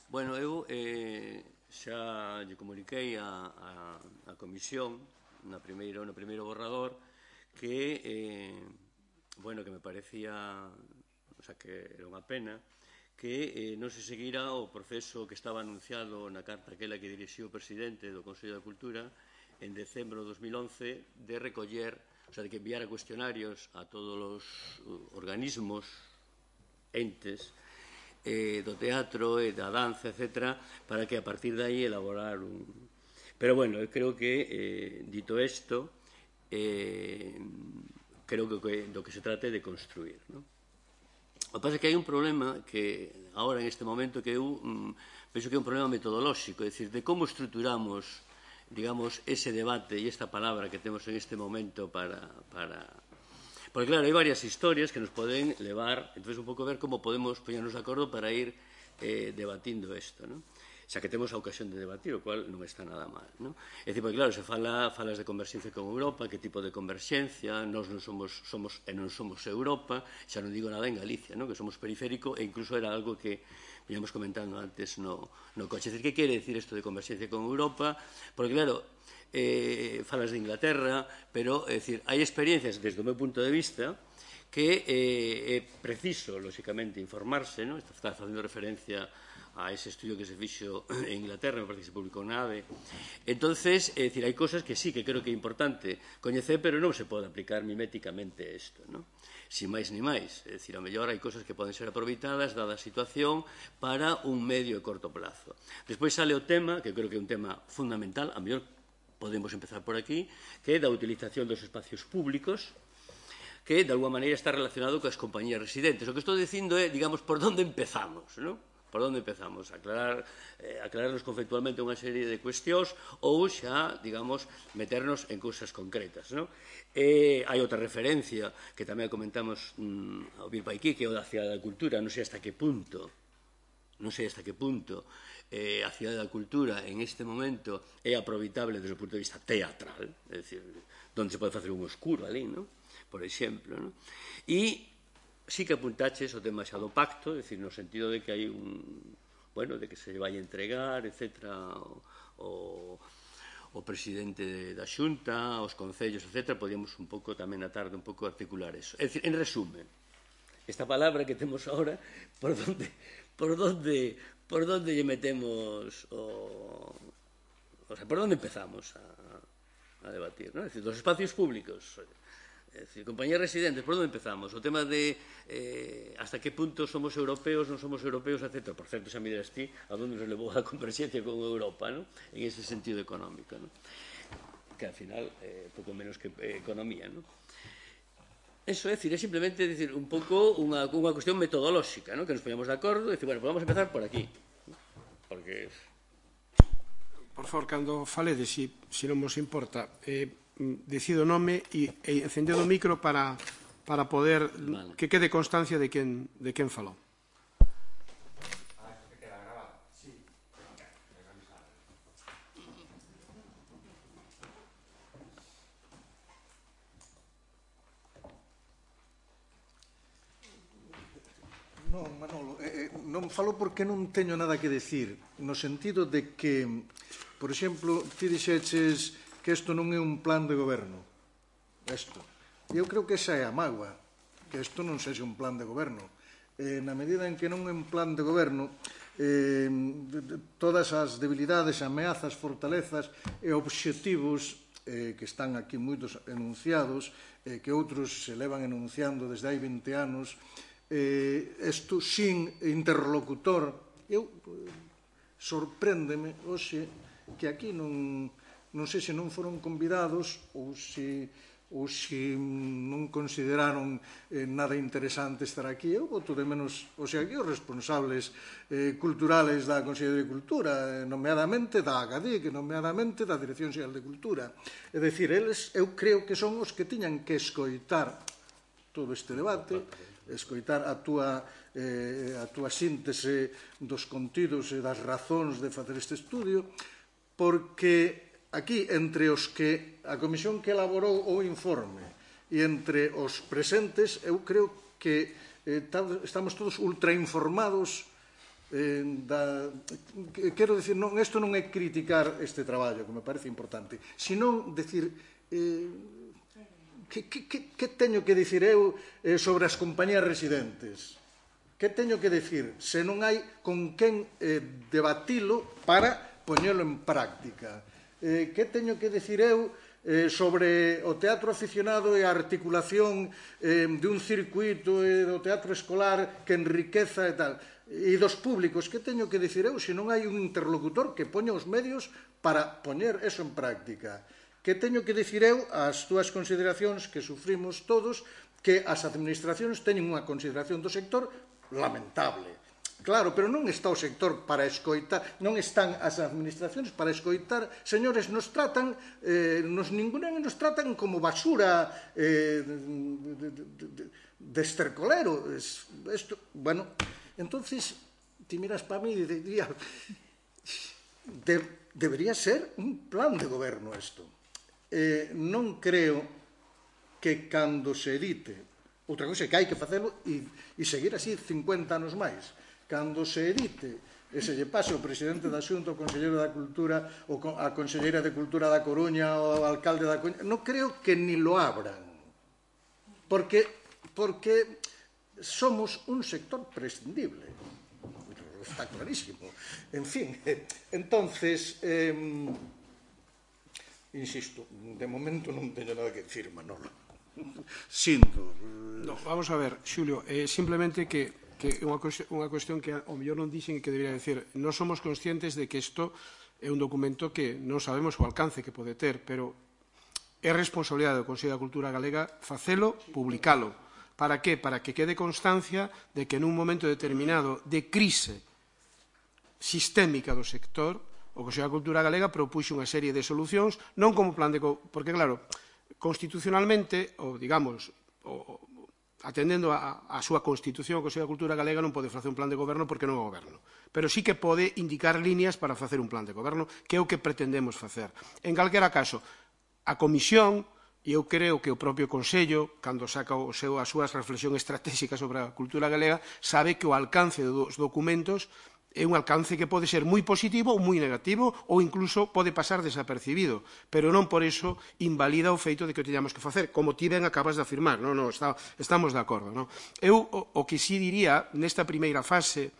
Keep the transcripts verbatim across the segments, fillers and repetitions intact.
Bueno, eu eh, xa lle comuniquei a, a, a comisión na primeiro, no primeiro borrador que, eh, bueno, que me parecía, o sea, que era unha pena que eh, non se seguira o proceso que estaba anunciado na carta aquela que dirixiu o presidente do Consello da Cultura en decembro de dos mil once de recoller, o sea, de que enviara cuestionarios a todos os organismos, entes, eh, do teatro e da danza, etcétera, para que a partir de aí elaborar un... Pero, bueno, eu creo que, eh, dito isto, eh, creo que do que se trate de construir, ¿no? O que pasa é que hai un problema que, agora, en este momento, que eu mm, penso que é un problema metodolóxico, é dicir, de como estruturamos, digamos, ese debate e esta palabra que temos en este momento para... para Porque, claro, hai varias historias que nos poden levar, entonces un pouco ver como podemos poñernos de acordo para ir eh, debatindo isto, ¿no? Xa que temos a ocasión de debatir, o cual non está nada mal, ¿no? É dicir, porque, claro, se fala, falas de converxencia con Europa, que tipo de converxencia, nós non somos, somos e non somos Europa, xa non digo nada en Galicia, ¿no? Que somos periférico, e incluso era algo que veníamos comentando antes no, no coche. É dicir, que quere decir isto de converxencia con Europa? Porque, claro, Eh, falas de Inglaterra, pero, é dicir, hai experiencias, desde o meu punto de vista, que eh, é preciso, lóxicamente, informarse, ¿no? Está facendo referencia a ese estudio que se fixo en Inglaterra, me parece que se publicou na A D E. Entonces, é dicir, hai cosas que sí, que creo que é importante coñecer, pero non se pode aplicar miméticamente isto, ¿no? Sin máis ni máis. É dicir, a mellor hai cosas que poden ser aproveitadas, dada a situación, para un medio e corto plazo. Despois sale o tema, que creo que é un tema fundamental, a mellor podemos empezar por aquí, que é da utilización dos espacios públicos, que de alguma maneira está relacionado coas compañías residentes. O que estou dicindo é, digamos, por onde empezamos, non? Por onde empezamos? Aclarar, eh, aclararnos conceptualmente unha serie de cuestións ou xa, digamos, meternos en cousas concretas, non? Eh, hai outra referencia que tamén comentamos mm, ao vir pa aquí, que é o da Cidade da Cultura, non sei hasta que punto, non sei hasta que punto eh, a Cidade da Cultura en este momento é aproveitable desde o punto de vista teatral, é dicir, onde se pode facer un oscuro ali, non? Por exemplo, non? E sí que apuntaches o tema xa do pacto, é dicir, no sentido de que hai un, bueno, de que se vai entregar, etcétera, o, o presidente da Xunta, os concellos, etcétera, podíamos un pouco tamén na tarde un pouco articular eso. É dicir, en resumen, esta palabra que temos ahora, por donde, por donde, por donde lle metemos o, o sea, por donde empezamos a, a debatir, ¿no? É dicir, dos espacios públicos, é dicir, compañías residentes, por onde empezamos? O tema de eh, hasta que punto somos europeos, non somos europeos, etcétera. Por certo, xa me dirás ti a donde nos levou a converxencia con Europa, ¿no? En ese sentido económico, ¿no? Que al final, eh, pouco menos que eh, economía, ¿no? Eso é, é simplemente decir, un pouco unha, unha cuestión metodolóxica, ¿no? Que nos poñamos de acordo e dicir, bueno, pues vamos a empezar por aquí. Porque... Por favor, cando faledes, se si, si non vos importa, eh, decido o nome e, e encendedo o micro para, para poder vale. Que quede constancia de quen, de quen falou. Non, Manolo, eh, non falo porque non teño nada que decir, no sentido de que, por exemplo, ti dixeches que isto non é un plan de goberno. Isto. Eu creo que esa é a mágoa, que isto non sexa un plan de goberno. Eh, na medida en que non é un plan de goberno, eh, todas as debilidades, ameazas, fortalezas e obxectivos eh, que están aquí moitos enunciados, eh, que outros se levan enunciando desde hai vinte anos, eh, isto sin interlocutor. Eu eh, sorpréndeme hoxe que aquí non, non sei se non foron convidados ou se, ou se non consideraron eh, nada interesante estar aquí. Eu voto de menos, o sea, aquí os responsables eh, culturales da Consellería de Cultura, eh, nomeadamente da AGADIC, nomeadamente da Dirección Xeral de Cultura. É dicir, eles, eu creo que son os que tiñan que escoitar todo este debate, escoitar a túa, eh, a túa síntese dos contidos e das razóns de facer este estudio, porque aquí, entre os que a comisión que elaborou o informe e entre os presentes, eu creo que eh, estamos todos ultrainformados Quero dicir, isto non é criticar este traballo, que me parece importante, senón dicir... Que teño que dicir eu sobre as compañías residentes? Que teño que dicir se non hai con quen debatilo para poñelo en práctica? Que teño que dicir eu sobre o teatro aficionado e a articulación de un circuito e do teatro escolar que enriqueza e tal? E dos públicos, que teño que dicir eu se non hai un interlocutor que poña os medios para poñer eso en práctica? Que teño que dicir eu ás túas consideracións que sufrimos todos que as administracións teñen unha consideración do sector lamentable. Claro, pero non está o sector para escoitar, non están as administracións para escoitar. Señores, nos tratan, nos ningunen nos tratan como basura de estercolero. Bueno, entonces, ti miras para mí e diría, debería ser un plan de goberno isto. Non creo que cando se edite, outra cousa é que hai que facelo e seguir así cincuenta anos máis, cando se edite e se lle pase ao presidente da Xunta, ao conselleiro da Cultura, ou a conselleira de Cultura da Coruña, ou ao alcalde da Coruña, non creo que ni lo abran, porque somos un sector prescindible, está clarísimo. En fin, entonces... Insisto, de momento non teño nada que dicir, Manolo. Sinto. Vamos a ver, Xulio, simplemente que é unha cuestión que ao mellor non dixen e que debería dicir. Non somos conscientes de que isto é un documento que non sabemos o alcance que pode ter, pero é responsabilidade do Consello da Cultura Galega facelo, publicalo. Para que? Para que quede constancia de que nun momento determinado de crise sistémica do sector, o Consello da Cultura Galega propuxo unha serie de solucións, non como plan de... Porque, claro, constitucionalmente, ou, digamos, atendendo a súa Constitución, o Consello da Cultura Galega non pode facer un plan de goberno porque non é goberno. Pero sí que pode indicar líneas para facer un plan de goberno, que é o que pretendemos facer. En calquera caso, a Comisión, e eu creo que o propio Consello, cando saca as súas reflexións estratégicas sobre a cultura galega, sabe que o alcance dos documentos é un alcance que pode ser moi positivo ou moi negativo ou incluso pode pasar desapercibido, pero non por iso invalida o feito de que o teñamos que facer, como ti ben acabas de afirmar, non, non, estamos de acordo. Eu o que sí diría nesta primeira fase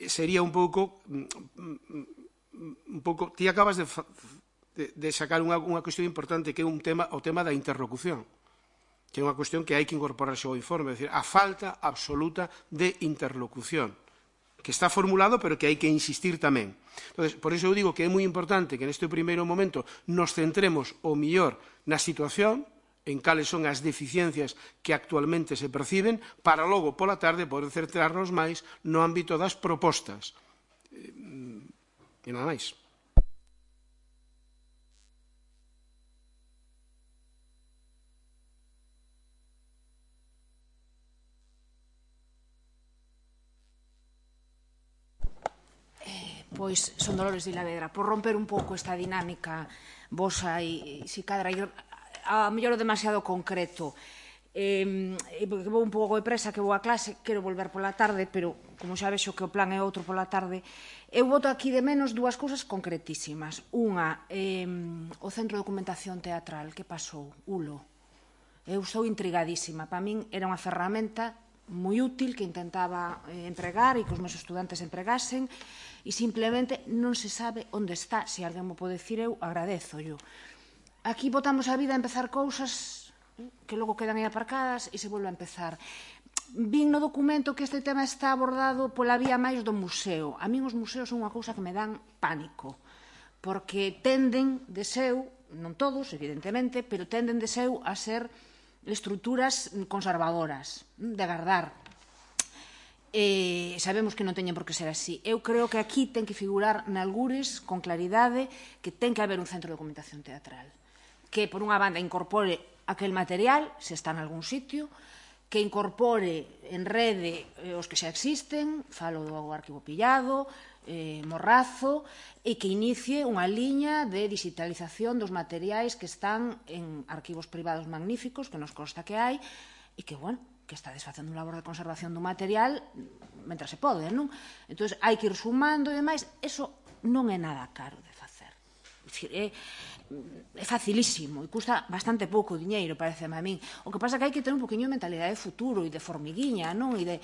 sería un pouco, un pouco, ti acabas de de sacar unha cuestión importante que é un tema, o tema da interlocución, que é unha cuestión que hai que incorporarse ao informe, é dicir, a falta absoluta de interlocución, que está formulado, pero que hai que insistir tamén. Entonces, por iso eu digo que é moi importante que neste primeiro momento nos centremos o mellor na situación, en cales son as deficiencias que actualmente se perciben, para logo, pola tarde, poder centrarnos máis no ámbito das propostas. E nada máis. Pois son Dolores de Ilavedra, por romper un pouco esta dinámica vosa e si cadra a mellor demasiado concreto, porque vou un pouco de presa que vou a clase, quero volver pola tarde, pero como xa vexo que o plan é outro pola tarde, eu boto aquí de menos dúas cousas concretísimas. Unha, o Centro de Documentación Teatral, que pasou? Ulo. Eu estou intrigadísima. Para min era unha ferramenta moi útil que intentaba empregar e que os meus estudantes empregasen e simplemente non se sabe onde está. Se alguén mo pode dicir, eu agradezo-llo. Aquí botamos a vida a empezar cousas que logo quedan aí aparcadas e se volve a empezar. Vin no documento que este tema está abordado pola vía máis do museo. A min os museos son unha cousa que me dan pánico, porque tenden de seu, non todos, evidentemente, pero tenden de seu a ser estruturas conservadoras, de agardar. Sabemos que non teñen por que ser así. Eu creo que aquí ten que figurar nalgures con claridade que ten que haber un centro de documentación teatral que, por unha banda, incorpore aquel material, se está en algún sitio, que incorpore en rede os que xa existen, falo do Arquivo Pillado, Morrazo, e que inicie unha liña de digitalización dos materiais que están en arquivos privados magníficos, que nos consta que hai, e que, bueno, que estades facendo un labor de conservación do material mentre se pode, non? Entón, hai que ir sumando e demais. Eso non é nada caro de facer. É, é facilísimo e custa bastante pouco diñeiro, pareceme a min. O que pasa é que hai que ter un poquinho de mentalidade de futuro e de formiguiña, non? E de,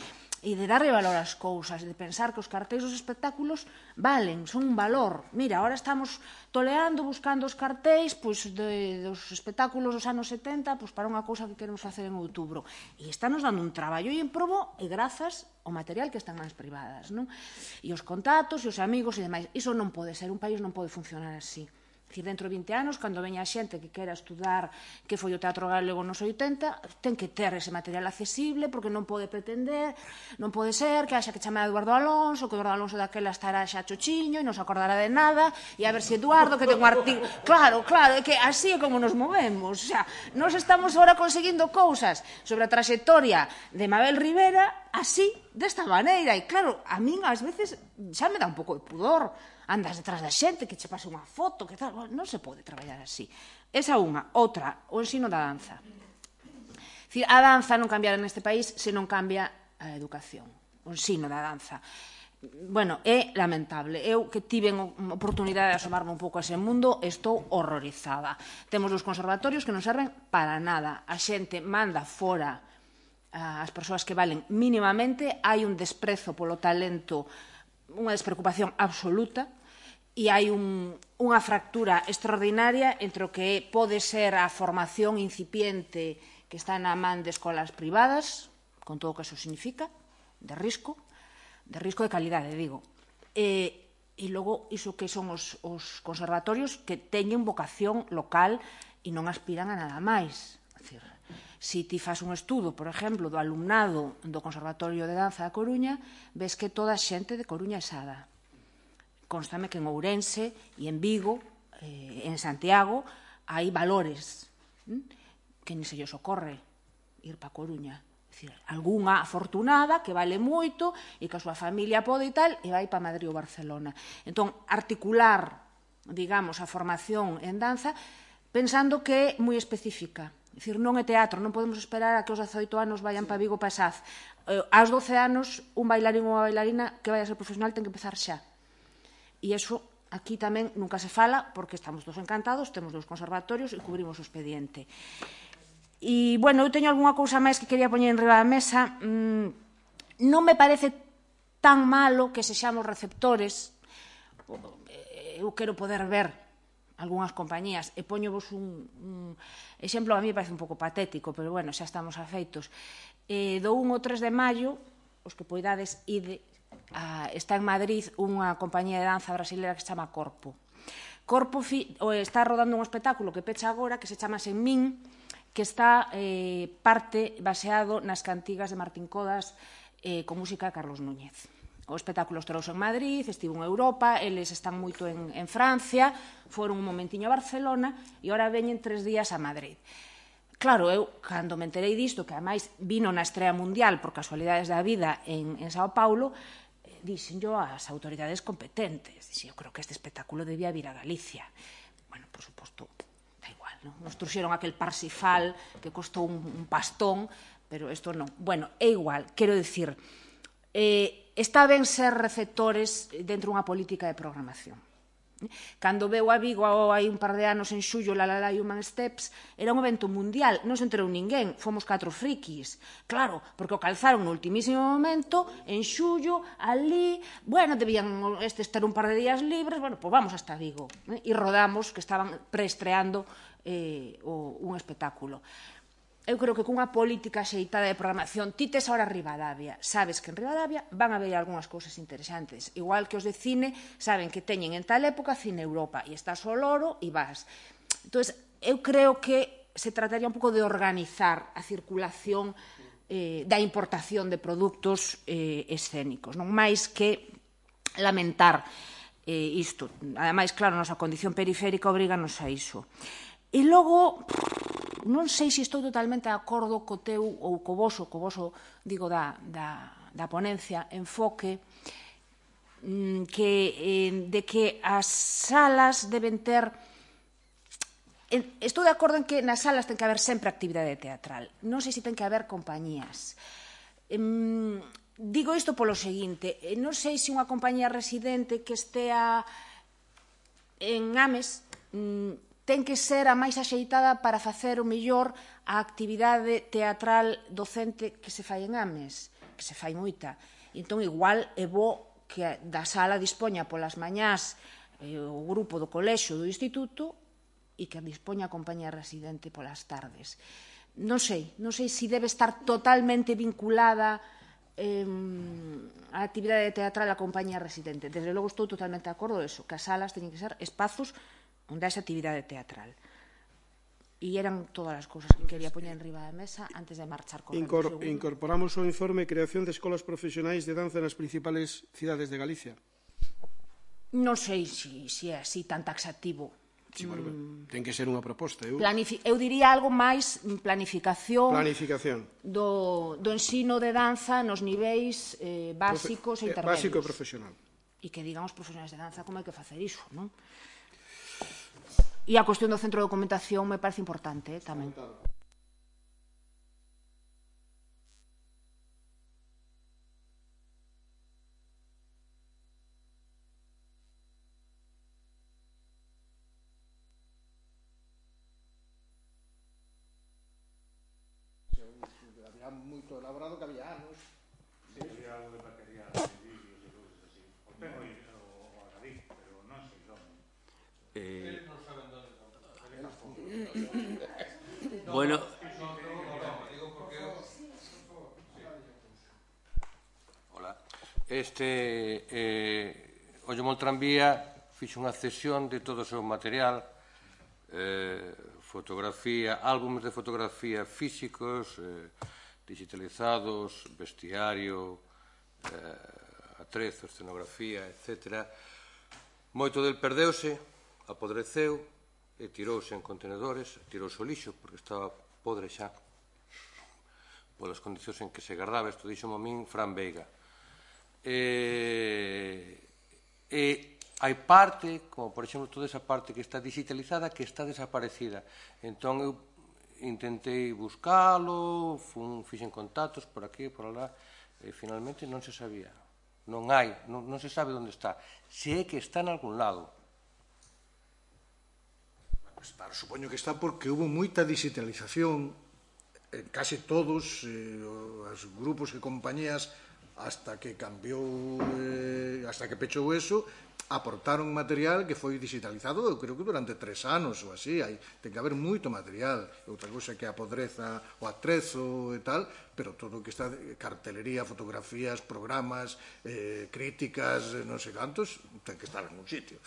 e de darle valor ás cousas, e de pensar que os cartéis dos espectáculos valen, son un valor. Mira, ahora estamos toleando, buscando os cartéis pois, de, dos espectáculos dos anos setenta pois, para unha cousa que queremos facer en outubro. E estános dando un traballo e en probo e grazas ao material que están nas privadas, non? E os contactos e os amigos e demais. Iso non pode ser, un país non pode funcionar así. Dicir, dentro de vinte anos, cando veña a xente que quera estudar que foi o teatro galego nos oitenta, ten que ter ese material accesible, porque non pode pretender, non pode ser que haxa que chamar a Eduardo Alonso, que Eduardo Alonso daquela estará xa chochiño e non se acordará de nada, e a ver se Eduardo, que ten un artigo... Claro, claro, é que así é como nos movemos. O sea, nos estamos agora conseguindo cousas sobre a traxectoria de Mabel Rivera así, desta maneira. E claro, a min ás veces xa me dá un pouco de pudor. Andas detrás da xente, que che pase unha foto, que tal, non se pode traballar así. Esa unha. Outra, o ensino da danza. Dicir, a danza non cambiará neste país se non cambia a educación, o ensino da danza. Bueno, é lamentable. Eu que tiven oportunidade de asomarme un pouco a ese mundo, estou horrorizada. Temos os conservatorios que non serven para nada. A xente manda fora as persoas que valen mínimamente, hai un desprezo polo talento, unha despreocupación absoluta, e hai un, unha fractura extraordinaria entre o que pode ser a formación incipiente que está na man de escolas privadas, con todo o que eso significa, de risco, de risco de calidade, digo, e, e logo iso que son os, os conservatorios que teñen vocación local e non aspiran a nada máis. É dicir, se ti fas un estudo, por exemplo, do alumnado do Conservatorio de Danza da Coruña, ves que toda a xente de Coruña é sada. Constame que en Ourense e en Vigo, eh, en Santiago, hai valores hm? que ni se lles ocorre ir pa Coruña. É dicir, algunha afortunada que vale moito e que a súa familia pode e tal, e vai pa Madrid ou Barcelona. Entón, articular, digamos, a formación en danza pensando que é moi específica. É dicir, non é teatro, non podemos esperar a que os dezaoito anos vayan para Vigo, para Saz. Aos doce anos, un bailarín ou unha bailarina que vai a ser profesional ten que empezar xa. E iso aquí tamén nunca se fala, porque estamos dos encantados, temos dos conservatorios e cubrimos o expediente. E, bueno, eu teño algunha cousa máis que quería poñer en riba da mesa. Mm, non me parece tan malo que sexamos receptores. Eu quero poder ver algunhas compañías, e poñovos un, un exemplo, a mí parece un pouco patético, pero bueno, xa estamos afeitos. Eh, do un ao tres de maio, os que poidades ide, a, está en Madrid unha compañía de danza brasileira que se chama Corpo. Corpo fi, o, está rodando un espectáculo que pecha agora, que se chama Senmín, que está eh, parte baseado nas cantigas de Martín Codas eh, con música de Carlos Núñez. O espectáculo estrouse en Madrid, estivo en Europa, eles están moito en, en Francia, foron un momentiño a Barcelona e ora veñen tres días a Madrid. Claro, eu, cando me enterei disto, que ademais vino na estrea mundial por casualidades da vida en, en Sao Paulo, eh, dixen yo ás autoridades competentes. Dixen, eu creo que este espectáculo debía vir a Galicia. Bueno, por suposto, da igual, non? Nos truxeron aquel Parsifal que costou un, un pastón, pero isto non. Bueno, é igual, quero dicir, eh, está ben ser receptores dentro dunha política de programación. Cando veu a Vigo hai un par de anos en xullo La La La Human Steps, era un evento mundial, non se enterou ninguén, fomos catro frikis. Claro, porque o calzaron no ultimísimo momento, en xullo, ali, bueno, debían estes ter un par de días libres, bueno, pois vamos hasta Vigo. Eh? E rodamos, que estaban preestreando eh, o, un espectáculo. Eu creo que cunha política xeitada de programación, ti tes ahora Ribadavia, sabes que en Ribadavia van a ver algunhas cousas interesantes, igual que os de cine saben que teñen en tal época Cine Europa, e estás ao loro e vas. Entón, eu creo que se trataría un pouco de organizar a circulación eh, da importación de produtos eh, escénicos, non máis que lamentar eh, isto. Ademais, claro, a nosa condición periférica obriganos a iso. E logo, non sei se estou totalmente de acordo co teu, ou co voso, co voso, digo, da, da, da ponencia, enfoque, que, eh, de que as salas deben ter Estou de acordo en que nas salas ten que haber sempre actividade teatral. Non sei se ten que haber compañías. Digo isto polo seguinte, non sei se unha compañía residente que estea en Ames ten que ser a máis axeitada para facer o mellor a actividade teatral docente que se fai en Ames, que se fai moita. Entón, igual é bo que da sala dispoña polas mañás o grupo do colexio do instituto e que dispoña a compañía residente polas tardes. Non sei, non sei se debe estar totalmente vinculada a actividade teatral a compañía residente. Desde logo estou totalmente de acordo eso, que as salas teñen que ser espazos onde haxe actividade teatral. E eran todas as cousas que quería poñer en riba da mesa antes de marchar con o segundo. Incorporamos o informe Creación de escolas profesionais de danza nas principales cidades de Galicia. Non sei se é así tan taxativo. Sí, bueno, ten que ser unha proposta. Eu diría algo máis planificación do ensino de danza nos niveis básicos e intermedios. Básico e profesional. E que digan os profesionais de danza como hai que facer iso, non? E a cuestión do centro de documentación me parece importante tamén. Había moito elaborado que había anos. Había algo de material, de vídeos e cousas así. O tengo o Agadí, pero non sei onde. Eles non saben onde está. Bueno... Hola. Este... O Llemol Tranvía fixo unha cesión de todo o seu material, fotografía, álbumes de fotografía físicos, digitalizados, vestiario, atrezo, escenografía, etcétera. Moito del perdeuse, apodreceu e tirouse en contenedores, tirouse o lixo porque estaba podre xa polas condicións en que se guardaba. Isto dixo a min Fran Veiga. E hai parte, como por exemplo toda esa parte que está digitalizada, que está desaparecida. Entón eu intentei buscalo, fixen contactos por aquí, por alá, e finalmente non se sabía. Non hai, non se sabe onde está. Se é que está en algún lado. Supoño que está porque hubo moita digitalización en case todos os grupos e compañías hasta que cambiou, hasta que pechou eso, aportaron material que foi digitalizado, eu creo que durante tres anos ou así, ten que haber moito material, outra cousa que a podreza, o atrezo e tal, pero todo o que está, cartelería, fotografías, programas, críticas, non sei cantos, ten que estar en un sitio.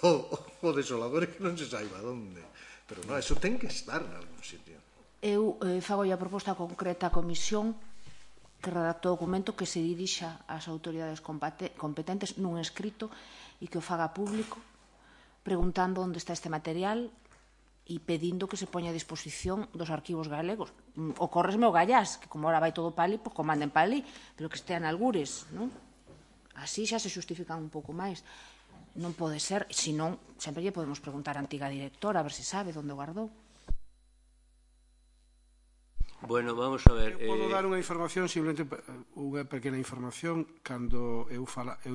O desolador é que non se saiba onde, pero non, eso ten que estar en algún sitio. Eu fago a proposta concreta á comisión que redactou o documento que se dirixa ás autoridades competentes nun escrito e que o faga público preguntando onde está este material e pedindo que se poña a disposición dos arquivos galegos. Ocórresme o Gallás, que como ahora vai todo pali, pois comanden pali, pero que estean algures, non? Así xa se xustifican un pouco máis. Non pode ser, senón, sempre lle podemos preguntar á antiga directora a ver se sabe onde o guardou. Bueno, vamos a ver... Eu podo dar unha información, simplemente unha pequena información. Cando eu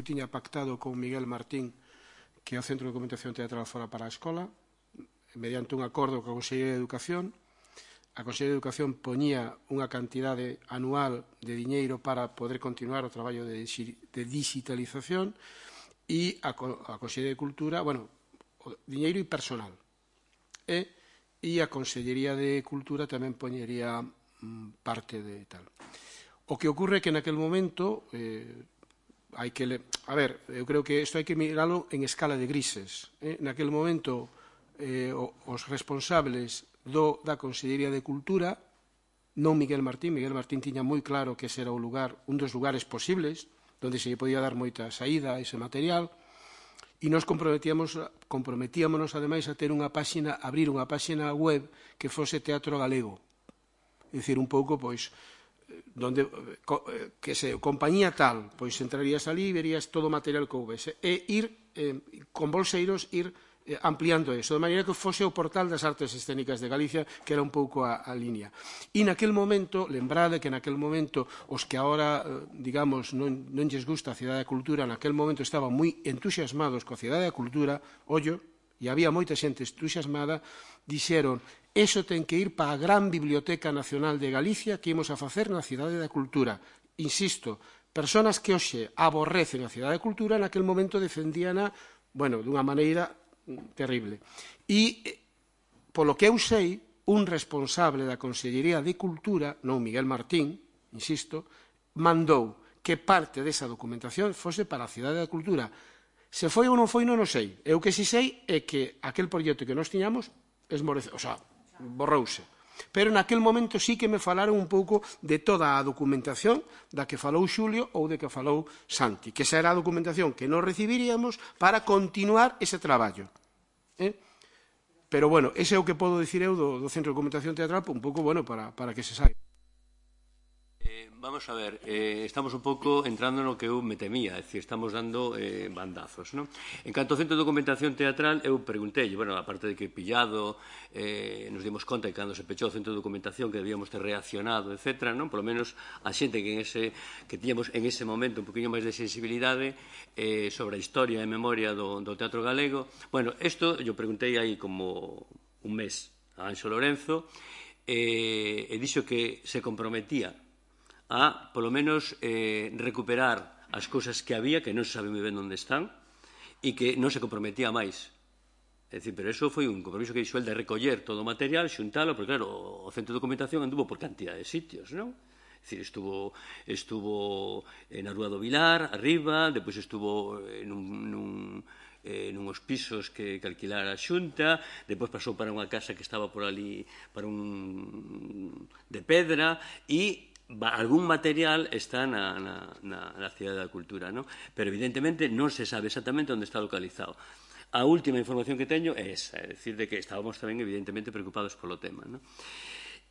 tiña pactado con Miguel Martín que o Centro de Documentación Teatral fora para a escola, mediante un acordo coa Consellería de Educación, a Consellería de Educación poñía unha cantidade anual de diñeiro para poder continuar o traballo de digitalización e a Consellería de Cultura, bueno, diñeiro e personal. E a Consellería de Cultura tamén poñería parte de tal. O que ocurre é que naquel momento hai que... A ver, eu creo que isto hai que miralo en escala de grises. Naquel momento os responsables da Consellería de Cultura, non Miguel Martín, Miguel Martín tiña moi claro que ese era o lugar, un dos lugares posibles, onde se lle podía dar moita saída a ese material, e nos comprometíamos, comprometíamonos ademais a ter unha páxina, abrir unha páxina web que fose Teatro Galego. É dicir, un pouco, pois, donde, que se, compañía tal, pois entrarías ali e verías todo o material que houvese. E ir, con bolseiros, ir ampliando eso, de maneira que fose o portal das artes escénicas de Galicia, que era un pouco a, a línea. E naquel momento, lembrade que naquel momento os que agora, digamos, non, non lles gusta a Cidade da Cultura, naquel momento estaban moi entusiasmados coa Cidade da Cultura, ollo, e había moita xente entusiasmada, dixeron, eso ten que ir para a gran Biblioteca Nacional de Galicia que imos a facer na Cidade da Cultura. Insisto, personas que hoxe aborrecen a Cidade da Cultura, naquel momento defendíana, bueno, dunha maneira terrible. E, polo que eu sei, un responsable da Consellería de Cultura, non Miguel Martín, insisto, mandou que parte desa documentación fose para a Cidade da Cultura. Se foi ou non foi, non o sei. Eu que si sei é que aquel proxecto que nós tiñamos esmorece, o sea, borrouse. Pero naquel momento sí que me falaron un pouco de toda a documentación da que falou Xulio ou de que falou Santi, que esa era a documentación que nos recibiríamos para continuar ese traballo. Eh? Pero, bueno, ese é o que podo dicir eu do, do Centro de Documentación Teatral, un pouco, bueno, para, para que se saiba. Eh, vamos a ver, eh, estamos un pouco entrando no que eu me temía, é dicir, estamos dando eh, bandazos, non? En canto ao Centro de Documentación Teatral, eu preguntei, bueno, aparte de que pillado, eh, nos dimos conta que cando se pechou o Centro de Documentación que debíamos ter reaccionado, etcétera, non? Por lo menos a xente que, en ese, que tíamos en ese momento un poquinho máis de sensibilidade eh, sobre a historia e memoria do, do teatro galego. Bueno, isto eu preguntei aí como un mes a Anxo Lorenzo eh, e dixo que se comprometía a, polo menos, eh, recuperar as cousas que había, que non se sabe moi ben onde están, e que non se comprometía máis. É dicir, pero eso foi un compromiso que dixo el de recoller todo o material, xuntalo, porque, claro, o Centro de Documentación anduvo por cantidad de sitios, non? É dicir, estuvo, estuvo na Rúa do Vilar, arriba, depois estuvo en un... nun eh, nuns pisos que, que alquilara a Xunta, depois pasou para unha casa que estaba por ali, para un de pedra, e algún material está na, na, na, na Cidade da Cultura, ¿no? Pero evidentemente non se sabe exactamente onde está localizado. A última información que teño é esa, é dicir, de que estábamos tamén evidentemente preocupados polo tema, ¿no?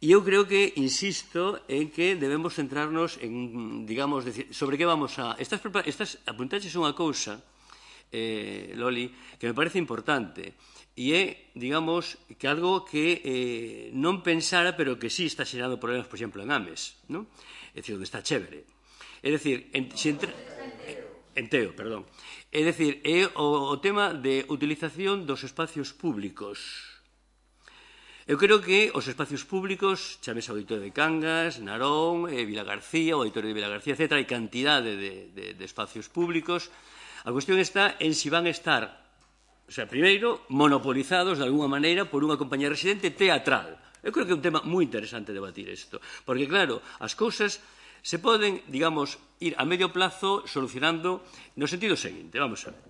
E eu creo que, insisto, en que debemos centrarnos en, digamos, decir, sobre que vamos a... Estas, estas apuntaches unha cousa, eh, Loli, que me parece importante, e é, digamos, que algo que eh, non pensara, pero que sí está xerando problemas, por exemplo, en Ames, non? É dicir, onde está chévere. É dicir, en, se entra... en Teo, perdón. É dicir, é o, o tema de utilización dos espacios públicos. Eu creo que os espacios públicos, chamese Auditorio de Cangas, Narón, eh, Vila García, o Auditorio de Vila García, etcétera, hai cantidade de, de, de espacios públicos. A cuestión está en si van a estar, o sea, primeiro, monopolizados de alguma maneira por unha compañía residente teatral. Eu creo que é un tema moi interesante debatir isto, porque, claro, as cousas se poden, digamos, ir a medio plazo solucionando no sentido seguinte. Vamos a ver.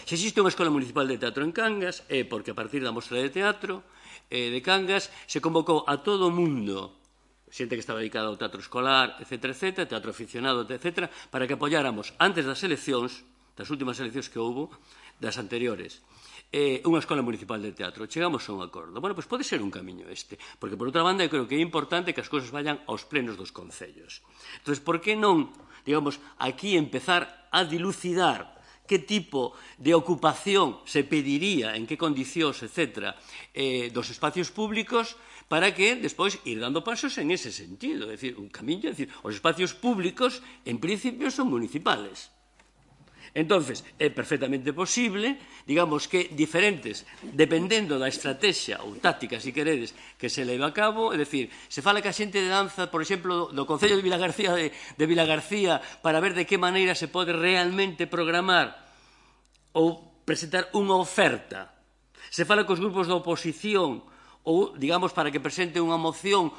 Se existe unha escola municipal de teatro en Cangas, é porque a partir da mostra de teatro eh, de Cangas se convocou a todo o mundo, xente que estaba dedicada ao teatro escolar, etcétera, etcétera, teatro aficionado, etcétera, para que apoyáramos antes das eleccións, das últimas eleccións que houbo, das anteriores, eh, unha escola municipal de teatro. Chegamos a un acordo. Bueno, pois pode ser un camiño este, porque, por outra banda, eu creo que é importante que as cousas vayan aos plenos dos concellos. Entón, por que non, digamos, aquí empezar a dilucidar que tipo de ocupación se pediría, en que condicións, etcétera, eh, dos espacios públicos, para que despois ir dando pasos en ese sentido. É dicir, un camiño, é dicir, os espacios públicos, en principio, son municipales. Entonces, é perfectamente posible, digamos que diferentes, dependendo da estrategia ou táctica, se queredes, que se leva a cabo, é dicir, se fala que a xente de danza, por exemplo, do Concello de Vilagarcía, de, de Vilagarcía, para ver de que maneira se pode realmente programar ou presentar unha oferta. Se fala cos grupos da oposición ou, digamos, para que presente unha moción.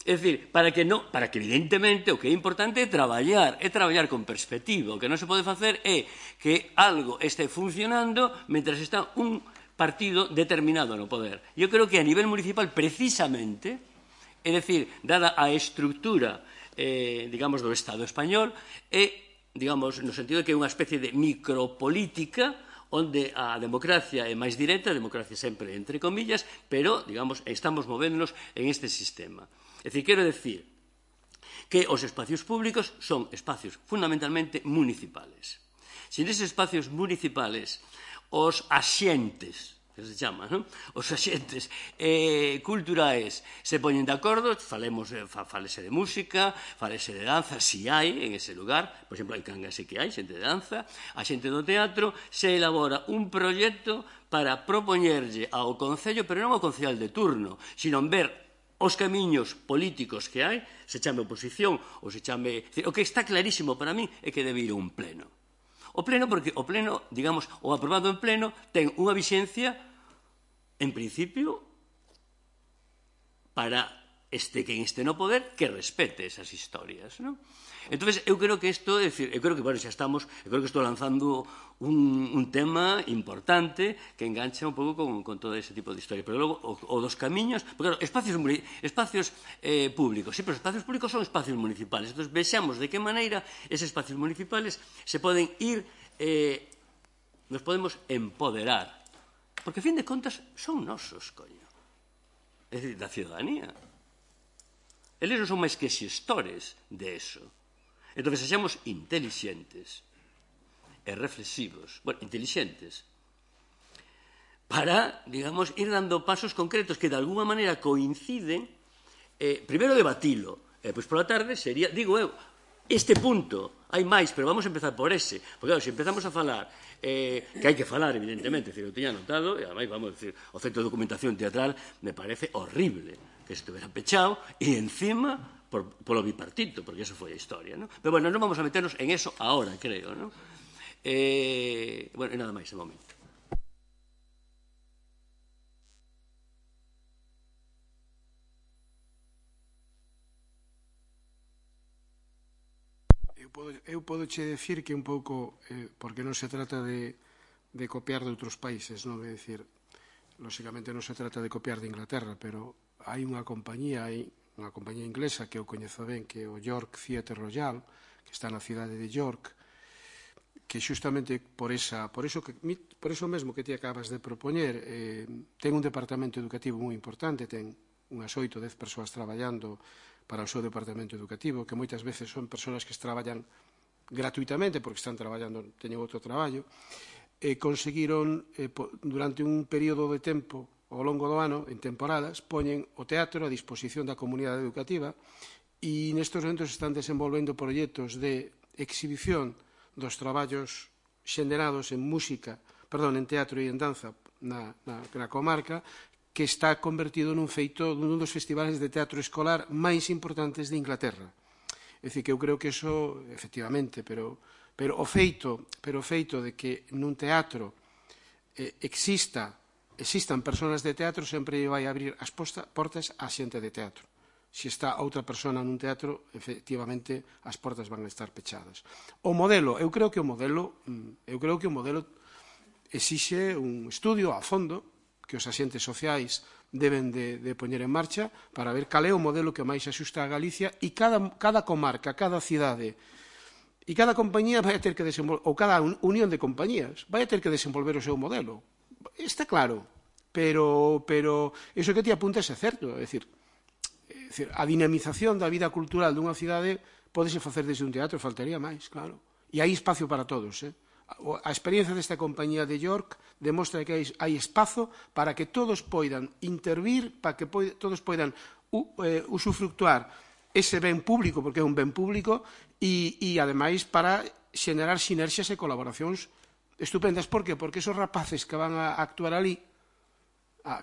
É dicir, para que, no, para que evidentemente o que é importante é traballar, é traballar con perspectiva. O que non se pode facer é que algo este funcionando mentras está un partido determinado no poder. Eu creo que a nivel municipal, precisamente, é dicir, dada a estructura, eh, digamos, do Estado español, é, digamos, no sentido de que é unha especie de micropolítica onde a democracia é máis directa, a democracia sempre entre comillas, pero, digamos, estamos movéndonos en este sistema. É dicir, quero decir que os espacios públicos son espacios fundamentalmente municipales. Se neses espacios municipales os axentes, que se chama, non? Os axentes eh, culturais se poñen de acordo, falemos, fa, falese de música, falese de danza, si hai en ese lugar, por exemplo, hai Cangas e que hai xente de danza, a xente do teatro, se elabora un proxecto para propoñerlle ao Concello, pero non ao Concejal de turno, sino ver os camiños políticos que hai, se chame oposición ou se chame... O que está clarísimo para mí é que debe ir un pleno. O pleno, porque o pleno, digamos, o aprobado en pleno, ten unha vixencia, en principio, para este quen este no poder, que respete esas historias, non? Entón, eu creo que isto, é dicir, eu creo que, bueno, xa estamos, eu creo que estou lanzando un, un tema importante que engancha un pouco con, con todo ese tipo de historia. Pero logo, o, o dos camiños, porque, claro, espacios, espacios eh, públicos, sí, pero os espacios públicos son espacios municipales. Entón, vexamos de que maneira esos espacios municipales se poden ir, eh, nos podemos empoderar. Porque, a fin de contas, son nosos, coño. É dicir, da ciudadanía. Eles non son máis que xestores de eso. Entón, sexamos intelixentes e reflexivos, bueno, intelixentes, para, digamos, ir dando pasos concretos que de alguma maneira coinciden, eh, primeiro debatilo, e pois pola tarde sería, digo eu, este punto, hai máis, pero vamos a empezar por ese, porque claro, se empezamos a falar, eh, que hai que falar, evidentemente, decir, eu teña anotado, e ademais, vamos a decir, o centro de documentación teatral me parece horrible que estuvera pechado, e encima por, polo bipartito, porque eso foi a historia, ¿no? Pero bueno, non vamos a meternos en eso ahora, creo, ¿no? Eh, bueno, e nada máis, de momento. Eu podo, eu podo che decir que un pouco, eh, porque non se trata de, de copiar de outros países, non? É dicir, lóxicamente non se trata de copiar de Inglaterra, pero hai unha compañía, hai unha compañía inglesa que eu coñezo ben, que é o York Theatre Royal, que está na cidade de York, que xustamente por, esa, por, eso, que, por eso mesmo que ti acabas de propoñer, eh, ten un departamento educativo moi importante, ten unhas oito, dez persoas traballando para o seu departamento educativo, que moitas veces son persoas que traballan gratuitamente porque están traballando, teñen outro traballo, e conseguiron, eh, durante un período de tempo, ao longo do ano, en temporadas, poñen o teatro a disposición da comunidade educativa e nestes momentos están desenvolvendo proxectos de exhibición dos traballos xenerados en música, perdón, en teatro e en danza na, na, na comarca, que está convertido nun feito dun dos festivales de teatro escolar máis importantes de Inglaterra. É dicir, que eu creo que eso, efectivamente, pero, pero o feito, pero o feito de que nun teatro eh, exista existan persoas de teatro sempre vai abrir as posta, portas á xente de teatro. Se está outra persona nun teatro, efectivamente, as portas van a estar pechadas. O modelo, eu creo que o modelo, eu creo que o modelo exixe un estudio a fondo que os axentes sociais deben de, de poñer en marcha para ver cal é o modelo que máis axusta a Galicia e cada, cada comarca, cada cidade e cada compañía vai a ter que desenvolver, ou cada unión de compañías vai a ter que desenvolver o seu modelo. Está claro, pero, pero eso que ti apuntas é certo, é dicir, é dicir, a dinamización da vida cultural dunha cidade pódese facer desde un teatro, faltaría máis, claro. E hai espacio para todos, eh? A experiencia desta compañía de York demostra que hai, hai espazo para que todos poidan intervir, para que poid, todos poidan u, eh, usufructuar ese ben público, porque é un ben público, e, e ademais para xenerar sinerxias e colaboracións estupendas. Por qué? Porque esos rapaces que van a actuar ali,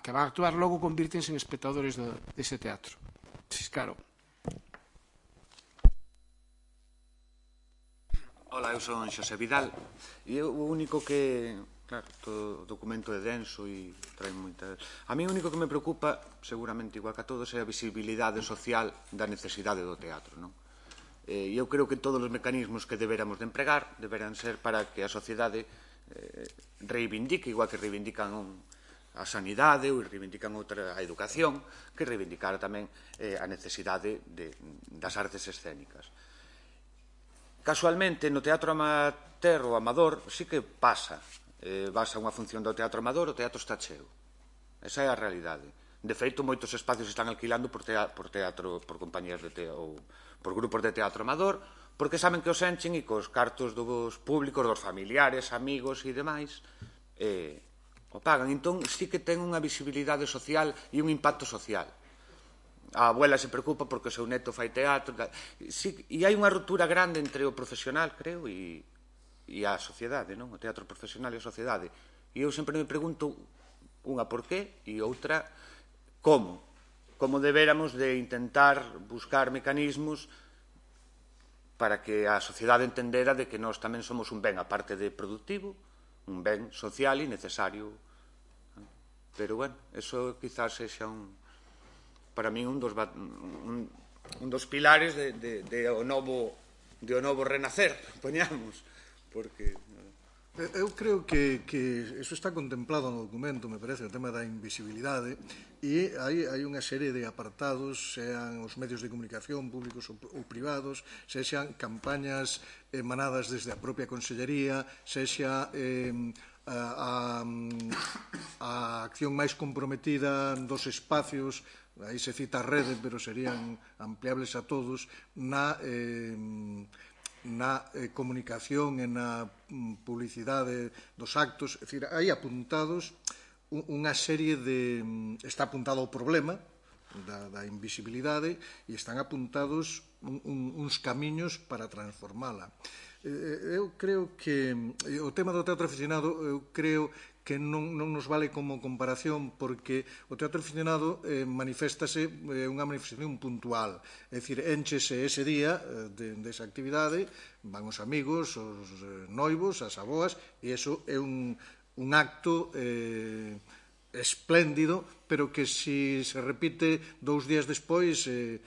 que van a actuar logo, convírtense en espectadores de, dese teatro. Sí, claro. Ola, eu son Xosé Vidal e eu o único que, claro, todo o documento é denso e trae moita... A mí o único que me preocupa, seguramente igual que a todos, é a visibilidade social da necesidade do teatro, non? E eu creo que todos os mecanismos que deberamos de empregar deberán ser para que a sociedade eh, reivindique, igual que reivindican a sanidade ou reivindican outra a educación, que reivindicar tamén eh, a necesidade de, das artes escénicas. Casualmente, no teatro amateur ou amador, sí que pasa. Eh, vas a unha función do teatro amador, o teatro está cheo. Esa é a realidade. De feito, moitos espacios están alquilando por teatro, por, teatro, por compañías de teatro, ou por grupos de teatro amador, porque saben que os enchen e cos cartos dos públicos, dos familiares, amigos e demais, o pagan. Entón, sí que ten unha visibilidade social e un impacto social. A abuela se preocupa porque o seu neto fai teatro. E hai unha ruptura grande entre o profesional, creo, e a sociedade, non? O teatro profesional e a sociedade. E eu sempre me pregunto unha por qué e outra como. Como deberamos de intentar buscar mecanismos para que a sociedade entendera de que nós tamén somos un ben, aparte de productivo, un ben social e necesario. Pero, bueno, eso quizás sexa un, para mí un dos, un, un dos pilares de, de, de, o novo, de o novo renacer, poñamos, porque... Eu creo que, que eso está contemplado no documento, me parece, o tema da invisibilidade, e hai, hai unha serie de apartados, sean os medios de comunicación públicos ou, ou privados, sexan campañas emanadas desde a propia Consellería, sexa eh, a, a, a acción máis comprometida dos espacios, aí se cita a rede, pero serían ampliables a todos, na... Eh, na eh, comunicación e na mm, publicidade dos actos, é dicir, hai apuntados unha serie de... está apuntado o problema da, da invisibilidade e están apuntados un, un, uns camiños para transformala. Eh, eu creo que o tema do teatro aficionado, eu creo que non, non nos vale como comparación porque o teatro aficionado eh, manifestase eh, unha manifestación puntual, é dicir, enchese ese día eh, de, desa actividade, van os amigos, os eh, noivos, as aboas, e iso é un, un acto eh, espléndido, pero que se se repite dous días despois eh,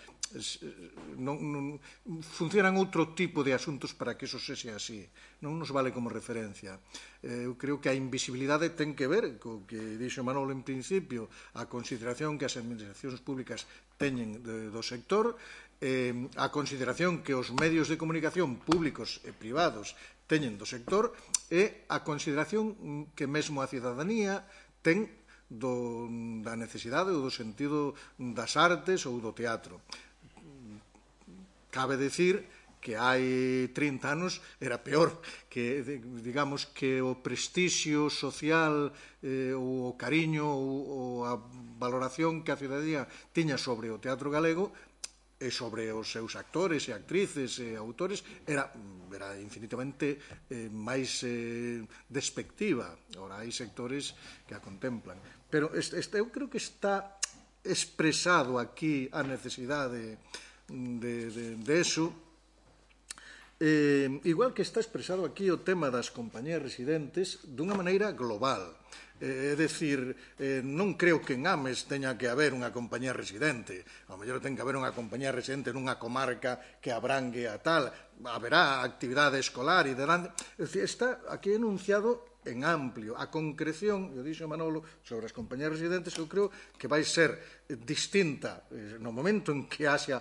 non, non, funcionan outro tipo de asuntos para que eso sexa así, non nos vale como referencia. Eu creo que a invisibilidade ten que ver co que dixo Manolo en principio, a consideración que as administracións públicas teñen de, do sector, eh, a consideración que os medios de comunicación públicos e privados teñen do sector e a consideración que mesmo a cidadanía ten do, da necesidade ou do sentido das artes ou do teatro. Cabe decir que hai trinta anos era peor, que digamos que o prestixio social, eh, o cariño ou a valoración que a cidadanía tiña sobre o teatro galego e sobre os seus actores e actrices e autores era, era infinitamente eh, máis eh, despectiva. Ora, hai sectores que a contemplan. Pero este, este, eu creo que está expresado aquí a necesidade de, de, de eso, eh, igual que está expresado aquí o tema das compañías residentes dunha maneira global. É dicir, eh, non creo que en Ames teña que haber unha compañía residente, ao mellor ten que haber unha compañía residente nunha comarca que abrangue a tal, haberá actividade escolar e delante, é dicir, está aquí enunciado en amplio. A concreción, eu dixo Manolo, sobre as compañías residentes, eu creo que vai ser distinta no momento en que haxa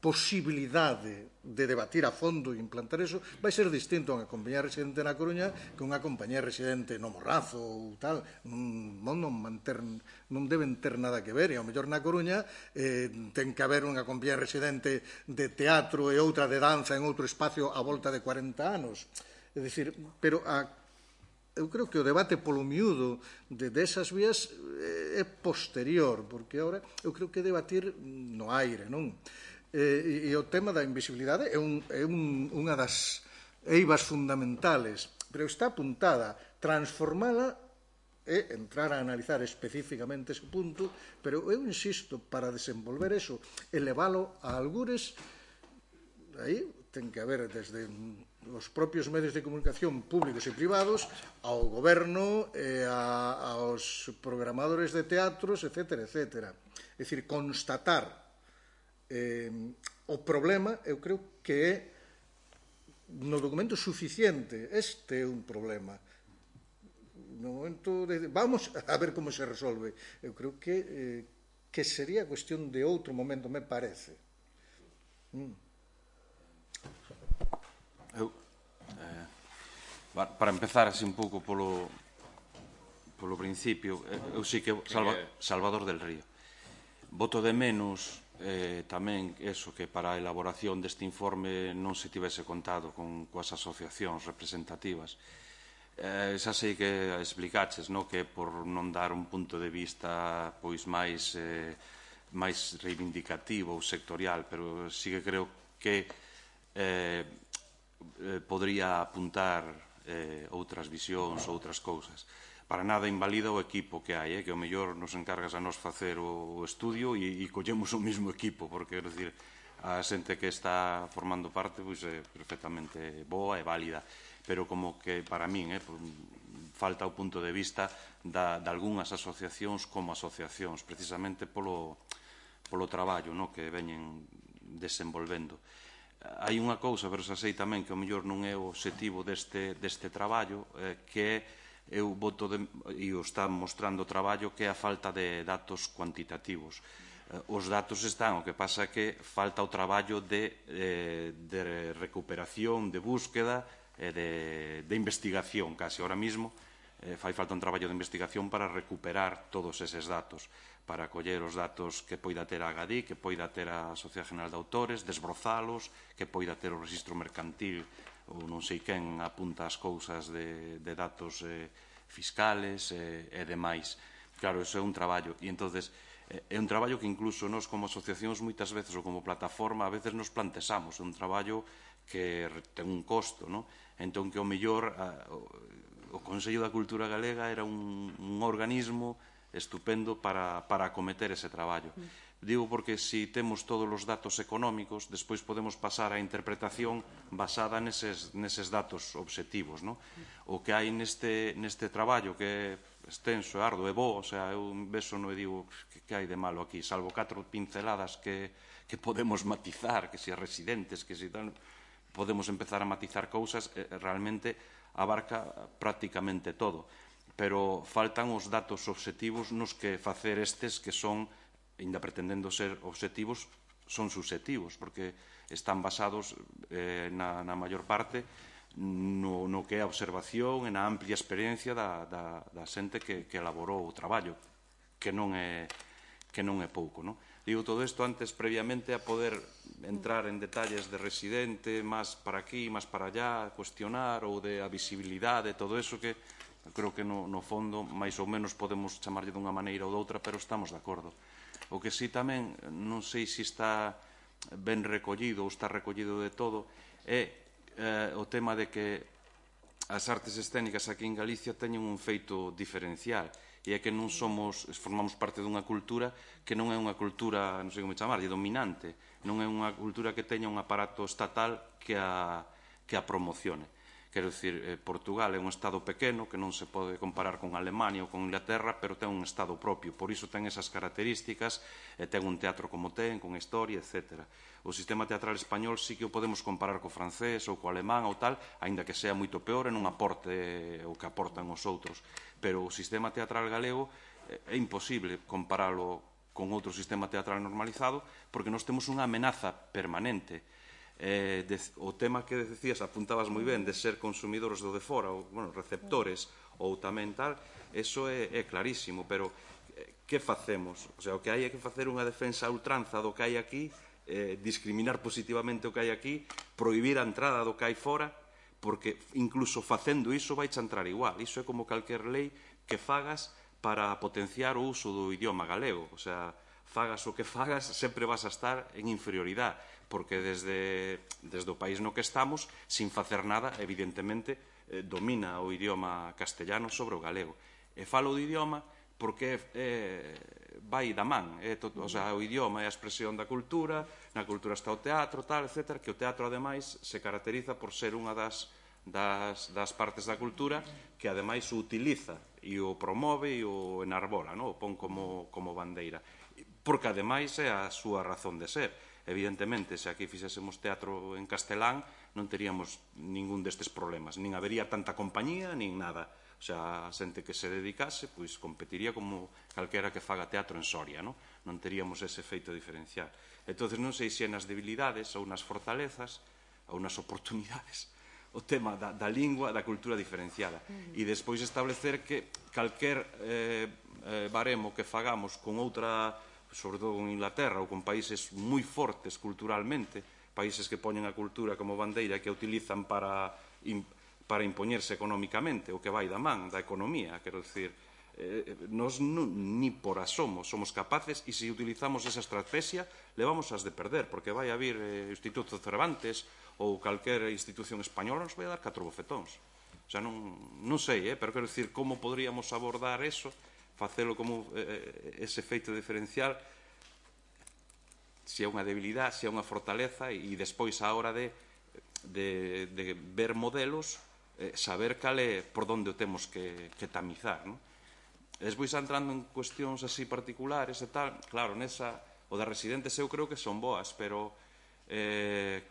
posibilidade de debatir a fondo e implantar eso, vai ser distinto a unha compañía residente na Coruña que unha compañía residente no Morrazo ou tal, non, non, manter, non deben ter nada que ver, e ao mellor na Coruña eh, ten que haber unha compañía residente de teatro e outra de danza en outro espacio a volta de cuarenta anos. É dicir, pero a eu creo que o debate polo miúdo de desas vías é posterior, porque agora eu creo que debatir no aire, non? E, e o tema da invisibilidade é, un, é un, unha das eivas fundamentales, pero está apuntada. Transformala e entrar a analizar especificamente ese punto, pero eu insisto, para desenvolver eso, elevalo a algures, aí ten que haber desde os propios medios de comunicación públicos e privados ao goberno e a, aos programadores de teatros, etcétera, etcétera. É dicir, constatar eh, o problema, eu creo que é no documento suficiente. Este é un problema. No momento de... Vamos a ver como se resolve. Eu creo que, eh, que sería cuestión de outro momento, me parece. Mm. Eu, eh, para empezar así un pouco polo, polo principio, eu sí que Salva, Salvador del Río. Voto de menos eh, tamén eso, que para a elaboración deste informe non se tivese contado con coas asociacións representativas. Eh, xa sei que explicaches, no? Que por non dar un punto de vista pois máis eh, máis reivindicativo ou sectorial, pero sí que creo que eh, eh, podría apuntar eh, outras visións, outras cousas. Para nada invalida o equipo que hai, eh, que o mellor nos encargas a nos facer o estudio e, e collemos o mesmo equipo, porque, quero dicir, a xente que está formando parte pois, é perfectamente boa e válida, pero como que para min eh, falta o punto de vista da, de algunhas asociacións como asociacións, precisamente polo, polo traballo, no, que veñen desenvolvendo. Hai unha cousa, pero xa sei tamén que o mellor non é o obxectivo deste, deste traballo, eh, que é eu voto de, e o está mostrando o traballo, que é a falta de datos cuantitativos. Os datos están, o que pasa é que falta o traballo de, eh, de recuperación, de búsqueda e de, de investigación, casi ahora mismo eh, fai falta un traballo de investigación para recuperar todos eses datos, para coller os datos que poida ter a Agadi, que poida ter a Sociedade General de Autores, desbrozalos, que poida ter o registro mercantil ou non sei quen apunta as cousas de, de datos eh, fiscales eh, e demais. Claro, iso é un traballo. E entonces eh, é un traballo que incluso nós como asociacións moitas veces ou como plataforma a veces nos plantexamos. É un traballo que ten un costo, non? Entón que o mellor a, o, o Consello da Cultura Galega era un, un organismo estupendo para, para acometer ese traballo. Mm. Digo porque se si temos todos os datos económicos, despois podemos pasar á interpretación basada neses, neses datos obxectivos. No? O que hai neste, neste traballo que é extenso, ardo e bo, o sea, eu beso non e digo que, que hai de malo aquí, salvo catro pinceladas que, que podemos matizar, que se residentes, que se tal, podemos empezar a matizar cousas, eh, realmente abarca prácticamente todo. Pero faltan os datos obxectivos nos que facer estes que son, ainda pretendendo ser obxectivos, son subxectivos, porque están basados eh, na, na maior parte no, no que é a observación e na amplia experiencia da, da, da xente que, que elaborou o traballo, que non é, que non é pouco. No? Digo todo isto antes, previamente, a poder entrar en detalles de residente, máis para aquí, máis para allá, cuestionar, ou de a visibilidade, todo eso que creo que no, no fondo, máis ou menos, podemos chamarlle dunha maneira ou doutra, pero estamos de acordo. O que sí tamén, non sei se está ben recollido ou está recollido de todo, é eh, o tema de que as artes escénicas aquí en Galicia teñen un feito diferencial, e é que non somos, formamos parte dunha cultura que non é unha cultura, non sei como chamarlle, dominante, non é unha cultura que teña un aparato estatal que a, que a promocione. Quero dicir, eh, Portugal é un estado pequeno que non se pode comparar con Alemania ou con Inglaterra, pero ten un estado propio, por iso ten esas características, e ten un teatro como ten, con historia, etcétera. O sistema teatral español sí que o podemos comparar co francés ou co alemán ou tal, aínda que sea moito peor e non aporte o que aportan os outros. Pero o sistema teatral galego é imposible comparalo con outro sistema teatral normalizado, porque nós temos unha amenaza permanente. Eh, de, o tema que decías, apuntabas moi ben, de ser consumidores do de fora, ou, bueno, receptores, ou tamén tal, eso é, é clarísimo, pero eh, que facemos? O sea, o que hai é que facer unha defensa a ultranza do que hai aquí, eh, discriminar positivamente o que hai aquí, prohibir a entrada do que hai fora, porque incluso facendo iso vai a entrar igual. Iso é como calquer lei que fagas para potenciar o uso do idioma galego. O sea, fagas o que fagas, sempre vas a estar en inferioridade, porque desde, desde o país no que estamos, sin facer nada, evidentemente, eh, domina o idioma castellano sobre o galego. E falo do idioma porque eh, vai da man, eh, to, o sea, o idioma é a expresión da cultura, na cultura está o teatro, tal, etcétera, que o teatro, ademais, se caracteriza por ser unha das, das, das partes da cultura que, ademais, o utiliza e o promove e o enarbola, no? O pon como, como bandeira. Porque, ademais, é a súa razón de ser. Evidentemente, se aquí fixésemos teatro en castelán, non teríamos ningún destes problemas. Nin habería tanta compañía, nin nada. O sea, a xente que se dedicase, pois competiría como calquera que faga teatro en Soria, non? Non teríamos ese efeito diferencial. Entón, non sei se nas debilidades ou nas fortalezas ou nas oportunidades o tema da, da lingua, da cultura diferenciada. E despois establecer que calquer eh, eh, baremo que fagamos con outra, sobre todo con Inglaterra ou con países moi fortes culturalmente, países que poñen a cultura como bandeira e que a utilizan para, para impoñerse económicamente, o que vai da man da economía, quero dicir, eh, nos non, ni por asomo somos capaces, e se utilizamos esa estrategia le vamos as de perder, porque vai a vir eh, o Instituto Cervantes ou calquer institución española nos vai a dar catro bofetóns. O sea, non, non sei, eh, pero quero dicir, como poderíamos abordar eso, facelo como eh, ese efeito diferencial, se é unha debilidade, se é unha fortaleza, e despois a hora de, de, de ver modelos, eh, saber cal é por onde o temos que, que tamizar, non? Despois, entrando en cuestións así particulares e tal, claro, nesa, o das residentes eu creo que son boas, pero eh,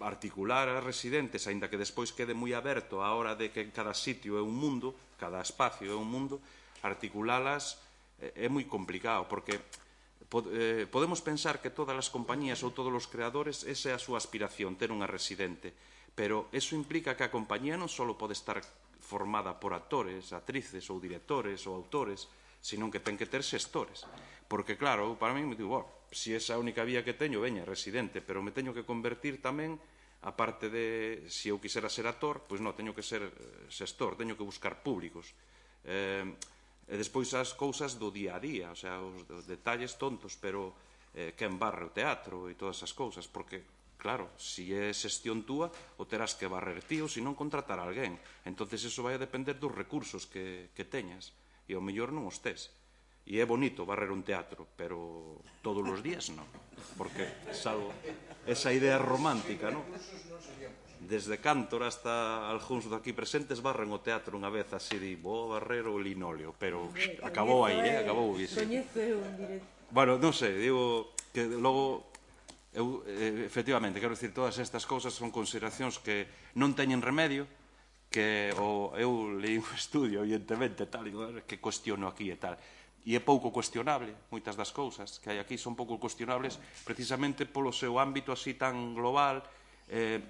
articular as residentes, aínda que despois quede moi aberto a hora de que cada sitio é un mundo, cada espacio é un mundo, articulalas é moi complicado, porque eh, podemos pensar que todas as compañías ou todos os creadores, esa é a súa aspiración, ter unha residente, pero eso implica que a compañía non só pode estar formada por actores, actrices ou directores ou autores, senón que ten que ter xestores. Porque, claro, para mí, me digo, oh, se esa é a única vía que teño, veña, residente, pero me teño que convertir tamén, aparte de, se eu quisera ser actor, pois non, teño que ser xestor, teño que buscar públicos. Eh, e despois as cousas do día a día, o sea, os, os detalles tontos, pero eh, quen barre o teatro e todas esas cousas, porque claro, se é xestión túa, o terás que barrer ti ou se non contratar a alguén. Entonces eso vai a depender dos recursos que, que teñas. E ao mellor non os tes. E é bonito barrer un teatro, pero todos os días non. Porque, salvo esa idea romántica, non? Desde Cántor hasta algúns daqui presentes barren o teatro unha vez así de vou barrer o linóleo, pero acabou aí, eh? Acabou aí, sí. Bueno, non sei, digo que logo... Eu, eh, efectivamente, quero dicir, todas estas cousas son consideracións que non teñen remedio, que o, eu leí un estudio, evidentemente, tal, e que cuestiono aquí e tal, e é pouco cuestionable, moitas das cousas que hai aquí son pouco cuestionables precisamente polo seu ámbito así tan global. eh,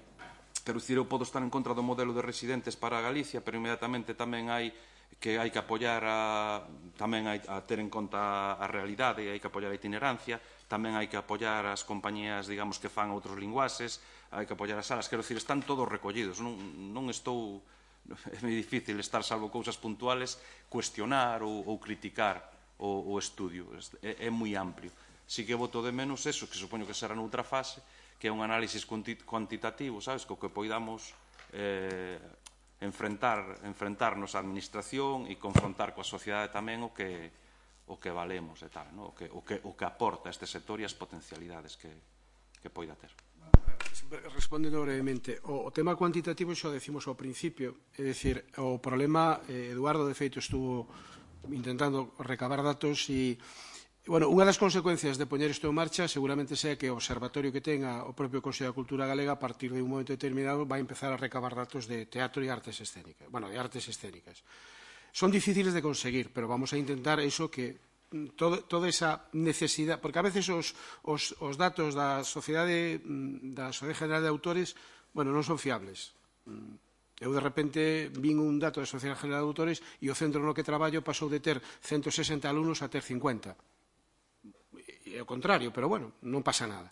quero dicir, eu podo estar en contra do modelo de residentes para Galicia, pero inmediatamente tamén hai que hai que apoiar a, tamén hai a ter en conta a realidade, hai que apoiar a itinerancia, tamén hai que apoiar as compañías, digamos, que fan outros linguaxes, hai que apoiar as salas, quero dicir, están todos recollidos, non, non estou, é moi difícil estar, salvo cousas puntuales, cuestionar ou, ou criticar o, o estudio, é, é moi amplio. Si que voto de menos eso, que supoño que será noutra fase, que é un análisis cuantitativo, sabes, co que poidamos eh, enfrentar, enfrentarnos á administración e confrontar coa sociedade tamén o que o que valemos e tal, no? o, que, o, que, o que aporta este sector e as potencialidades que, que poida ter. Respondendo brevemente, o, o tema cuantitativo xa decimos ao principio, é dicir, o problema, eh, Eduardo de feito estuvo intentando recabar datos e, bueno, unha das consecuencias de poñer isto en marcha seguramente sea que o observatorio que tenga o propio Consello da Cultura Galega a partir de un momento determinado vai empezar a recabar datos de teatro e artes escénicas, bueno, de artes escénicas. Son difíciles de conseguir, pero vamos a intentar eso que todo, toda esa necesidade, porque a veces os, os, os datos da Sociedade da Sociedade General de Autores, bueno, non son fiables. Eu de repente vin un dato da Sociedade General de Autores e o centro no que traballo pasou de ter ciento sesenta alumnos a ter cincuenta. E ao contrario, pero bueno, non pasa nada.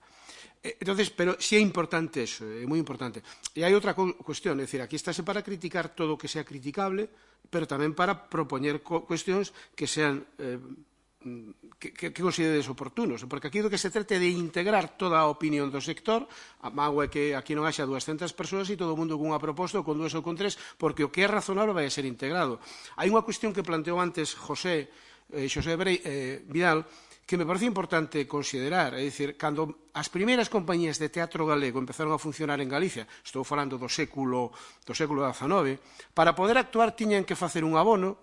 Entonces, pero sí é importante eso, é moi importante. E hai outra cuestión, é dicir, aquí estáse para criticar todo o que sea criticable, pero tamén para propoñer cuestións que sean eh, que, que, que consideres oportunos, porque aquí do que se trate de integrar toda a opinión do sector, a mágoa é que aquí non haxa dúascentas persoas e todo o mundo con unha proposta ou con dúas ou con tres, porque o que é razonable vai a ser integrado. Hai unha cuestión que planteou antes José, eh, José Brei, eh, Vidal, que me parece importante considerar, é dicir, cando as primeiras compañías de teatro galego empezaron a funcionar en Galicia, estou falando do século do século dezanove, para poder actuar tiñan que facer un abono,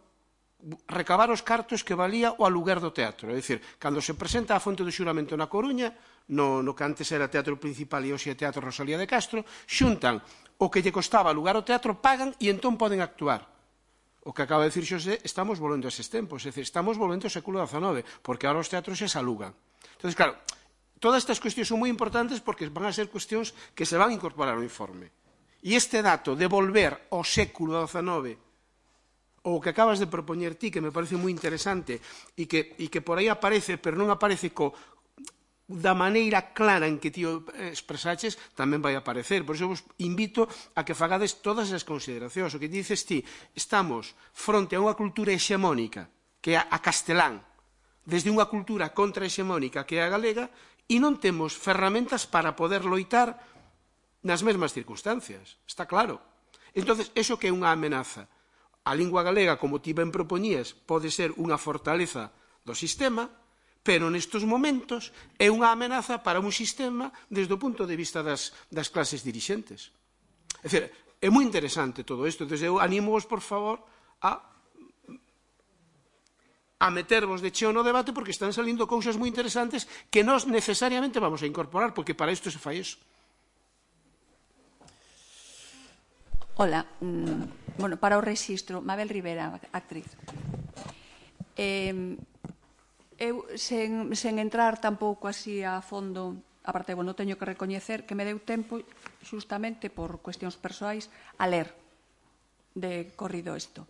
recabar os cartos que valía o aluguer do teatro, é dicir, cando se presenta a fonte do xuramento na Coruña, no, no que antes era Teatro Principal e hoxe é Teatro Rosalía de Castro, xuntan o que lle costaba alugar o teatro, pagan e entón poden actuar. O que acaba de dicir Xosé, estamos volvendo a eses tempos, é dicir, estamos volvendo ao século dezanove, porque ahora os teatros xa se alugan. Entón, claro, todas estas cuestións son moi importantes porque van a ser cuestións que se van a incorporar ao informe. E este dato de volver ao século dezanove, ou o que acabas de propoñer ti, que me parece moi interesante, e que, e que por aí aparece, pero non aparece co, da maneira clara en que ti expresaches, tamén vai aparecer. Por iso vos invito a que fagades todas as consideracións. O que dices ti, estamos fronte a unha cultura hexemónica, que é a castelán, desde unha cultura contrahexemónica, que é a galega, e non temos ferramentas para poder loitar nas mesmas circunstancias. Está claro. Entón, iso que é unha amenaza. A lingua galega, como ti ben propoñías, pode ser unha fortaleza do sistema, pero nestes momentos é unha amenaza para un sistema desde o punto de vista das, das clases dirixentes. É dicir, é moi interesante todo isto. Entón, eu animo-vos, por favor, a, a metervos de cheo no debate, porque están salindo cousas moi interesantes que nós necesariamente vamos a incorporar, porque para isto se fai iso. Hola, mm, bueno, para o rexistro, Mabel Rivera, actriz. Eh, Eu, sen, sen entrar tampouco así a fondo, aparte, bueno, teño que recoñecer que me deu tempo, xustamente por cuestións persoais, a ler de corrido isto.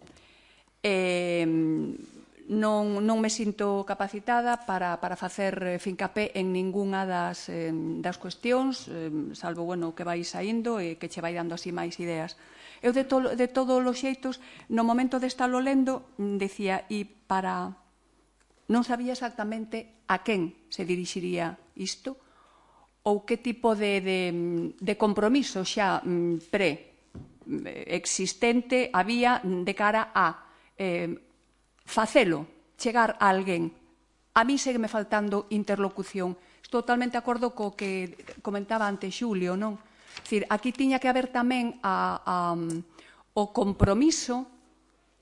Eh, non, non me sinto capacitada para, para facer fincapé en ningunha das, eh, das cuestións, eh, salvo, bueno, que vai saindo e que che vai dando así máis ideas. Eu, de, to, de todos os xeitos, no momento de estarlo lendo, decía, e para... Non sabía exactamente a quen se dirixiría isto ou que tipo de, de, de compromiso xa pre-existente había de cara a eh, facelo, chegar a alguén. A mí segue me faltando interlocución. Estou totalmente de acordo co que comentaba antes Xulio, non? Dicir, aquí tiña que haber tamén a, a, o compromiso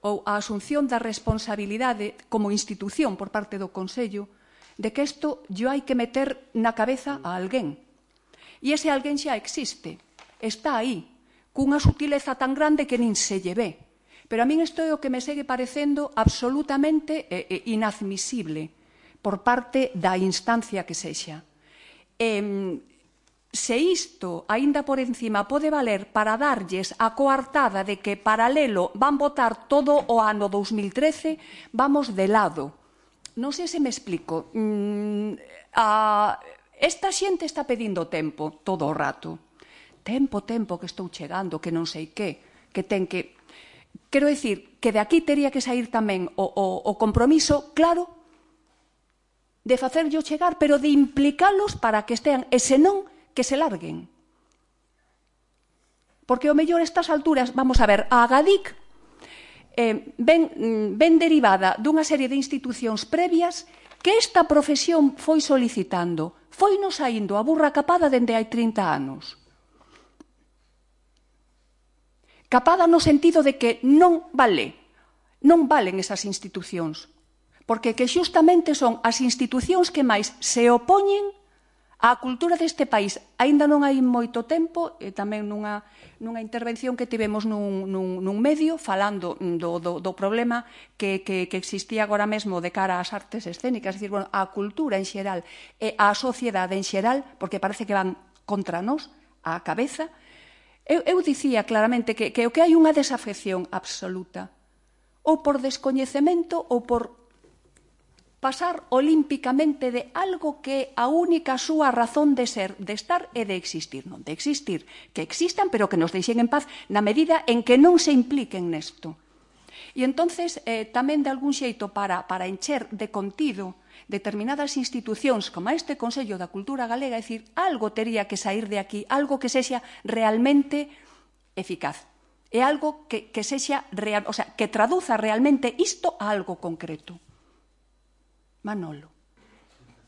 ou a asunción da responsabilidade como institución por parte do Consello de que isto yo hai que meter na cabeza a alguén. E ese alguén xa existe, está aí, cunha sutileza tan grande que nin se lle ve. Pero a min isto é o que me segue parecendo absolutamente eh, inadmisible por parte da instancia que sexa. Eh, Se isto, aínda por encima, pode valer para darlles a coartada de que paralelo van votar todo o ano dous mil trece, vamos de lado. Non sei se me explico. Mm, a, esta xente está pedindo tempo todo o rato. Tempo, tempo, que estou chegando, que non sei que, que ten que... Quero dicir que de aquí teria que sair tamén o, o, o compromiso claro de facerllo chegar, pero de implicalos para que estean, e senón que se larguen. Porque o mellor estas alturas, vamos a ver, a Agadic eh, ven, ven derivada dunha serie de institucións previas que esta profesión foi solicitando. Foi nos saindo a burra capada dende hai trinta anos. Capada no sentido de que non vale, non valen esas institucións, porque que xustamente son as institucións que máis se opoñen a cultura deste país. Aínda non hai moito tempo, e tamén nunha, nunha intervención que tivemos nun, nun, nun medio falando do, do, do problema que, que, que existía agora mesmo de cara ás artes escénicas, é dicir, bueno, a cultura en xeral e a sociedade en xeral, porque parece que van contra nós, á cabeza. Eu, eu dicía claramente que, que o que hai unha desafección absoluta, ou por descoñecemento ou por pasar olímpicamente de algo que a única súa razón de ser, de estar e de existir. Non de existir, que existan, pero que nos deixen en paz na medida en que non se impliquen nesto. E entonces, eh, tamén de algún xeito para, para encher de contido determinadas institucións como este Consello da Cultura Galega, é dicir, algo tería que sair de aquí, algo que sexa realmente eficaz. É algo que, que sexa real, o sea, que traduza realmente isto a algo concreto. Manolo,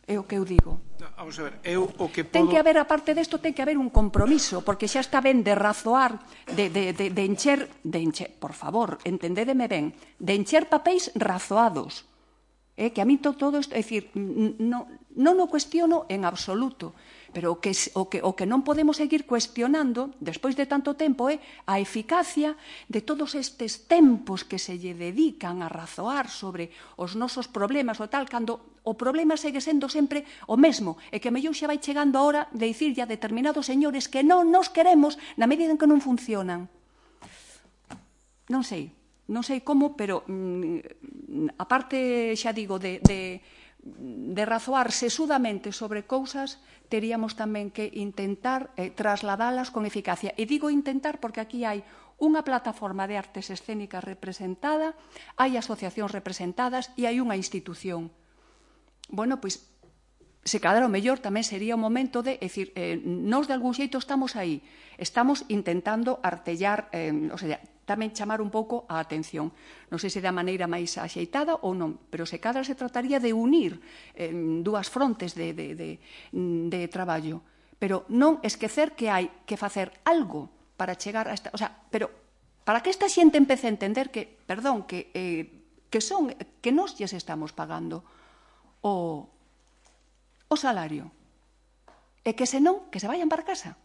é o que eu digo. Vamos a ver, eu o que podo... Ten que haber, aparte desto, ten que haber un compromiso, porque xa está ben de razoar, de, de, de, de encher, de encher, por favor, entendédeme ben, de encher papéis razoados. Eh, que a mí to, todo isto, é dicir, non, non o cuestiono en absoluto, pero o que, o, que, o que non podemos seguir cuestionando, despois de tanto tempo, é a eficacia de todos estes tempos que se lle dedican a razoar sobre os nosos problemas ou tal, cando o problema segue sendo sempre o mesmo, e que a mellor xa vai chegando a hora de dicirlle a determinados señores que non nos queremos na medida en que non funcionan. Non sei, non sei como, pero mm, aparte, xa digo, de... de de razoar sesudamente sobre cousas, teríamos tamén que intentar eh, trasladalas con eficacia. E digo intentar porque aquí hai unha plataforma de artes escénicas representada, hai asociacións representadas e hai unha institución. Bueno, pois, se cadra o mellor tamén sería o momento de, é dicir, eh, nós de algún xeito estamos aí, estamos intentando artellar, eh, o sea, tamén chamar un pouco a atención. Non sei se da maneira máis axeitada ou non, pero se cadra se trataría de unir eh, dúas frontes de, de, de, de traballo, pero non esquecer que hai que facer algo para chegar a esta... O sea, pero para que esta xente empece a entender que, perdón, que, eh, que son, que nós lles estamos pagando o, o salario, e que senón, que se vayan para casa.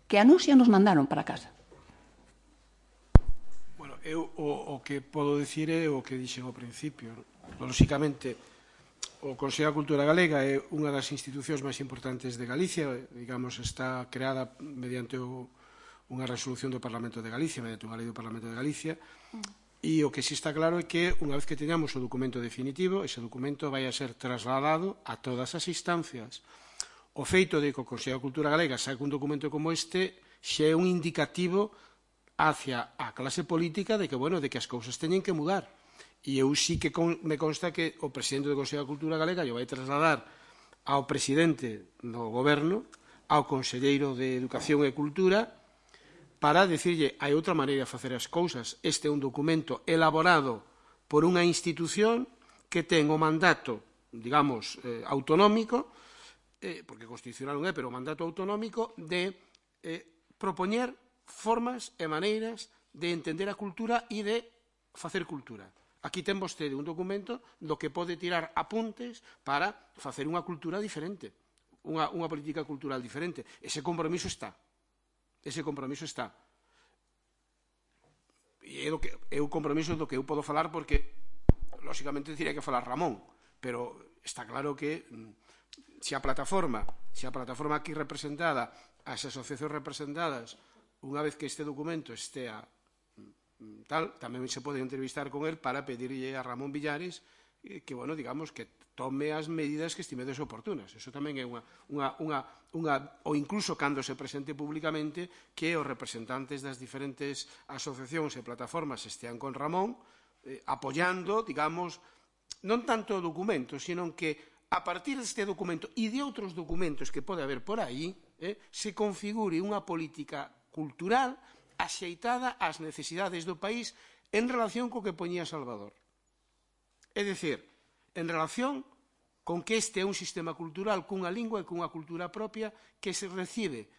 Que a nos xa nos mandaron para casa. Bueno, eu o, o que podo dicir é o que dixen ao principio. Lóxicamente, o Consello da Cultura Galega é unha das institucións máis importantes de Galicia, digamos, está creada mediante o, unha resolución do Parlamento de Galicia, mediante unha lei do Parlamento de Galicia, e o que si está claro é que unha vez que teñamos o documento definitivo, ese documento vai a ser trasladado a todas as instancias. O feito de que o Consello da Cultura Galega saque un documento como este xa é un indicativo hacia a clase política de que, bueno, de que as cousas teñen que mudar. E eu sí que con, me consta que o presidente do Consello da Cultura Galega lle vai trasladar ao presidente do goberno, ao conselleiro de Educación e Cultura, para dicirlle hai outra maneira de facer as cousas. Este é un documento elaborado por unha institución que ten o mandato, digamos, eh, autonómico, eh, porque constitucional non é, pero o mandato autonómico de eh, propoñer formas e maneiras de entender a cultura e de facer cultura. Aquí ten vostede un documento do que pode tirar apuntes para facer unha cultura diferente, unha, unha política cultural diferente. Ese compromiso está. Ese compromiso está. E é, do que, é o compromiso do que eu podo falar porque, lóxicamente, diría que falar Ramón, pero está claro que se a plataforma, se a plataforma aquí representada, as asociacións representadas, unha vez que este documento estea tal, tamén se pode entrevistar con el para pedirlle a Ramón Villares que, bueno, digamos, que tome as medidas que estimedes oportunas. Eso tamén é unha, unha, unha, unha, ou incluso cando se presente públicamente que os representantes das diferentes asociacións e plataformas estean con Ramón eh, apoiando, digamos, non tanto o documento, sino que a partir deste documento e de outros documentos que pode haber por aí, eh, se configure unha política cultural axeitada ás necesidades do país en relación co que poñía Salvador. É dicir, en relación con que este é un sistema cultural cunha lingua e cunha cultura propia que se recibe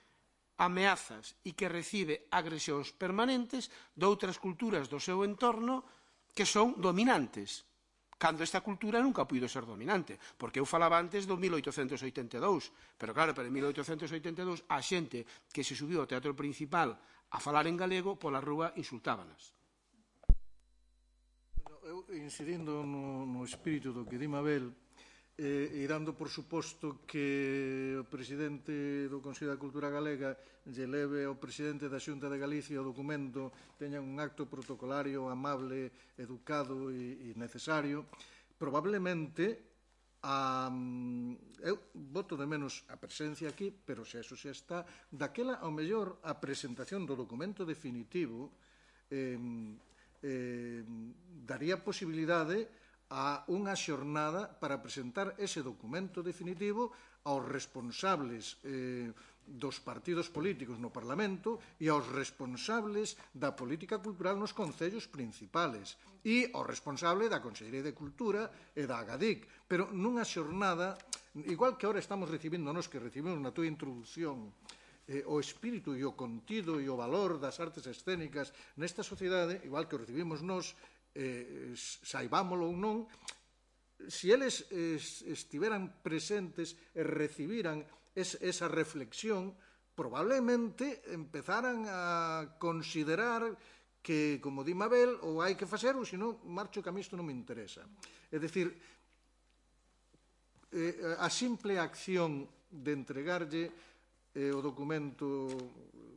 ameazas e que recibe agresións permanentes de outras culturas do seu entorno que son dominantes, cando esta cultura nunca puido ser dominante, porque eu falaba antes do mil oitocentos oitenta e dous, pero claro, pero en mil oitocentos oitenta e dous a xente que se subiu ao Teatro Principal a falar en galego, pola rúa insultábanas. Eu, incidindo no, no espírito do que di Mabel, eh, e dando por suposto que o presidente do Consello da Cultura Galega lle leve ao presidente da Xunta de Galicia o documento, teñan un acto protocolario amable, educado e, e necesario, probablemente a, eu voto de menos a presencia aquí, pero se eso xa está, daquela ao mellor a presentación do documento definitivo eh, eh, daría posibilidade a unha xornada para presentar ese documento definitivo aos responsables eh, dos partidos políticos no Parlamento e aos responsables da política cultural nos concellos principales e ao responsable da Consellería de Cultura e da Agadic, pero nunha xornada, igual que agora estamos recibindo nos que recibimos na túa introducción, eh, o espírito e o contido e o valor das artes escénicas nesta sociedade, igual que o recibimos nos, eh, saibámolo ou non, se eles eh, estiveran presentes e recibiran es, esa reflexión, probablemente empezaran a considerar que, como di Mabel, ou hai que facer, ou senón marcho que a mí isto non me interesa. É dicir, eh, a simple acción de entregarlle eh, o documento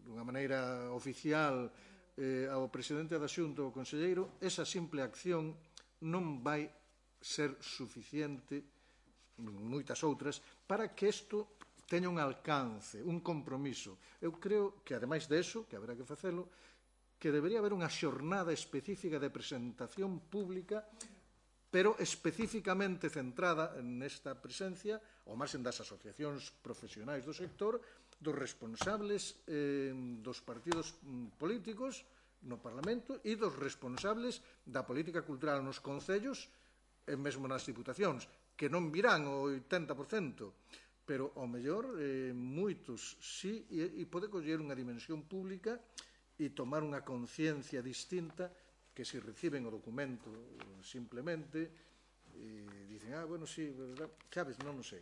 dunha maneira oficial eh, ao presidente da Xunta ou ao conselleiro, esa simple acción non vai ser suficiente, moitas outras, para que isto teña un alcance, un compromiso. Eu creo que, ademais deso, que haberá que facelo, que debería haber unha xornada específica de presentación pública, pero especificamente centrada nesta presencia, ao marxen das asociacións profesionais do sector, dos responsables eh, dos partidos políticos no Parlamento e dos responsables da política cultural nos concellos e mesmo nas diputacións, que non virán o oitenta por cento, pero, ao mellor, eh, moitos sí, e, e pode coller unha dimensión pública e tomar unha conciencia distinta que se reciben o documento simplemente e dicen, ah, bueno, sí, verdad, sabes, non o sei.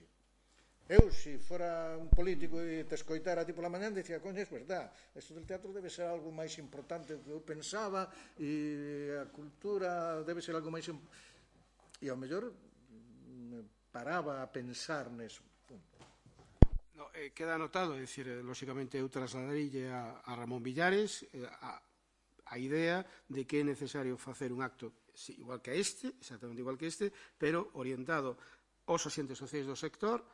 Eu, se fora un político e te escoitara ti pola mañá, dicía, coño, é verdad, isto del teatro debe ser algo máis importante do que eu pensaba e a cultura debe ser algo máis... E, ao mellor, paraba a pensar neso. No, eh, queda anotado, é dicir, eh, lóxicamente eu trasladarille a, a Ramón Villares eh, a, a idea de que é necesario facer un acto sí, igual que este, exactamente igual que este, pero orientado aos axentes sociais do sector,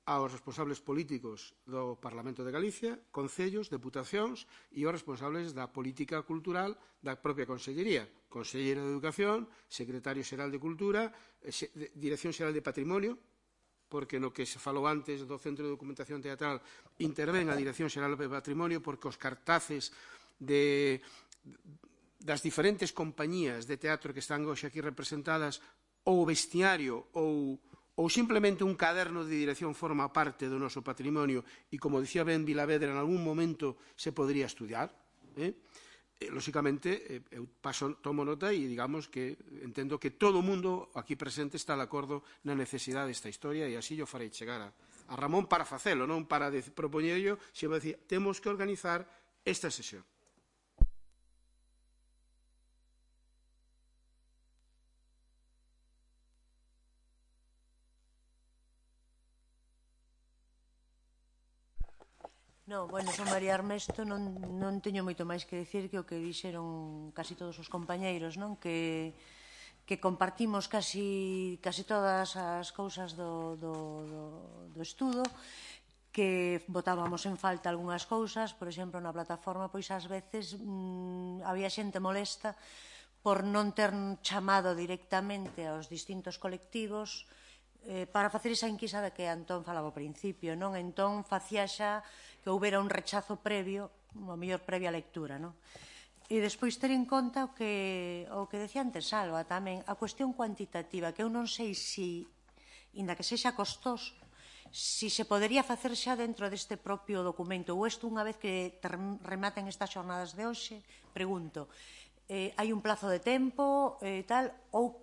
aos responsables políticos do Parlamento de Galicia, concellos, deputacións e aos responsables da política cultural da propia Consellería, Conselleiro de Educación, Secretario Xeral de Cultura, Dirección Xeral de Patrimonio, porque no que se falou antes do Centro de Documentación Teatral intervén a Dirección Xeral de Patrimonio porque os cartaces de, das diferentes compañías de teatro que están hoxe aquí representadas ou vestiario ou, ou simplemente un caderno de dirección forma parte do noso patrimonio e, como dicía Ben Vilavedra, en algún momento se podría estudiar. Eh? Lóxicamente, eu paso, tomo nota e digamos que entendo que todo o mundo aquí presente está de acordo na necesidade desta historia e así yo farei chegar a, a Ramón para facelo, non para propoñerlo, sino para decir, temos que organizar esta sesión. No, bueno, son María Armesto, non, non teño moito máis que dicir que o que dixeron casi todos os compañeiros, non? Que, que compartimos casi, casi todas as cousas do, do, do, do estudo, que botábamos en falta algunhas cousas, por exemplo, na plataforma, pois ás veces mmm, había xente molesta por non ter chamado directamente aos distintos colectivos eh, para facer esa enquisa de que Antón falaba ao principio, non? Entón, facía xa que houbera un rechazo previo, a mellor previa lectura, non? E despois ter en conta o que, o que decía antes Salva tamén, a cuestión cuantitativa, que eu non sei se, inda que sexa costoso, si se podería facer xa dentro deste propio documento, ou isto unha vez que rematen estas xornadas de hoxe, pregunto, eh, hai un plazo de tempo e eh, tal, ou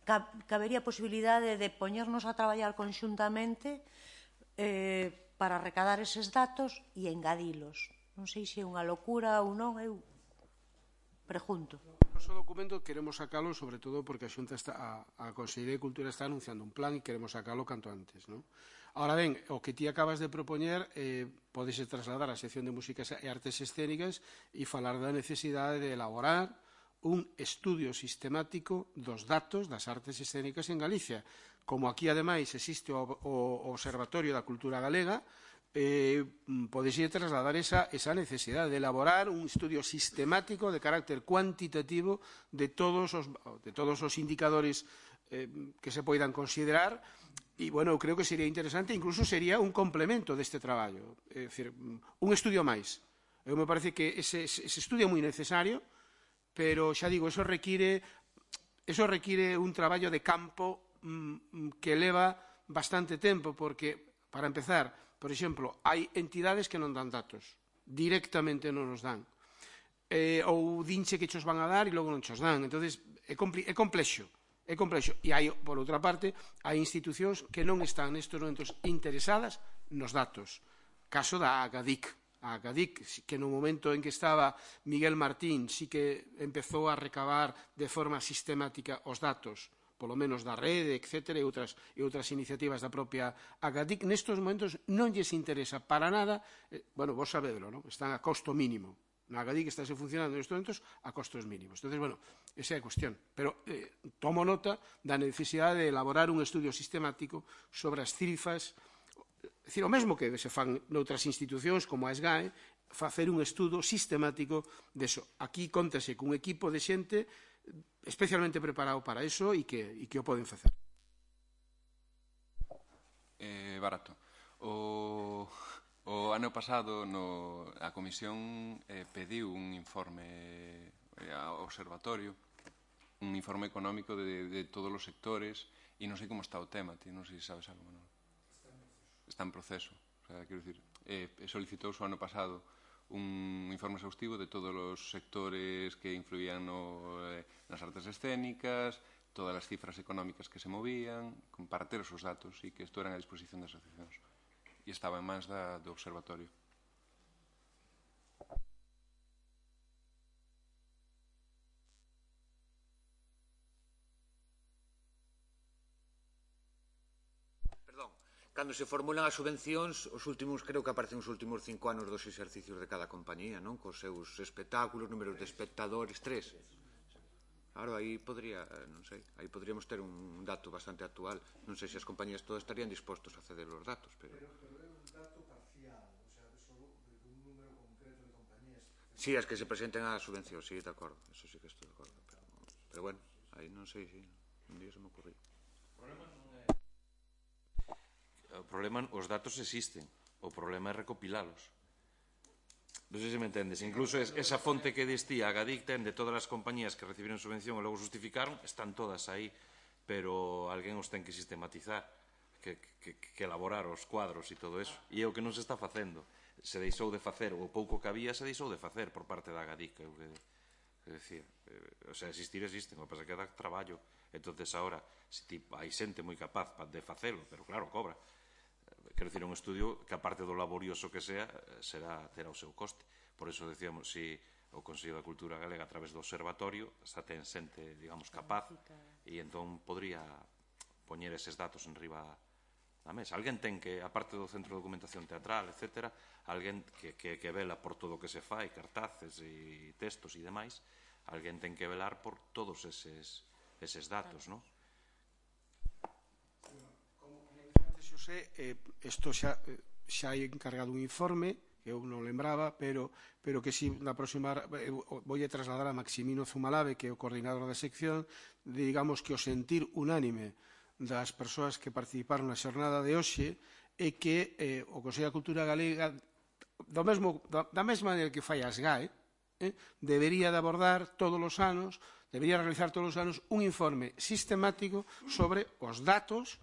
cabería a posibilidade de poñernos a traballar conxuntamente eh, para recadar eses datos e engadilos. Non sei se é unha locura ou non, eu pregunto. O noso documento queremos sacalo sobre todo porque a Xunta está, a, a Consellería de Cultura está anunciando un plan e queremos sacalo canto antes, non? Ahora ben, o que ti acabas de propoñer eh, podese trasladar á sección de músicas e artes escénicas e falar da necesidade de elaborar un estudio sistemático dos datos das artes escénicas en Galicia. Como aquí, ademais, existe o, o Observatorio da Cultura Galega, eh, podese trasladar esa, esa necesidade de elaborar un estudio sistemático de carácter cuantitativo de todos os, de todos os indicadores eh, que se poidan considerar e, bueno, creo que sería interesante, incluso sería un complemento deste traballo, é dicir, un estudio máis. Eu me parece que ese, ese estudio é moi necesario, pero xa digo, eso require, eso require un traballo de campo mmm, que leva bastante tempo, porque, para empezar, por exemplo, hai entidades que non dan datos, directamente non nos dan, eh, ou dinche que chos van a dar e logo non chos dan, entonces é, é complexo, é complexo, e hai, por outra parte, hai institucións que non están nestes momentos interesadas nos datos, caso da Agadic, a Agadic, que no momento en que estaba Miguel Martín sí que empezou a recabar de forma sistemática os datos, polo menos da rede, etcétera, e outras, e outras iniciativas da propia Agadic, nestos momentos non lles interesa para nada, eh, bueno, vos sabedlo, non? Están a costo mínimo, na Agadic estáse funcionando nestes momentos a costos mínimos. Entón, bueno, esa é a cuestión. Pero eh, tomo nota da necesidade de elaborar un estudio sistemático sobre as cifras, é dicir, o mesmo que se fan noutras institucións como a SGAE, facer un estudo sistemático deso. Aquí contase cun equipo de xente especialmente preparado para eso e que, e que o poden facer. Eh, barato. O, o ano pasado no, a Comisión eh, pediu un informe eh, ao Observatorio, un informe económico de, de todos os sectores e non sei como está o tema, ti non sei se sabes algo, non? Está en proceso. O sea, quero dicir, eh, solicitouse o ano pasado un informe exhaustivo de todos os sectores que influían no, eh, nas artes escénicas, todas as cifras económicas que se movían, para ter os datos e que isto eran a disposición das asociacións. E estaba en mans da, do Observatorio. Perdón, cando se formulan as subvencións, os últimos, creo que aparecen os últimos cinco anos dos exercicios de cada compañía, non? Cos seus espectáculos, números de espectadores, tres. Claro, aí podría, non sei, aí podríamos ter un dato bastante actual. Non sei se as compañías todas estarían dispostos a ceder os datos, pero... Pero, pero é un dato parcial, o sea, só de un número concreto de compañías. Sí, as que se presenten á subvención, sí, de acordo, eso sí que estou de acordo, pero, pero bueno, aí non sei, sí, un día se me ocurriu. O problema non é... O problema, os datos existen, o problema é recopilalos. Non sei se me entendes. Incluso esa fonte que distía a Agadic ten de todas as compañías que recibiron subvención e logo justificaron, están todas aí, pero alguén os ten que sistematizar, que, que, que elaborar os cuadros e todo eso. E é o que non se está facendo. Se deixou de facer, o pouco que había se deixou de facer por parte da Agadic, é o que, que decía. O sea, existir existen, o que pasa que dá traballo. Entonces, agora, se tipo, hai xente moi capaz de facelo, pero claro, cobra. Quero dicir, un estudio que, aparte do laborioso que sea, será, terá o seu coste. Por eso decíamos, si o Consello da Cultura Galega, a través do Observatorio, xa ten xente, digamos, capaz, e entón podría poñer eses datos en riba da mesa. Alguén ten que, aparte do Centro de Documentación Teatral, etcétera, alguén que, que, que vela por todo o que se fai, cartaces e textos e demais, alguén ten que velar por todos eses, eses datos, non? Xosé, eh, isto xa, xa hai encargado un informe que eu non lembraba, pero, pero que si na próxima vou a trasladar a Maximino Zumalave, que é o coordinador da sección, de, digamos, que o sentir unánime das persoas que participaron na xornada de hoxe é que eh, o Consello da Cultura Galega, do mesmo, da, da mesma maneira que fai a SGAE, eh, debería de abordar todos os anos, debería realizar todos os anos un informe sistemático sobre os datos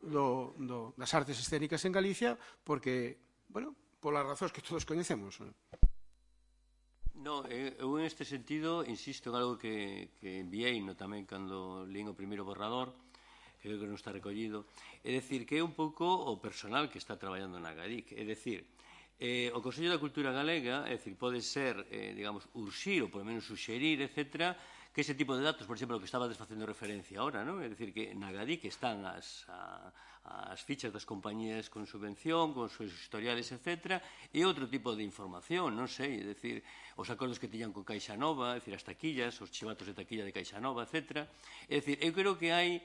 Do, do, das artes escénicas en Galicia, porque, bueno, polas razóns que todos coñecemos. No, eu en este sentido insisto en algo que, que enviei no tamén cando lín o primeiro borrador, que creo que non está recollido, é dicir que é un pouco o personal que está traballando na Agadic, é dicir, eh, o Consello da Cultura Galega, é dicir, pode ser, eh, digamos, urxir ou por lo menos suxerir, etcétera, que ese tipo de datos, por exemplo, o que estaba facendo referencia ahora, ¿no? É dicir, que na Agadic están as, a, as fichas das compañías con subvención, con seus historiales, etcétera, e outro tipo de información, non sei, é dicir, os acordos que tiñan con Caixa Nova, é dicir, as taquillas, os chivatos de taquilla de Caixa Nova, etcétera. É dicir, eu creo que hai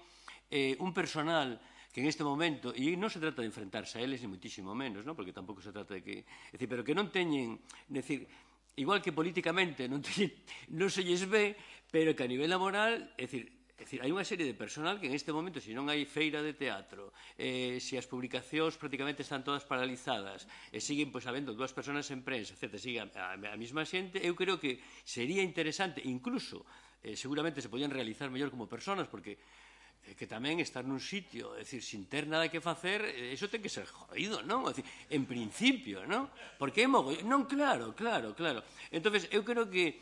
eh, un personal que en este momento, e non se trata de enfrentarse a eles, ni muitísimo menos, ¿no? Porque tampouco se trata de que... É dicir, pero que non teñen... É dicir, igual que políticamente non, teñen, non se lles ve, pero que a nivel laboral, é dicir, é dicir, hai unha serie de personal que en este momento, se non hai feira de teatro, eh, se as publicacións prácticamente están todas paralizadas, e siguen, pois, habendo dúas personas en prensa, etcétera, sigue a, a, a mesma xente, eu creo que sería interesante, incluso, eh, seguramente se podían realizar mellor como personas, porque que tamén estar nun sitio, é dicir, sin ter nada que facer, eso ten que ser jodido, non? É dicir, en principio, non? Porque é mogollón, non, claro, claro, claro. Entonces, eu creo que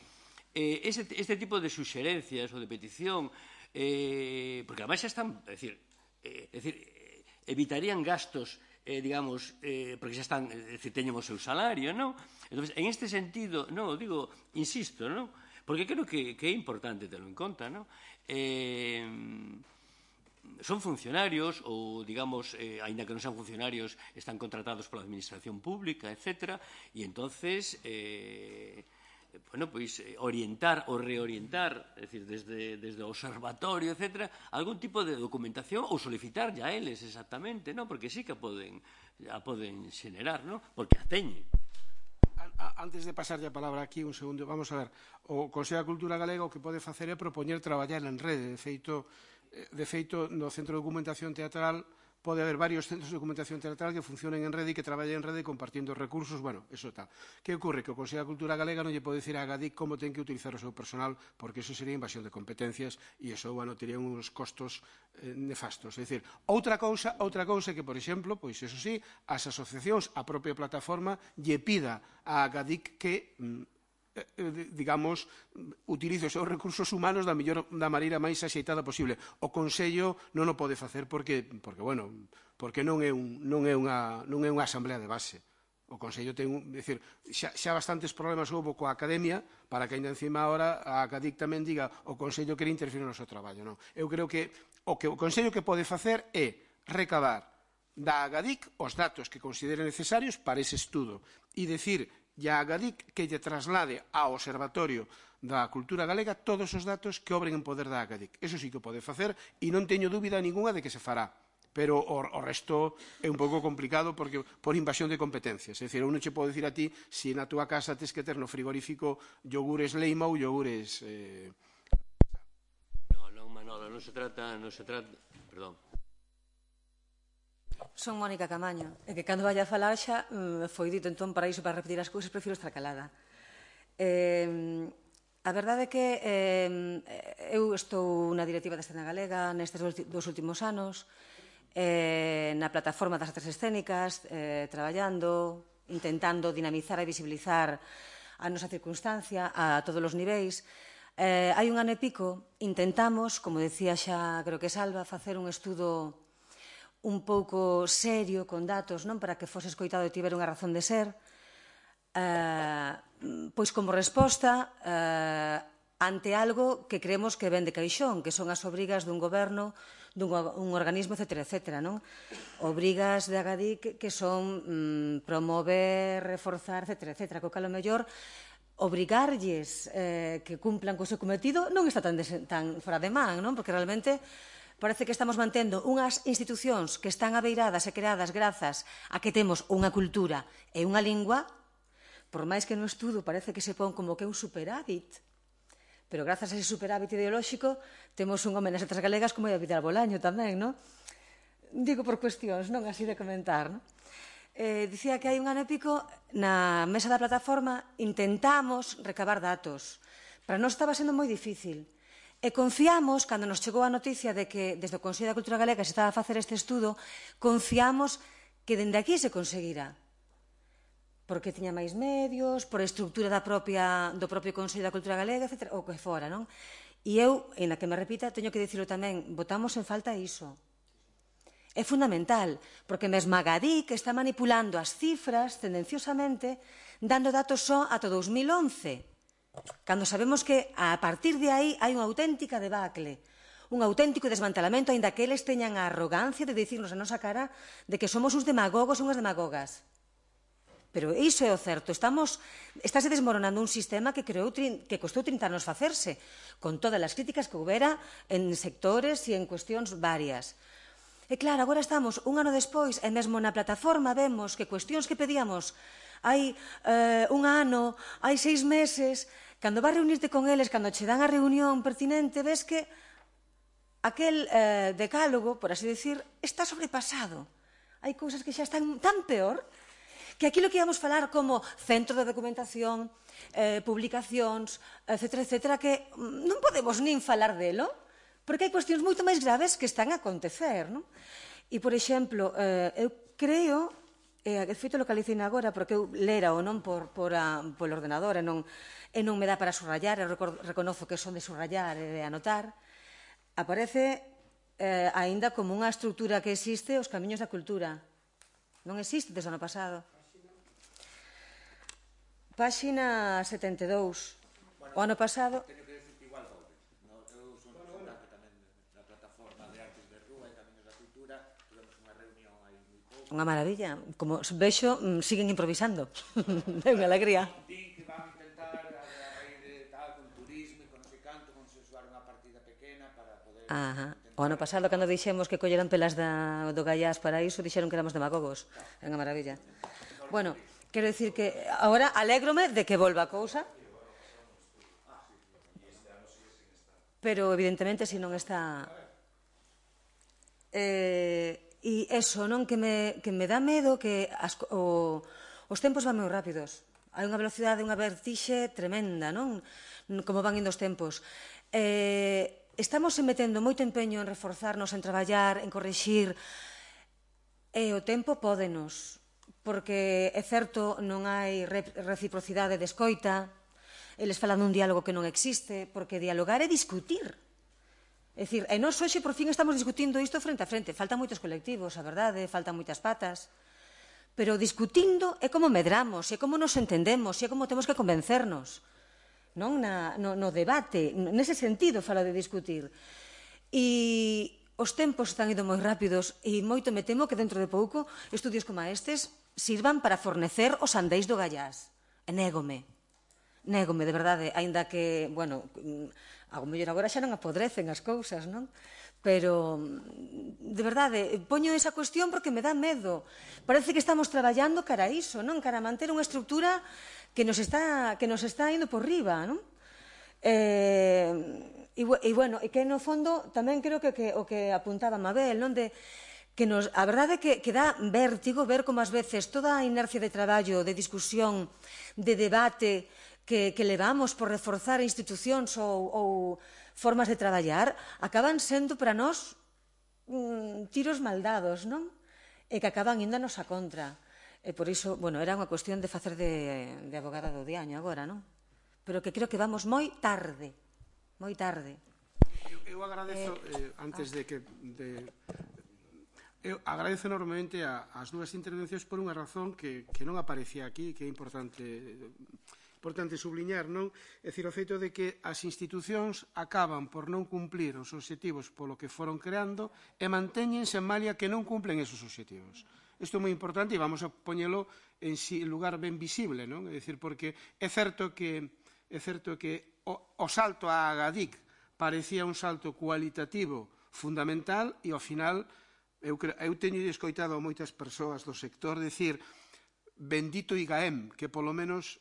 eh, ese, este tipo de suxerencias ou de petición, eh, porque además xa están, é dicir, eh, é dicir, eh, evitarían gastos, eh, digamos, eh, porque xa están, é dicir, teñen o seu salario, non? Entonces, en este sentido, non, digo, insisto, non? Porque creo que, que é importante terlo en conta, non? Eh, son funcionarios ou, digamos, eh, aínda que non sean funcionarios, están contratados pola administración pública, etcétera, e entonces, eh, bueno, pois, orientar ou reorientar, é dicir, desde, desde o observatorio, etcétera, algún tipo de documentación ou solicitar a eles exactamente, non? Porque sí que a poden, a poden xenerar, non? Porque a teñen. Antes de pasar a palabra aquí, un segundo, vamos a ver, o Consello da Cultura Galega o que pode facer é propoñer traballar en rede. De feito, de feito no Centro de Documentación Teatral pode haber varios centros de documentación teatral que funcionen en rede e que traballen en rede compartindo recursos, bueno, eso tal. Que ocorre? Que o Consello da Cultura Galega non lle pode dicir a Agadic como ten que utilizar o seu personal, porque eso sería invasión de competencias e eso, bueno, tería uns costos eh, nefastos. É dicir, outra cousa, outra cousa que, por exemplo, pois eso sí, as asociacións, a propia plataforma, lle pida a Agadic que digamos, utilice os seus recursos humanos da mellor da maneira máis axeitada posible. O Consello non o pode facer porque, porque bueno, porque non é un non é unha non é unha asamblea de base. O Consello ten, é dicir, xa, xa bastantes problemas houve coa Academia para que ainda encima ahora a Acadic tamén diga o Consello quere interferir no seu traballo, non? Eu creo que o que o Consello que pode facer é recabar da Agadic os datos que considere necesarios para ese estudo e decir e a Agadic que lle traslade ao Observatorio da Cultura Galega todos os datos que obren en poder da Agadic. Eso sí que o pode facer e non teño dúbida ninguna de que se fará. Pero o, o resto é un pouco complicado porque por invasión de competencias. É dicir, eu non che podo dicir a ti se na túa casa tes que ter no frigorífico yogures Leima ou yogures... Eh... No, non, Manolo, non se trata... Non se trata... Perdón. Son Mónica Camaño, e que cando vaya a falar xa foi dito, entón, para iso, para repetir as cousas, prefiro estar calada. Eh, a verdade é que eh, eu estou na directiva da escena galega nestes dos últimos anos, eh, na plataforma das artes escénicas, eh, traballando, intentando dinamizar e visibilizar a nosa circunstancia a todos os niveis. Eh, hai un ano e pico, intentamos, como decía xa, creo que Salva, facer un estudo un pouco serio, con datos, non, para que fose escoitado e tivera unha razón de ser, eh, pois como resposta eh, ante algo que creemos que ven de caixón, que son as obrigas dun goberno, dun un organismo, etcétera, etcétera, non? Obrigas de Agadic que son mm, promover, reforzar, etcétera, etcétera, co cal o mellor obrigarlles eh, que cumplan co seu cometido non está tan, tan fora de man, non? Porque realmente parece que estamos mantendo unhas institucións que están abeiradas e creadas grazas a que temos unha cultura e unha lingua, por máis que no estudo parece que se pon como que é un superávit, pero grazas a ese superávit ideolóxico temos un home nas letras galegas como é Vidal Bolaño tamén, non? Digo por cuestións, non así de comentar, non? Eh, dicía que hai un ano e pico na mesa da plataforma intentamos recabar datos. Para nós estaba sendo moi difícil. E confiamos, cando nos chegou a noticia de que desde o Consello da Cultura Galega se estaba a facer este estudo, confiamos que dende aquí se conseguira. Porque tiña máis medios, por a estructura da propia, do propio Consello da Cultura Galega, etcétera, ou que fora, non? E eu, en a que me repita, teño que dicirlo tamén, botamos en falta iso. É fundamental, porque mesmo Agadic está manipulando as cifras tendenciosamente, dando datos só ata dous mil once. Cando sabemos que a partir de aí hai unha auténtica debacle, un auténtico desmantelamento, aínda que eles teñan a arrogancia de dicirnos a nosa cara de que somos uns demagogos e unhas demagogas. Pero iso é o certo, estamos, estáse desmoronando un sistema que, creou, que costou trinta anos facerse, con todas as críticas que houbera en sectores e en cuestións varias. E claro, agora estamos un ano despois e mesmo na plataforma vemos que cuestións que pedíamos hai eh, un ano, hai seis meses, cando vas reunirte con eles, cando che dan a reunión pertinente, ves que aquel eh, decálogo, por así decir, está sobrepasado. Hai cousas que xa están tan peor que aquilo que íamos falar como centro de documentación, eh, publicacións, etcétera, etcétera, que non podemos nin falar delo, porque hai cuestións moito máis graves que están a acontecer, non? E, por exemplo, eh, eu creo... E, de feito, localicei agora, porque eu lera ou non por, por a, polo ordenador e non, e non me dá para subrayar, eu reconozo que son de subrayar e de anotar, aparece eh, aínda como unha estrutura que existe os camiños da cultura. Non existe desde o ano pasado. Páxina setenta e dous. O ano pasado... Unha maravilla. Como vexo, siguen improvisando. É unha alegría. Ajá. O ano pasado, cando dixemos que colleran pelas do Gallás para iso, dixeron que éramos demagogos. É unha maravilla. Bueno, quero dicir que agora alégrome de que volva a cousa, pero evidentemente se non está... E iso, non? Que me dá medo que os tempos van moi rápidos. Hai unha velocidade, unha vertixe tremenda, non? Como van indo os tempos. Estamos metendo moito empeño en reforzarnos, en traballar, en corrixir, e o tempo pódenos, porque é certo, non hai reciprocidade de escoita, eles falan dun diálogo que non existe, porque dialogar é discutir. É dicir, e nós hoxe por fin estamos discutindo isto frente a frente. Faltan moitos colectivos, a verdade, faltan moitas patas, pero discutindo é como medramos, é como nos entendemos, é como temos que convencernos. Non no debate, nese sentido fala de discutir. E os tempos están indo moi rápidos e moito me temo que dentro de pouco estudios como estes sirvan para fornecer os andeis do Gallás. E négome, négome, de verdade, aínda que, bueno, a mellor agora xa non apodrecen as cousas, non? Pero, de verdade, poño esa cuestión porque me dá medo. Parece que estamos traballando cara a iso, non? Cara a manter unha estructura que nos está indo por riba, non? E, bueno, e que no fondo tamén creo que o que apuntaba Mabel, non? De que a verdade é que dá vértigo ver como ás veces toda a inercia de traballo, de discusión, de debate que levamos por reforzar institucións ou formas de traballar, acaban sendo para nós tiros maldados, non? E que acaban índanos a contra. E por iso, bueno, era unha cuestión de facer de abogada do diaño agora, non? Pero que creo que vamos moi tarde, moi tarde. Eu agradezo, antes de que... Eu agradezo enormemente as dúas intervencións por unha razón que non aparecía aquí, que é importante importante subliñar, non? É dicir, o feito de que as institucións acaban por non cumplir os obxectivos polo que foron creando e mantéñense en malia que non cumplen esos obxectivos. Isto é moi importante e vamos a poñelo en lugar ben visible, non? É dicir, porque é certo que é certo que o salto á Agadic parecía un salto cualitativo fundamental e ao final eu teño escoitado a moitas persoas do sector decir bendito I G A E M, que polo menos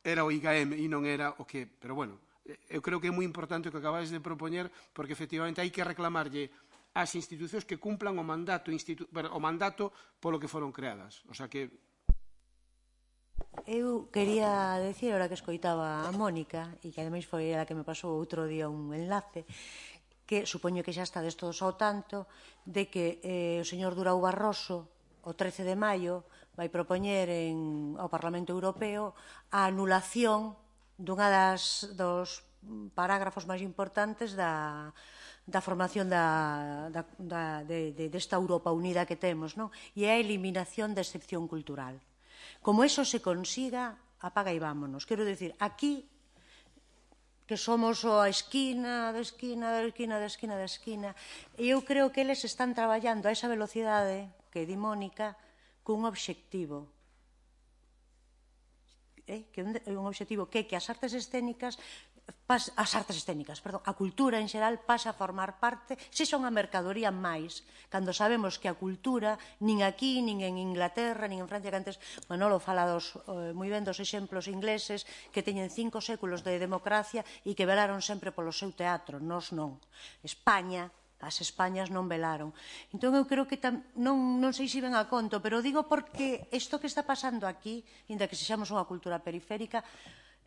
era o I G A E M e non era o que... Pero bueno, eu creo que é moi importante o que acabáis de propoñer porque efectivamente hai que reclamarlle ás institucións que cumplan o mandato o mandato polo que foron creadas. O sea que... Eu quería decir, ahora que escoitaba a Mónica, e que ademais foi a que me pasou outro día un enlace, que supoño que xa estades todos ao tanto de que o señor Durão Barroso, o trece de maio, vai propoñer ao Parlamento Europeo a anulación dunha dos parágrafos máis importantes da formación desta Europa unida que temos, e a eliminación da excepción cultural. Como eso se consiga, apaga e vámonos. Quero dicir, aquí que somos a esquina, da esquina, da esquina, da esquina, da esquina, e eu creo que eles están traballando a esa velocidade que di Mónica cun obxectivo. Un obxectivo que que as artes escénicas as artes escénicas, perdón, a cultura en xeral pasa a formar parte, se son a mercadoría máis, cando sabemos que a cultura, nin aquí, nin en Inglaterra, nin en Francia, que antes Manolo fala moi ben dos exemplos ingleses que teñen cinco séculos de democracia e que velaron sempre polo seu teatro, nós non. España, as Españas non velaron. Entón eu creo que non sei se ven a conto, pero digo porque isto que está pasando aquí, inda que sexamos unha cultura periférica,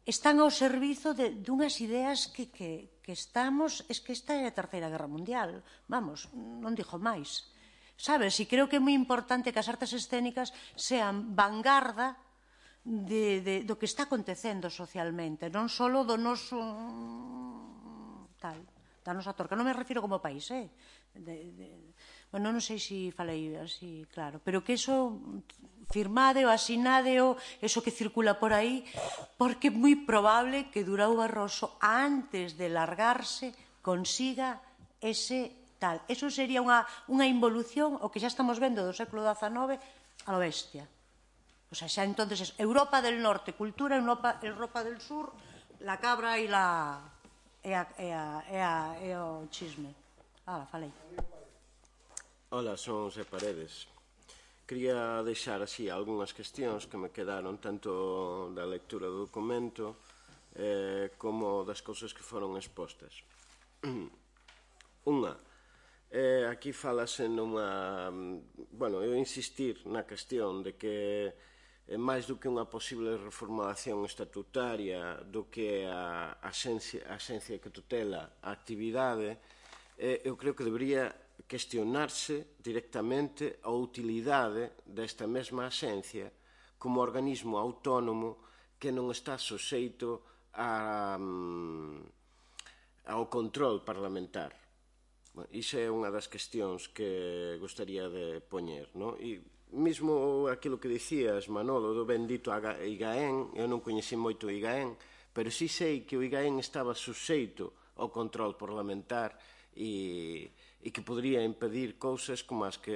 están ao servizo dunhas ideas que estamos... Es que esta é a Terceira Guerra Mundial. Vamos, non dixo máis. Sabes? E creo que é moi importante que as artes escénicas sean vanguarda do que está acontecendo socialmente, non só do noso... tal, da nosa torca. Non me refiro como país, eh? Bueno, non sei se falei así, claro, pero que iso firmadeo, asinadeo, eso que circula por aí, porque é moi probable que Durão Barroso, antes de largarse, consiga ese tal. Eso sería unha involución, o que xa estamos vendo do século dezanove, a lo bestia. O sea, xa entonces, Europa del Norte, cultura, Europa del Sur, la cabra e o chisme. Ah, falei. Ola, son José Paredes. Quería deixar así algunhas cuestións que me quedaron tanto da lectura do documento eh, como das cousas que foron expostas. Unha, eh, aquí falase nunha... Bueno, eu insistir na cuestión de que eh, máis do que unha posible reformulación estatutaria do que a axencia, a axencia que tutela a actividade, eh, eu creo que debería cuestionarse directamente a utilidade desta mesma axencia como organismo autónomo que non está soxeito a, ao control parlamentar. Iso é unha das cuestións que gostaría de poñer, non? E mesmo aquilo que dicías, Manolo, do bendito I G A E N, eu non coñeci moito o I G A E N, pero sí sei que o I G A E N estaba suxeito ao control parlamentar e, e que podría impedir cousas como as que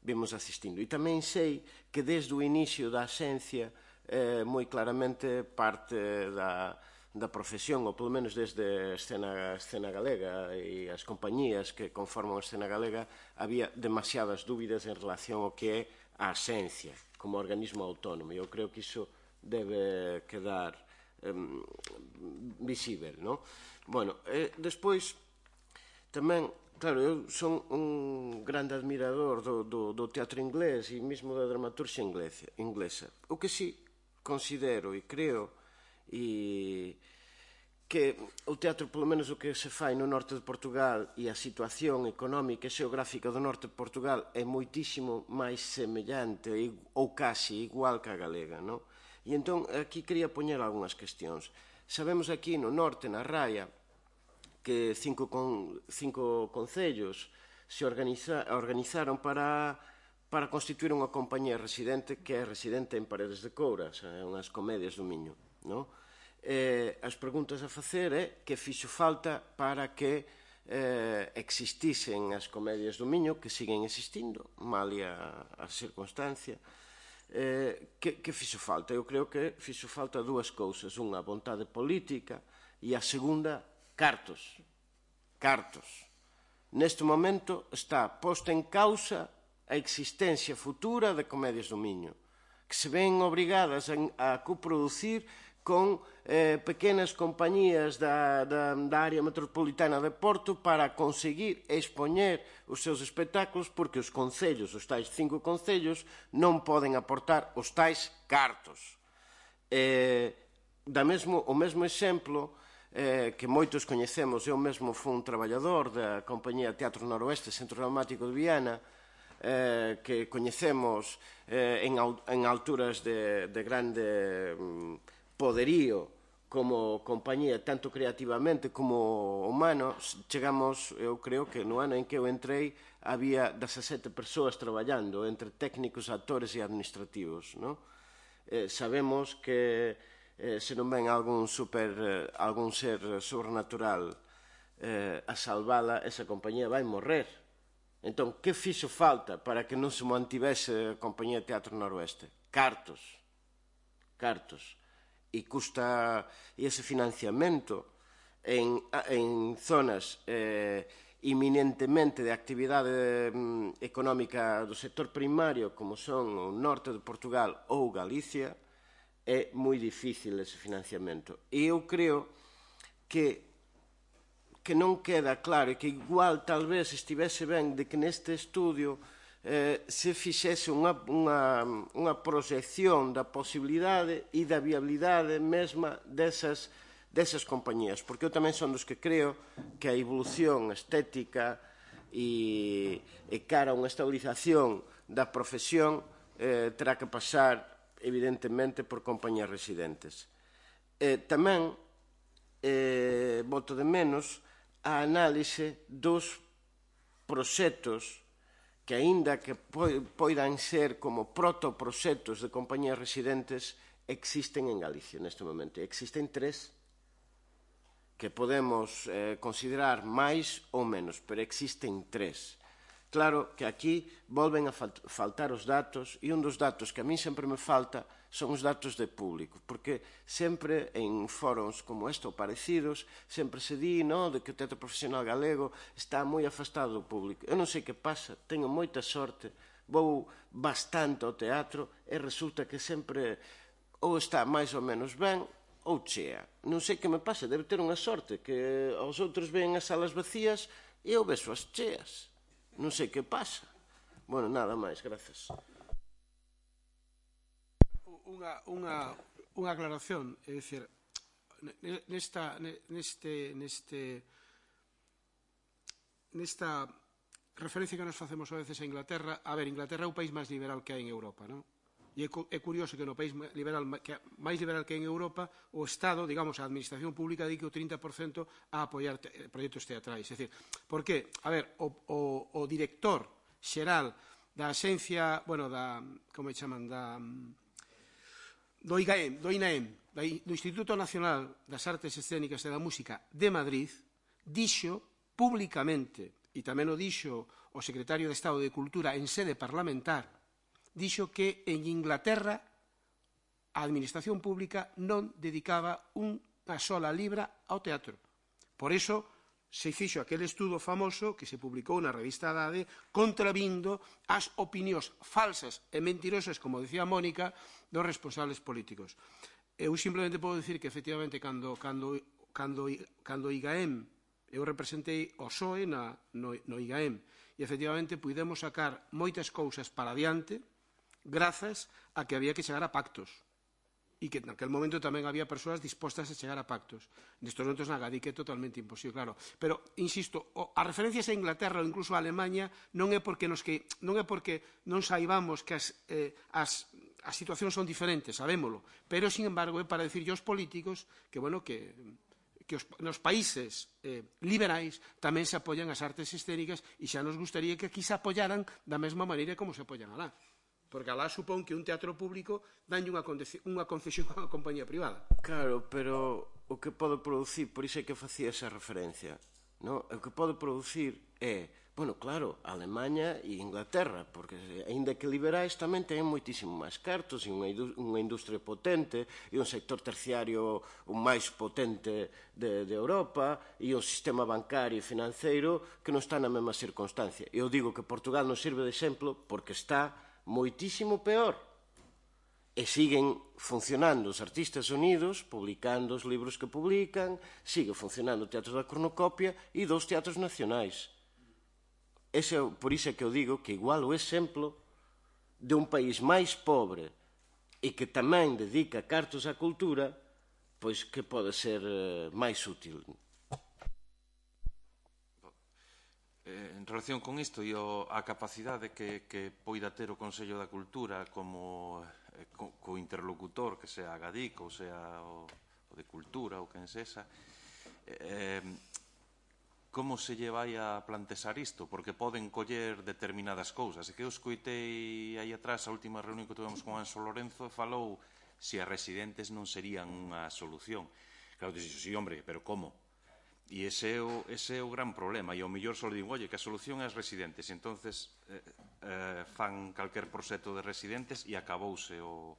vimos asistindo. E tamén sei que desde o inicio da axencia eh, moi claramente parte da, da profesión, ou polo menos desde a escena, a escena galega e as compañías que conforman a escena galega, había demasiadas dúbidas en relación ao que é a axencia como organismo autónomo. Eu creo que iso debe quedar eh, visível, non? Bueno, eh, despois tamén, claro, eu son un grande admirador do, do, do teatro inglés e mesmo da dramaturxia inglesa. O que sí considero e creo e que o teatro, polo menos o que se fai no norte de Portugal e a situación económica e xeográfica do norte de Portugal é moitísimo máis semellante ou casi igual que a galega, non? E entón aquí quería poñer algunhas cuestións. Sabemos aquí no norte, na Raia, que cinco, con, cinco concellos se organiza, organizaron para, para constituir unha compañía residente que é residente en Paredes de Couras, é unhas comedias do Miño, non? Eh, as preguntas a facer é que fixo falta para que eh, existisen as comedias do Miño, que siguen existindo, malia a circunstancia. Eh, que, que fixo falta? Eu creo que fixo falta dúas cousas, unha vontade política e a segunda cartos, cartos. Neste momento está posta en causa a existencia futura de Comedias do Miño, que se ven obrigadas a, a coproducir con eh, pequenas compañías da, da, da área metropolitana de Porto para conseguir expoñer os seus espectáculos porque os concellos, os tais cinco concellos, non poden aportar os tais cartos. Eh, da mesmo, o mesmo exemplo Eh, que moitos coñecemos, eu mesmo fui un traballador da compañía Teatro Noroeste, Centro Dramático de Viana, eh, que coñecemos eh, en, en alturas de, de grande mm, poderío como compañía, tanto creativamente como humano. Chegamos, eu creo que no ano en que eu entrei había dezasete persoas traballando entre técnicos, actores e administrativos, non? Eh, sabemos que Eh, se non ven algún, super, eh, algún ser sobrenatural eh, a salvala, esa compañía vai morrer. Entón, que fixo falta para que non se mantivese a compañía Teatro Noroeste? Cartos. Cartos. E custa e ese financiamento en, en zonas eh, inminentemente de actividade mm, económica do sector primario, como son o norte de Portugal ou Galicia, é moi difícil ese financiamento. E eu creo que, que non queda claro e que igual tal vez estivese ben de que neste estudio eh, se fixese unha, unha, unha proxección da posibilidade e da viabilidade mesma desas, desas compañías, porque eu tamén son dos que creo que a evolución estética e, e cara a unha estabilización da profesión eh, terá que pasar evidentemente por compañías residentes. Eh, tamén eh, boto de menos a análise dos proxectos que, aínda que poidan ser como protoproxectos de compañías residentes, existen en Galicia neste momento. Existen tres que podemos eh, considerar máis ou menos, pero existen tres, Claro que aquí volven a faltar os datos, e un dos datos que a mí sempre me falta son os datos de público, porque sempre en foros como este ou parecidos, sempre se di, no, de que o teatro profesional galego está moi afastado do público. Eu non sei que pasa, teño moita sorte, vou bastante ao teatro e resulta que sempre ou está máis ou menos ben ou chea. Non sei que me pasa, debe ter unha sorte, que os outros ven as salas vacías e eu vexo as cheas. Non sei que pasa. Bueno, nada máis, grazas. Unha, unha, unha aclaración, é dicir, nesta, neste, neste, nesta referencia que nos facemos a veces a Inglaterra, a ver, Inglaterra é o país máis liberal que hai en Europa, non? E é curioso que no país liberal, que máis liberal que hai en Europa, o Estado, digamos, a Administración Pública dedique o trinta por cento a apoiar te, proxectos teatrais. É dicir, por que? A ver, o, o, o director xeral da axencia, bueno, da, como chaman, da, do I G A E M, do I N A E M, do Instituto Nacional das Artes Escénicas e da Música de Madrid, dixo públicamente, e tamén o dixo o secretario de Estado de Cultura en sede parlamentar, dixo que en Inglaterra a Administración Pública non dedicaba unha sola libra ao teatro. Por iso se fixo aquele estudo famoso que se publicou na revista Dade contravindo as opinións falsas e mentirosas, como decía Mónica, dos responsables políticos. Eu simplemente podo dicir que, efectivamente, cando, cando, cando, cando I G A E M, eu representei o P S O E na, no, no I G A E M, e, efectivamente, pudemos sacar moitas cousas para adiante grazas a que había que chegar a pactos. E que naquele momento tamén había persoas dispostas a chegar a pactos. Nestes momentos na Gadique é totalmente imposible, claro. Pero, insisto, as referencias a Inglaterra ou incluso a Alemanha non é porque nos que non é porque non saibamos que as, eh, as, as situacións son diferentes, sabémolo, pero, sin embargo, é para decirlle aos políticos que, bueno, que que os, nos países eh, liberais tamén se apoian as artes escénicas e xa nos gustaría que aquí se apoyaran da mesma maneira como se apoian alá. Porque alá supón que un teatro público danlle unha concesión a unha compañía privada. Claro, pero o que pode producir, por iso é que facía esa referencia, no? O que pode producir é, bueno, claro, Alemanha e Inglaterra, porque aínda que liberais tamén teñen moitísimo máis cartos e unha industria potente e un sector terciario o máis potente de, de Europa e un sistema bancario e financeiro que non está na mesma circunstancia. Eu digo que Portugal non sirve de exemplo porque está moitísimo peor. E siguen funcionando os artistas unidos, publicando os libros que publican, sigue funcionando o Teatro da Cornucopia e dous teatros nacionais. Ese, por iso é que eu digo que igual o exemplo de un país máis pobre e que tamén dedica cartos á cultura, pois que pode ser máis útil. En relación con isto e a capacidade que, que poida ter o Consello da Cultura como eh, co, co interlocutor, que sea a Gadic ou sea o, o de Cultura ou quen sexa, eh, como se lle vai a plantexar isto? Porque poden coller determinadas cousas. E que eu escoitei aí atrás a última reunión que tuvemos con Anxo Lorenzo falou se as residentes non serían unha solución. Claro, dixo, sí, hombre, pero como? E ese é, o, ese é o gran problema. E ao mellor só digo, oye, que a solución é as residentes. E entonces eh, eh, fan calquer proxecto de residentes e acabouse o,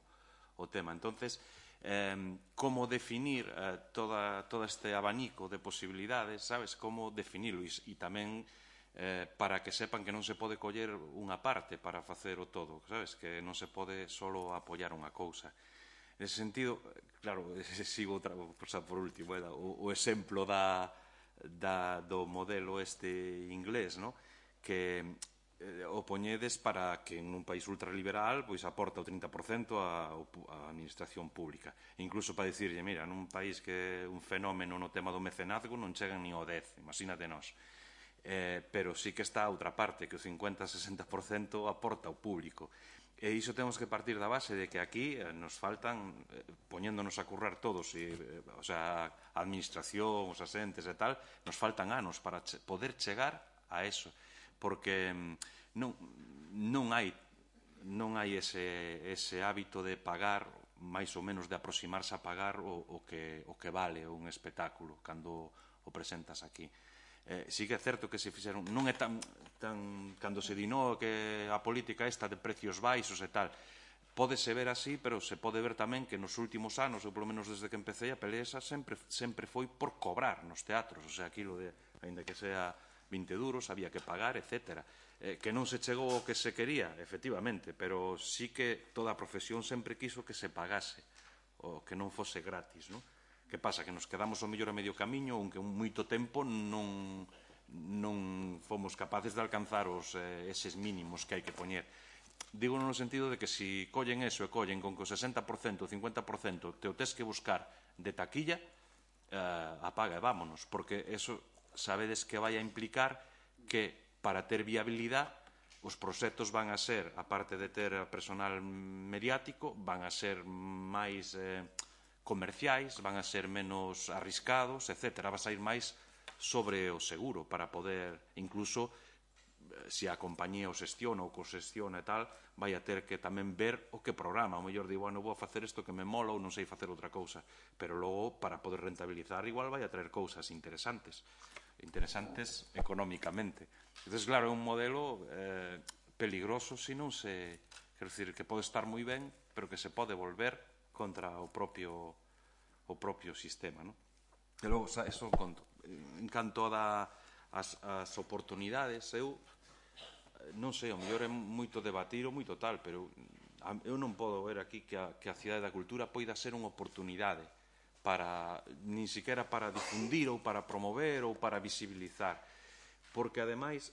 o tema. Entonces, eh, como definir eh, toda, todo este abanico de posibilidades, sabes? Como definirlo. E, e tamén eh, para que sepan que non se pode coller unha parte para facer o todo, sabes? Que non se pode solo apoiar unha cousa. Nese sentido, claro, sigo outra, por último, eh, o, o exemplo da, da, do modelo este inglés, no? Que eh, o poñedes para que en un país ultraliberal pois aporta o trinta por cento a, a administración pública. Incluso para dicirlle, mira, nun país que é un fenómeno no tema do mecenazgo non chegan ni ao dez, imagínate nós. Eh, pero sí que está a outra parte, que o cincuenta a sesenta por cento aporta ao público. E iso temos que partir da base de que aquí eh, nos faltan, eh, poñéndonos a currar todos, e, eh, o sea, a administración, os asentes e tal, nos faltan anos para che poder chegar a eso, porque non, non hai non hai ese, ese hábito de pagar, máis ou menos de aproximarse a pagar o, o, que, o que vale un espectáculo cando o presentas aquí. Eh, sí que é certo que se fixeron, non é tan, tan cando se dinou que a política esta de precios baixos e tal, pódese ver así, pero se pode ver tamén que nos últimos anos, ou polo menos desde que empecé, a pelea esa sempre, sempre foi por cobrar nos teatros, o sea, aquilo de, ainda que sea vinte duros, había que pagar, etcétera. Eh, que non se chegou o que se quería, efectivamente, pero sí que toda a profesión sempre quiso que se pagase, o que non fose gratis, non? Que pasa? Que nos quedamos ao mellor a medio camiño, aunque un moito tempo non, non fomos capaces de alcanzar os, eh, eses mínimos que hai que poñer. Digo no sentido de que se si collen eso e collen con que o sesenta por cento, o cincuenta por cento te o tes que buscar de taquilla, eh, apaga e vámonos, porque eso sabedes que vai a implicar que para ter viabilidade os proxectos van a ser, aparte de ter personal mediático, van a ser máis eh, comerciais, van a ser menos arriscados, etcétera. Vas a ir máis sobre o seguro para poder, incluso, se a compañía o xestiona ou co-xestiona e tal, vai a ter que tamén ver o que programa. O mellor digo, bueno, vou a facer isto que me mola ou non sei facer outra cousa. Pero logo, para poder rentabilizar, igual vai a traer cousas interesantes. Interesantes económicamente. Entón, claro, é un modelo eh, peligroso se non se... Quero dicir, que pode estar moi ben, pero que se pode volver contra o propio o propio sistema, non? E logo, eso conto. En canto a as, as oportunidades, eu non sei, o mellor é moito debatir ou moito tal, pero eu non podo ver aquí que a, que a Cidade da Cultura poida ser unha oportunidade para, nin siquiera para difundir ou para promover ou para visibilizar, porque ademais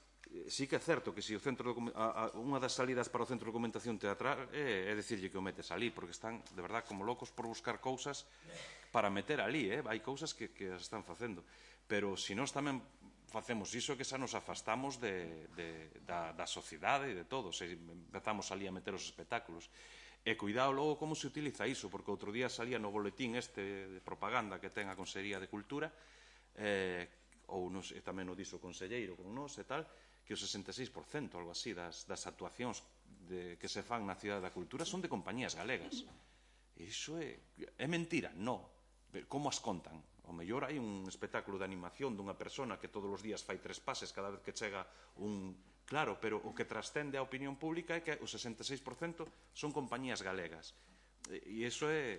sí que é certo que se o centro de, a, a, unha das salidas para o centro de documentación teatral é, é decirlle que o metes ali, porque están de verdad como locos por buscar cousas para meter ali, eh? Hai cousas que, que as están facendo, pero se nós tamén facemos iso, que xa nos afastamos de, de, da, da sociedade e de todo, se empezamos ali a meter os espectáculos. E cuidado logo como se utiliza iso, porque outro día salía no boletín este de propaganda que ten a Consellería de Cultura, eh, ou nos, e tamén o dixo o conselleiro con nós e tal, que o sesenta e seis por cento, algo así, das, das actuacións de, que se fan na Cidade da Cultura son de compañías galegas. E iso é, é mentira? Non. Como as contan? O mellor hai un espectáculo de animación dunha persona que todos os días fai tres pases cada vez que chega un... Claro, pero o que trascende a opinión pública é que o sesenta e seis por cento son compañías galegas. E iso é,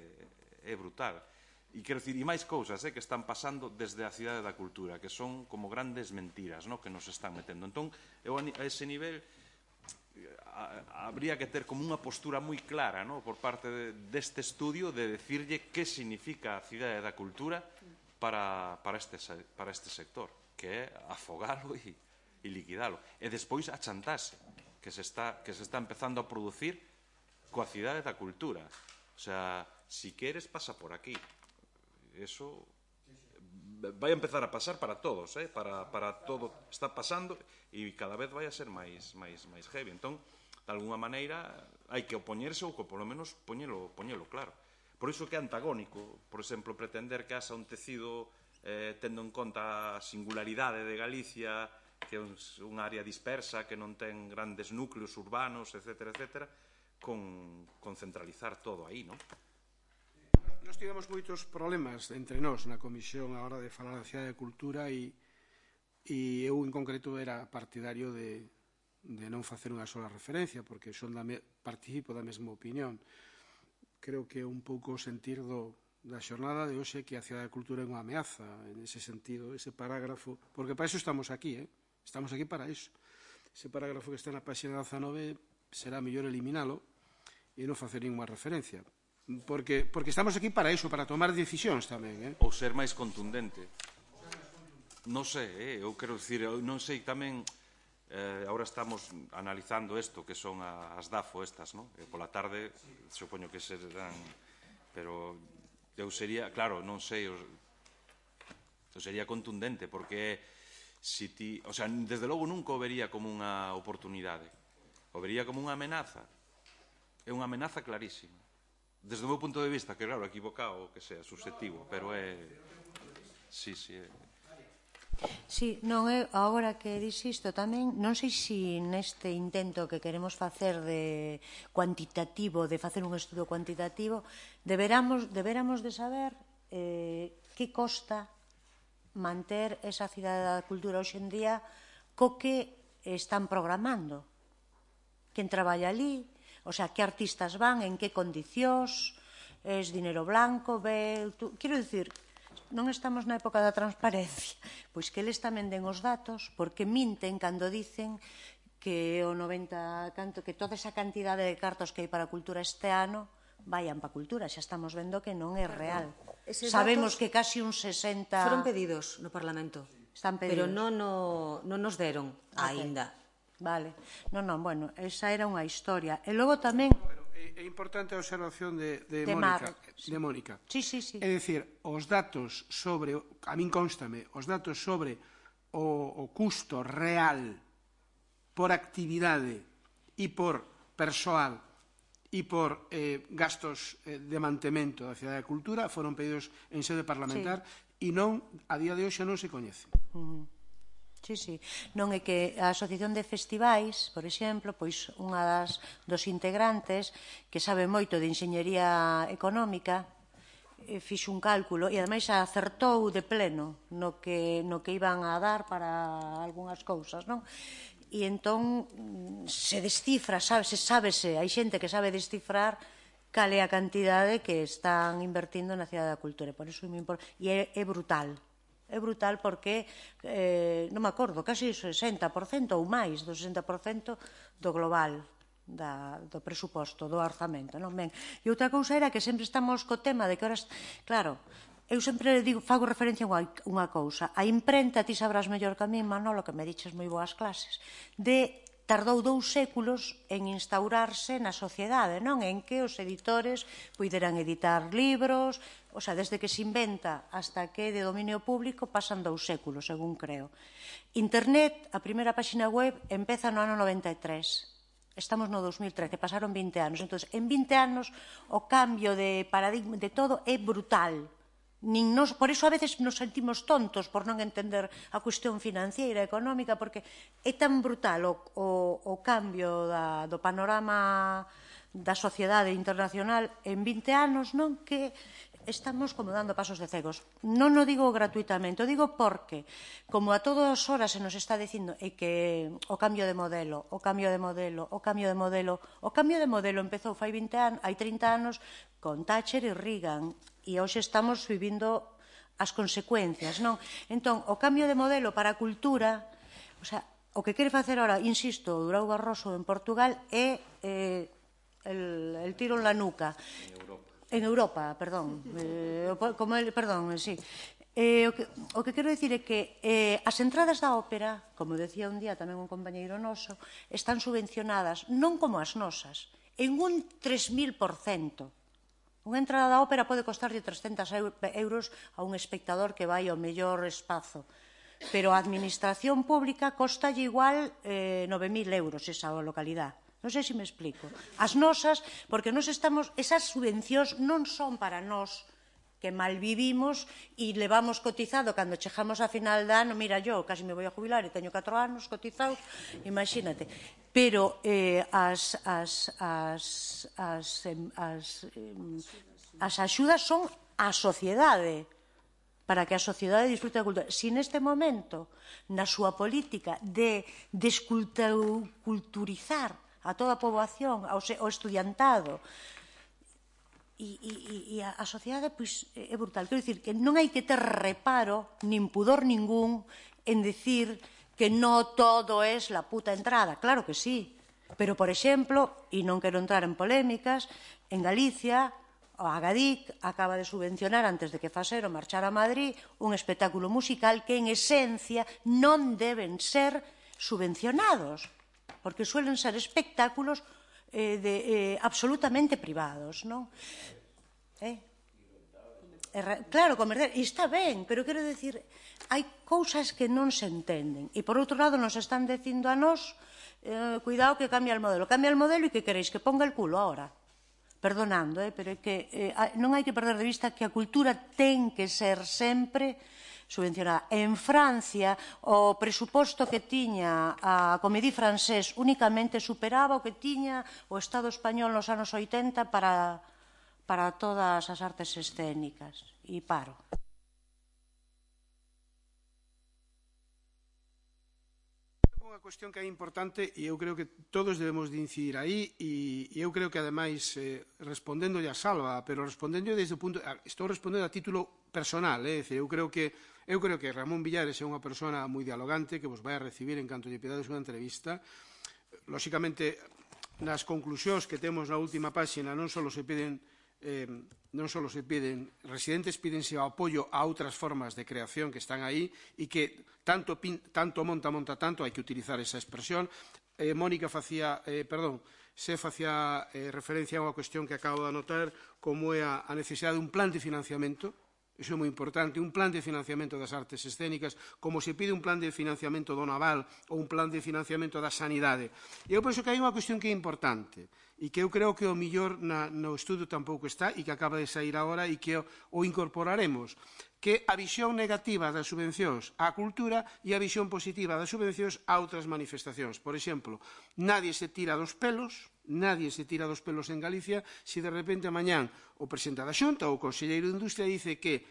é brutal. E quero dicir, e máis cousas eh, que están pasando desde a Cidade da Cultura, que son como grandes mentiras, no, que nos están metendo. Entón, eu a ese nivel a, habría que ter como unha postura moi clara, no, por parte de, deste estudio de decirlle que significa a Cidade da Cultura para, para, este, para este sector, que é afogalo e, e liquidalo. E despois a chantaxe que se está, que se está empezando a producir coa Cidade da Cultura. O sea, si queres, pasa por aquí. Eso vai a empezar a pasar para todos, eh? para, para todo está pasando e cada vez vai a ser máis, máis, máis heavy. Entón, de alguna maneira, hai que opoñerse ou que, polo menos, poñelo, poñelo claro. Por iso que é antagónico, por exemplo, pretender que haxa un tecido eh, tendo en conta a singularidade de Galicia, que é unha área dispersa, que non ten grandes núcleos urbanos, etcétera, etcétera, con, con centralizar todo aí, non? Nos tivemos moitos problemas entre nós na comisión a hora de falar da Cidade de Cultura e, e eu en concreto era partidario de, de non facer unha sola referencia porque son da me, participo da mesma opinión. Creo que é un pouco o sentir do, da xornada de hoxe que a Cidade de Cultura é unha ameaza en ese sentido, ese parágrafo, porque para iso estamos aquí, eh? Estamos aquí para iso. Ese parágrafo que está na página dezanove será mellor eliminalo e non facer ninguna referencia. Porque, porque estamos aquí para iso, para tomar decisións tamén, eh? Ou ser máis contundente. Non sei, eh? eu quero dicir, eu non sei tamén, eh, agora estamos analizando isto, que son as DAFO estas, non? E pola tarde, supoño que serán, pero eu sería, claro, non sei, eu, eu sería contundente, porque si ti, o sea, desde logo nunca o vería como unha oportunidade, o vería como unha amenaza, é unha amenaza clarísima. Desde o meu punto de vista, que claro, equivocado, que sea, subjetivo, pero é... Sí, sí, é... Sí, non é, agora que dis isto tamén, non sei se neste intento que queremos facer de cuantitativo, de facer un estudo cuantitativo, deberamos, deberamos de saber eh, que costa manter esa cidade da cultura hoxe en día co que están programando. Quen traballa ali, o sea, que artistas van, en que condicións, es dinero blanco, ve... Quero dicir, non estamos na época da transparencia, pois que eles tamén den os datos, porque minten cando dicen que o noventa canto, que toda esa cantidade de cartos que hai para a cultura este ano vayan para a cultura, xa estamos vendo que non é real. Sabemos que casi un sesenta... Foron pedidos no Parlamento, están pedidos. pero non, no, non nos deron aínda. Vale. Non, non, bueno, esa era unha historia. E logo tamén... É importante a observación de, de, De Mónica, Mar, sí. de Mónica. Sí, sí, sí. É dicir, os datos sobre, a min constame, os datos sobre o, o custo real por actividade e por persoal e por eh, gastos eh, de mantemento da Cidade da Cultura foron pedidos en sede parlamentar e non, a día de hoxe non se coñece. Uh -huh. Sí, sí. Non é que a Asociación de Festivais, por exemplo, pois unha das dos integrantes que sabe moito de enxeñería económica fixo un cálculo e ademais acertou de pleno no que, no que iban a dar para algunhas cousas, non? E entón se descifra, sábese, sábese, hai xente que sabe descifrar cal é a cantidade que están invertindo na Cidade da Cultura, por iso me importa, e é, é brutal. É brutal porque, eh, non me acordo, casi o sesenta por cento ou máis do sesenta por cento do global da, do presuposto, do orzamento, non? Ben, e outra cousa era que sempre estamos co tema de que horas, claro, eu sempre digo, fago referencia a unha cousa, a imprenta, ti sabrás mellor que a mí, Manolo, que me diches moi boas clases, de tardou dous séculos en instaurarse na sociedade, non? En que os editores puideran editar libros, o sea, desde que se inventa hasta que de dominio público pasan dous séculos, según creo. Internet, a primeira páxina web, empeza no ano noventa e tres. Estamos no dos mil trece, pasaron vinte anos. Entón, en vinte anos, o cambio de paradigma de todo é brutal. Nin nos, por iso a veces nos sentimos tontos por non entender a cuestión financiera, económica, porque é tan brutal o, o, o cambio da, do panorama da sociedade internacional en vinte anos, non? Que estamos como dando pasos de cegos. Non o digo gratuitamente, o digo porque, como a todas horas se nos está dicindo é que o cambio de modelo, o cambio de modelo, o cambio de modelo, o cambio de modelo empezou fai vinte anos, hai trinta anos con Thatcher e Reagan, e hoxe estamos vivindo as consecuencias, non? Entón, o cambio de modelo para a cultura, o sea, o que quere facer ahora, insisto, Durão Barroso en Portugal é eh, el, el tiro en la nuca. En Europa. En Europa, perdón. Eh, como el, perdón, sí. Eh, o, que, o que quero dicir é que eh, as entradas da ópera, como decía un día tamén un compañeiro noso, están subvencionadas non como as nosas, en un tres mil por cento. Unha entrada da ópera pode costarlle trescentos euros a un espectador que vai ao mellor espazo, pero a administración pública costalle igual eh, nove mil euros esa localidade. Non sei se me explico. As nosas, porque nos estamos, esas subvencións non son para nós que mal vivimos e levamos cotizado cando chegamos a final de ano, mira, yo casi me vou a jubilar e teño catro anos cotizados, imagínate. Pero eh, as, as, as, as, as, as axudas son a sociedade, para que a sociedade disfrute da cultura. Si neste momento, na súa política de desculturizar a toda a poboación, ao estudiantado, e, e, e a, a sociedade pois, é brutal. Quero dicir que non hai que ter reparo, nin pudor ningún, en decir que non todo é la puta entrada. Claro que sí. Pero, por exemplo, e non quero entrar en polémicas, en Galicia, o Agadic acaba de subvencionar, antes de que Fasero marchara a Madrid, un espectáculo musical que, en esencia, non deben ser subvencionados, porque suelen ser espectáculos Eh, de, eh, absolutamente privados, non? Eh? Eh, claro, comercial, e está ben, pero quero dicir, hai cousas que non se entenden, e por outro lado nos están dicindo a nós, eh, cuidado que cambia el modelo, cambia el modelo e que queréis, que ponga el culo ahora, perdonando, eh, pero é que eh, non hai que perder de vista que a cultura ten que ser sempre subvencionada. En Francia, o presuposto que tiña a Comédie Française únicamente superaba o que tiña o Estado español nos anos oitenta para, para todas as artes escénicas. E paro. unha cuestión que é importante e eu creo que todos debemos de incidir aí e eu creo que ademais eh, respondendo a Salva, pero respondendo desde o punto, estou respondendo a título personal, é dicir, eu creo que eu creo que Ramón Villares é unha persona moi dialogante que vos vai a recibir en canto lle pedades unha entrevista. Lóxicamente, nas conclusións que temos na última páxina non só se piden Eh, non só se piden, residentes pídense o apoio a outras formas de creación que están aí e que tanto, pin, tanto monta, monta tanto, hai que utilizar esa expresión. Eh, Mónica facía, eh, perdón, se facía eh, referencia a unha cuestión que acabo de anotar como é a, a necesidade de un plan de financiamento. Iso é moi importante, un plan de financiamento das artes escénicas, como se pide un plan de financiamento do naval ou un plan de financiamento da sanidade. E eu penso que hai unha cuestión que é importante e que eu creo que o millor na, no estudo tampouco está e que acaba de sair agora e que o, o incorporaremos, que a visión negativa das subvencións á cultura e a visión positiva das subvencións a outras manifestacións. Por exemplo, nadie se tira dos pelos, nadie se tira dos pelos en Galicia se de repente mañán o presidente da Xunta ou o conselleiro de Industria dice que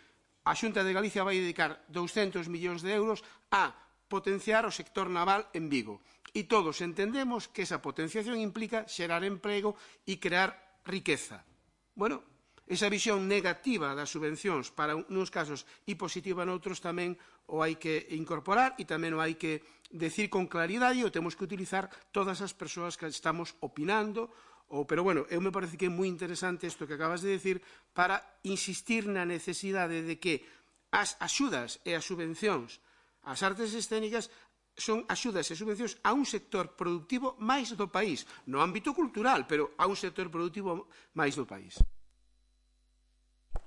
a Xunta de Galicia vai dedicar douscentos millóns de euros a potenciar o sector naval en Vigo. E todos entendemos que esa potenciación implica xerar emprego e crear riqueza. Bueno, esa visión negativa das subvencións para uns casos e positiva noutros tamén o hai que incorporar e tamén o hai que decir con claridade e o temos que utilizar todas as persoas que estamos opinando. Ou, pero, bueno, eu me parece que é moi interesante isto que acabas de decir para insistir na necesidade de que as axudas e as subvencións ás artes escénicas son axudas e subvencións a un sector productivo máis do país, no ámbito cultural, pero a un sector productivo máis do país.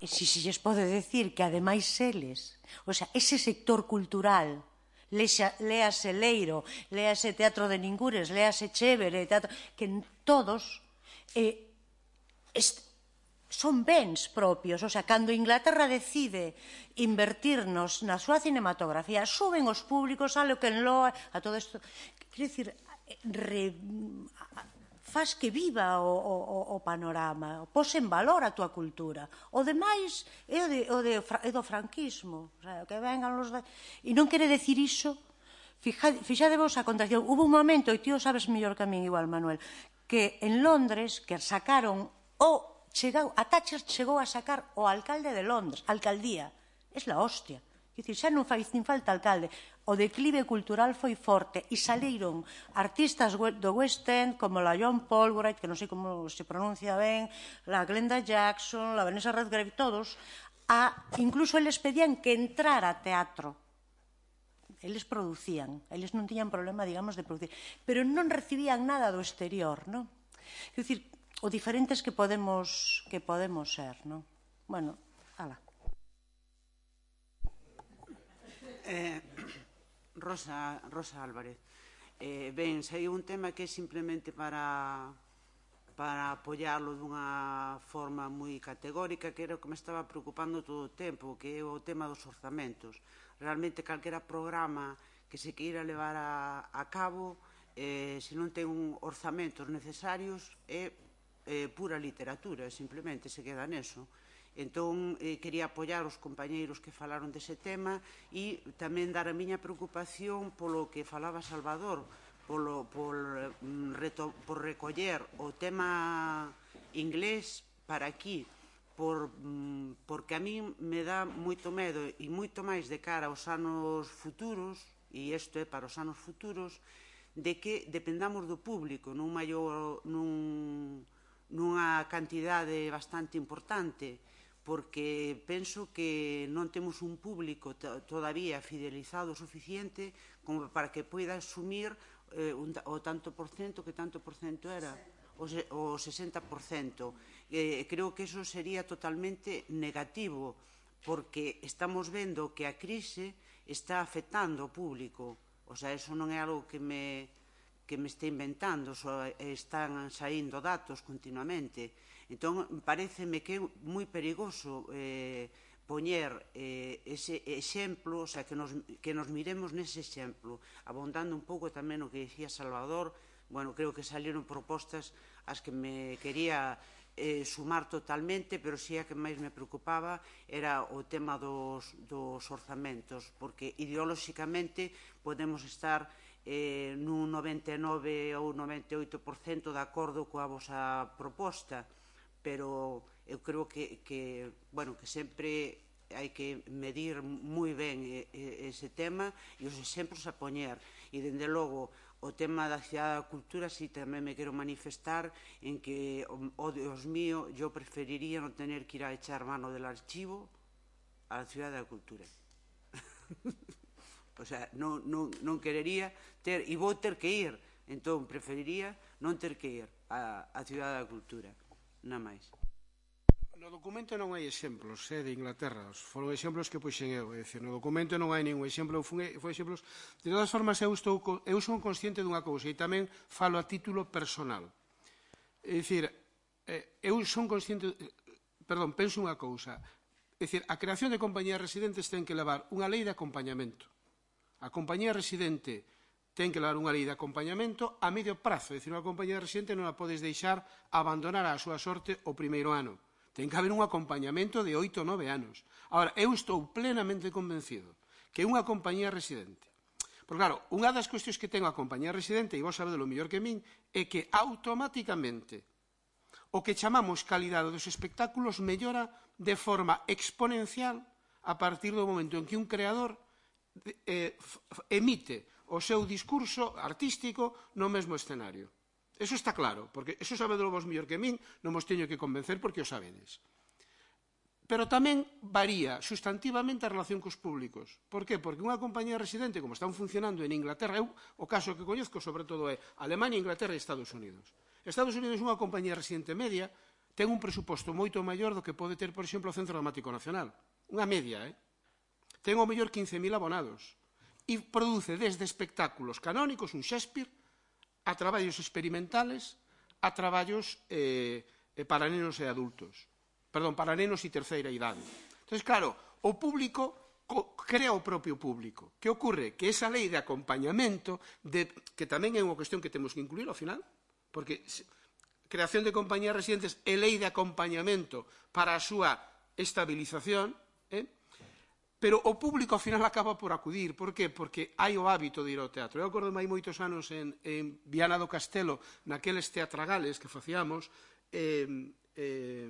E si se lles pode decir que ademais eles, o sea, ese sector cultural, léase Leiro, léase Teatro de Ningures, léase Chévere, teatro, que todos eh, est, son bens propios, o sea, cando Inglaterra decide invertirnos na súa cinematografía, suben os públicos a lo que enloa, a todo isto, quero dicir, re, faz que viva o, o, o panorama, pos en valor a túa cultura. O demais é o, de, o, de, é do franquismo, o sea, que vengan los... De... E non quere decir iso, fixadevos a contracción. Hubo un momento, e ti o sabes mellor que a min igual, Manuel, que en Londres, que sacaron o... Chegou, a Thatcher chegou a sacar o alcalde de Londres, alcaldía. Es la hostia. É dicir, xa non fai nin falta alcalde. O declive cultural foi forte e saliron artistas do West End como la John Polwright, que non sei como se pronuncia ben, la Glenda Jackson, la Vanessa Redgrave, todos, a, incluso eles pedían que entrara a teatro. Eles producían, eles non tiñan problema, digamos, de producir, pero non recibían nada do exterior, non? É dicir, o diferentes que podemos que podemos ser, non? Bueno, ala. Eh, Rosa, Rosa Álvarez. Eh, ben, sei un tema que é simplemente para para apoiarlo dunha forma moi categórica, que era o que me estaba preocupando todo o tempo, que é o tema dos orzamentos. Realmente, calquera programa que se queira levar a, a cabo, eh, se non ten un orzamentos necesarios, é eh, pura literatura, simplemente se queda neso. Entón, eh, quería apoiar os compañeiros que falaron dese tema e tamén dar a miña preocupación polo que falaba Salvador, polo, por, reto, por recoller o tema inglés para aquí, por, porque a mí me dá moito medo e moito máis de cara aos anos futuros, e isto é para os anos futuros, de que dependamos do público nun maior... nun nunha cantidade bastante importante, porque penso que non temos un público todavía fidelizado o suficiente como para que poida asumir eh, un, o tanto por cento que tanto por cento era, o, se, o sesenta por cento. Eh, creo que eso sería totalmente negativo, porque estamos vendo que a crise está afectando ao público. O sea, eso non é algo que me... que me está inventando, só están saindo datos continuamente. Entón, pareceme que é moi perigoso eh, poñer eh, ese exemplo, o sea, que nos, que nos miremos nese exemplo, abondando un pouco tamén o que dicía Salvador. Bueno, creo que salieron propostas as que me quería eh, sumar totalmente, pero si a que máis me preocupaba era o tema dos, dos orzamentos, porque ideolóxicamente podemos estar eh, nun noventa e nove ou noventa e oito por cento de acordo coa vosa proposta, pero eu creo que, que, bueno, que sempre hai que medir moi ben ese tema e os exemplos a poñer. E, dende logo, o tema da Cidade da Cultura, si tamén me quero manifestar en que, oh Dios mío, yo preferiría non tener que ir a echar mano del archivo a la Cidade da Cultura. O sea, non, non, non querería ter, e vou ter que ir, entón preferiría non ter que ir a, a Cidade da Cultura, nada máis. No documento non hai exemplos eh, de Inglaterra, foron exemplos que puxen eu, é dicir, no documento non hai ningún exemplo, foi exemplos. De todas formas, eu, estou, eu son consciente dunha cousa e tamén falo a título personal. É dicir, eh, eu son consciente, perdón, penso unha cousa, é dicir, a creación de compañías residentes ten que levar unha lei de acompañamento. A compañía residente ten que levar unha lei de acompañamento a medio prazo, é dicir, unha compañía residente non a podes deixar abandonar a súa sorte o primeiro ano. Ten que haber un acompañamento de oito ou nove anos. Agora, eu estou plenamente convencido que unha compañía residente, porque claro, unha das cuestións que ten a compañía residente, e vos sabedes lo mellor que min, é que automáticamente o que chamamos calidade dos espectáculos mellora de forma exponencial a partir do momento en que un creador eh, emite o seu discurso artístico no mesmo escenario. Eso está claro, porque eso sabedelo vos mellor que min, non vos teño que convencer porque o sabedes. Pero tamén varía sustantivamente a relación cos públicos. Por qué? Porque unha compañía residente, como están funcionando en Inglaterra, eu o caso que coñezco sobre todo é Alemania, Inglaterra e Estados Unidos. Estados Unidos é unha compañía residente media, ten un presuposto moito maior do que pode ter, por exemplo, o Centro Dramático Nacional. Unha media, eh? Ten ao mellor quince mil abonados e produce desde espectáculos canónicos, un Shakespeare, a traballos experimentales, a traballos eh, para nenos e adultos. Perdón, para nenos e terceira idade. Entón, claro, o público crea o propio público. Que ocorre? Que esa lei de acompañamento, de, que tamén é unha cuestión que temos que incluir ao final, porque creación de compañías residentes e lei de acompañamento para a súa estabilización, eh? Pero o público ao final acaba por acudir. Por qué? Porque hai o hábito de ir ao teatro. Eu acordo hai moitos anos en, en Viana do Castelo, naqueles teatragales que facíamos, eh, eh,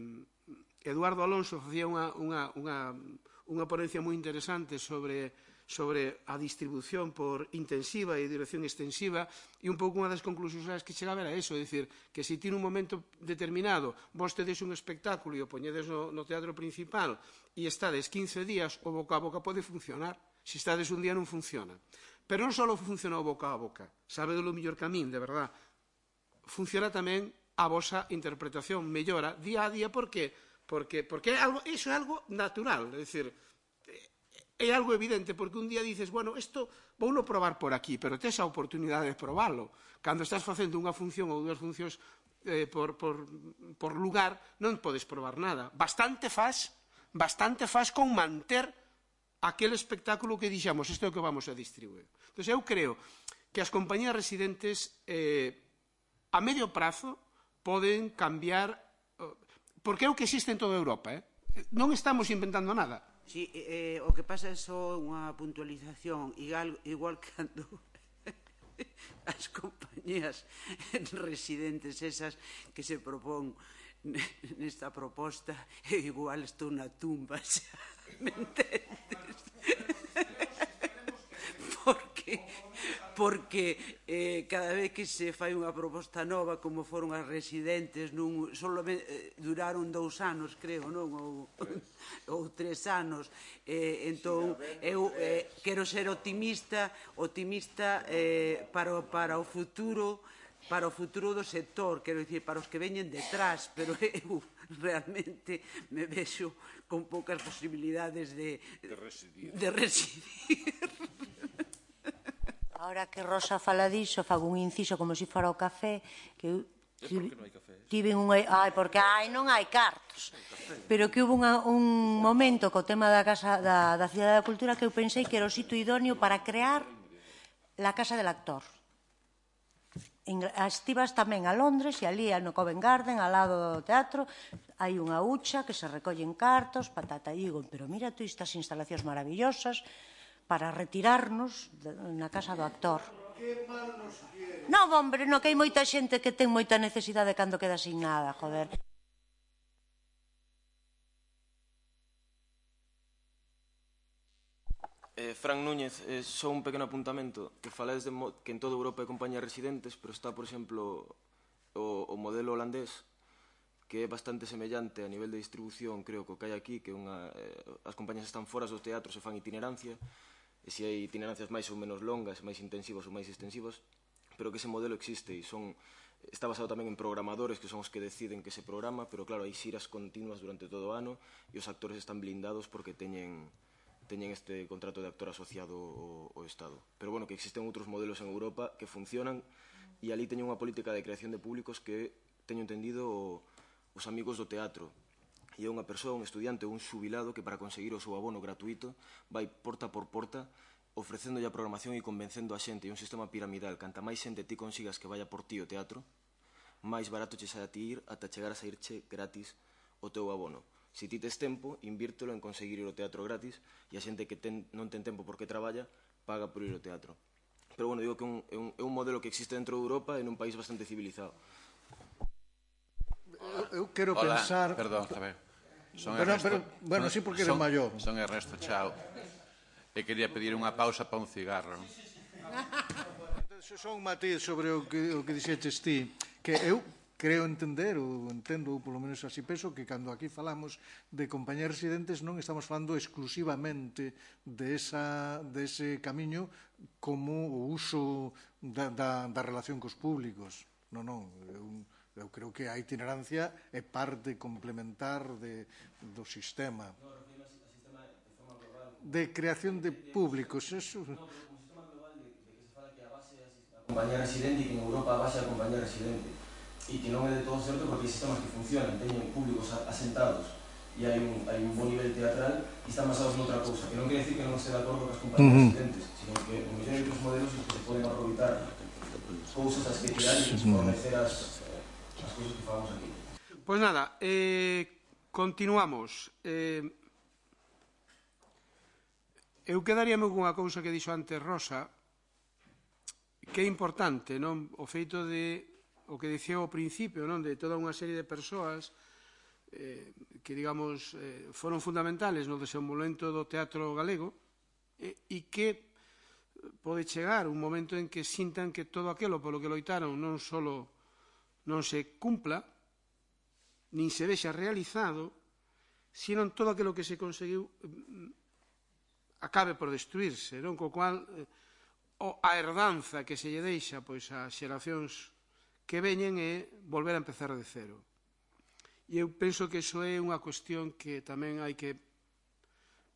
Eduardo Alonso facía unha, unha, unha, unha ponencia moi interesante sobre, sobre a distribución por intensiva e dirección extensiva, e un pouco unha das conclusións que chegaba era eso, é dicir, que se ti nun momento determinado vos tedes un espectáculo e o poñedes no, no teatro principal e estades quince días, o boca a boca pode funcionar. Se estades un día non funciona. Pero non só funciona o boca a boca, sabe do mellor que a min, de verdad. Funciona tamén a vosa interpretación, mellora día a día, por qué? Porque, porque é algo, iso é algo natural, é dicir, é algo evidente, porque un día dices, bueno, isto vouno probar por aquí, pero tes a oportunidade de probarlo. Cando estás facendo unha función ou dúas funcións eh, por, por, por lugar, non podes probar nada. Bastante faz, bastante faz con manter aquel espectáculo que dixamos, isto é o que vamos a distribuir. Entón, eu creo que as compañías residentes eh, a medio prazo poden cambiar, porque é o que existe en toda Europa, eh? Non estamos inventando nada. Sí, eh, o que pasa é só unha puntualización, igual, igual cando as compañías residentes esas que se propón nesta proposta, igual estou na tumba, xa, me entendes? Porque, porque eh, cada vez que se fai unha proposta nova, como foron as residentes, nun, solo eh, duraron dous anos, creo, non? Ou, ou tres anos. Eh, entón, eu eh, quero ser optimista, optimista eh, para, para o futuro, para o futuro do sector, quero dicir, para os que veñen detrás, pero eu realmente me vexo con poucas posibilidades de, de residir. De residir. Ahora que Rosa fala diso, fago un inciso como se fora o café, que eu tive unha... Ai, porque ai, non hai cartos. Pero que hubo unha, un momento co tema da casa da, da Cidade da Cultura que eu pensei que era o sitio idóneo para crear la Casa del Actor. Estivas tamén a Londres e ali no Covent Garden, ao lado do teatro, hai unha hucha que se recollen cartos, patata, e digo, pero mira tú estas instalacións maravillosas para retirarnos na Casa do Actor. Non, hombre, no, que hai moita xente que ten moita necesidade cando queda sin nada, joder. Eh, Fran Núñez, eh, só un pequeno apuntamento, que falades de que en toda Europa hai compañías residentes, pero está, por exemplo, o, o modelo holandés, que é bastante semellante a nivel de distribución, creo que o que hai aquí, que unha, eh, as compañías están foras dos teatros e fan itinerancia, e se hai itinerancias máis ou menos longas, máis intensivas ou máis extensivas, pero que ese modelo existe e son, está basado tamén en programadores que son os que deciden que se programa, pero claro, hai xiras continuas durante todo o ano e os actores están blindados porque teñen teñen este contrato de actor asociado ao, ao Estado. Pero bueno, que existen outros modelos en Europa que funcionan e ali teñen unha política de creación de públicos que teño entendido o, os amigos do teatro. E é unha persoa, un estudiante ou un xubilado que para conseguir o seu abono gratuito vai porta por porta ofrecendo a programación e convencendo a xente. É un sistema piramidal. Canta máis xente ti consigas que vaya por ti o teatro, máis barato che sai a ti ir ata chegar a saírche gratis o teu abono. Se ti tes tempo, invírtelo en conseguir ir ao teatro gratis e a xente que ten, non ten tempo porque traballa, paga por ir ao teatro. Pero, bueno, digo que un, é, un, é un modelo que existe dentro de Europa e nun país bastante civilizado. Eu, eu quero Hola, pensar... perdón, a ver. Son pero, Ernesto, pero, bueno, sí, porque eres son, maior. Son Ernesto Chao. E quería pedir unha pausa para un cigarro. Só un matiz sobre o que, o que dixeches ti, que eu creo entender, ou entendo, ou polo menos así penso, que cando aquí falamos de compañías residentes non estamos falando exclusivamente de esa, de ese camiño como o uso da, da, da relación cos públicos. Non, non, eu, eu creo que a itinerancia é parte complementar de, do sistema de creación de públicos. Eso... Compañía residente e que en Europa a base da compañía residente e que non é de todo certo porque hai sistemas que funcionan, teñen públicos asentados e hai un, hai un bon nivel teatral e están basados noutra cousa, que non quere decir que non este de acordo con as compañías uh -huh. residentes, sino que o mellor hai outros modelos que se poden aproveitar cousas as que tirar e fornecer as, as cousas que falamos aquí. Pois nada, eh, continuamos. Eh, eu quedaríame con unha cousa que dixo antes Rosa, que é importante, non? O feito de o que dicía ao principio, non? De toda unha serie de persoas eh, que, digamos, eh, foron fundamentales no desenvolvemento do teatro galego eh, e que pode chegar un momento en que sintan que todo aquilo polo que loitaron non só non se cumpla, nin se vexa realizado, sino todo aquilo que se conseguiu eh, acabe por destruirse, non? Co cual eh, a herdanza que se lle deixa pois ás xeracións que veñen é volver a empezar de cero. E eu penso que iso é unha cuestión que tamén hai que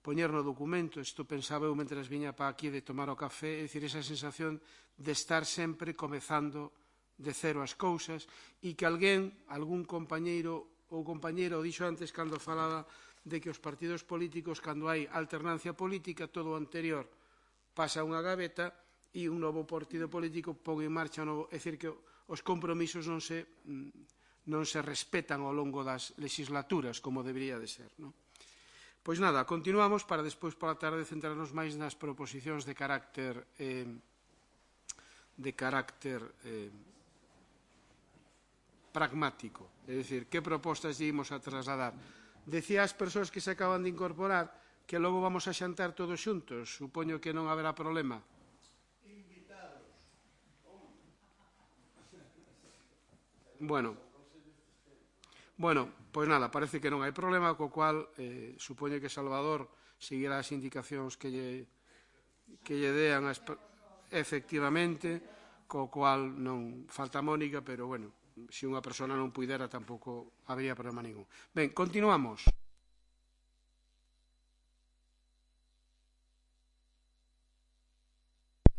poñer no documento. Isto pensaba eu mentre viña para aquí de tomar o café, é dicir, esa sensación de estar sempre comezando de cero as cousas e que alguén, algún compañeiro ou compañeira o dixo antes cando falaba de que os partidos políticos, cando hai alternancia política, todo o anterior pasa a unha gaveta e un novo partido político pon en marcha un novo, é dicir, que os compromisos non se, non se respetan ao longo das legislaturas como debería de ser, non? Pois nada, continuamos para despois pola tarde centrarnos máis nas proposicións de carácter eh, de carácter eh, pragmático, é dicir, que propostas ímos a trasladar. Decía as persoas que se acaban de incorporar que logo vamos a xantar todos xuntos, supoño que non haberá problema. Bueno, bueno, pois nada, parece que non hai problema, co cual eh, supoño que Salvador seguirá as indicacións que lle, que lle dean as, efectivamente, co cual non falta Mónica, pero bueno, se unha persona non puidera tampouco habría problema ningún. Ben, continuamos.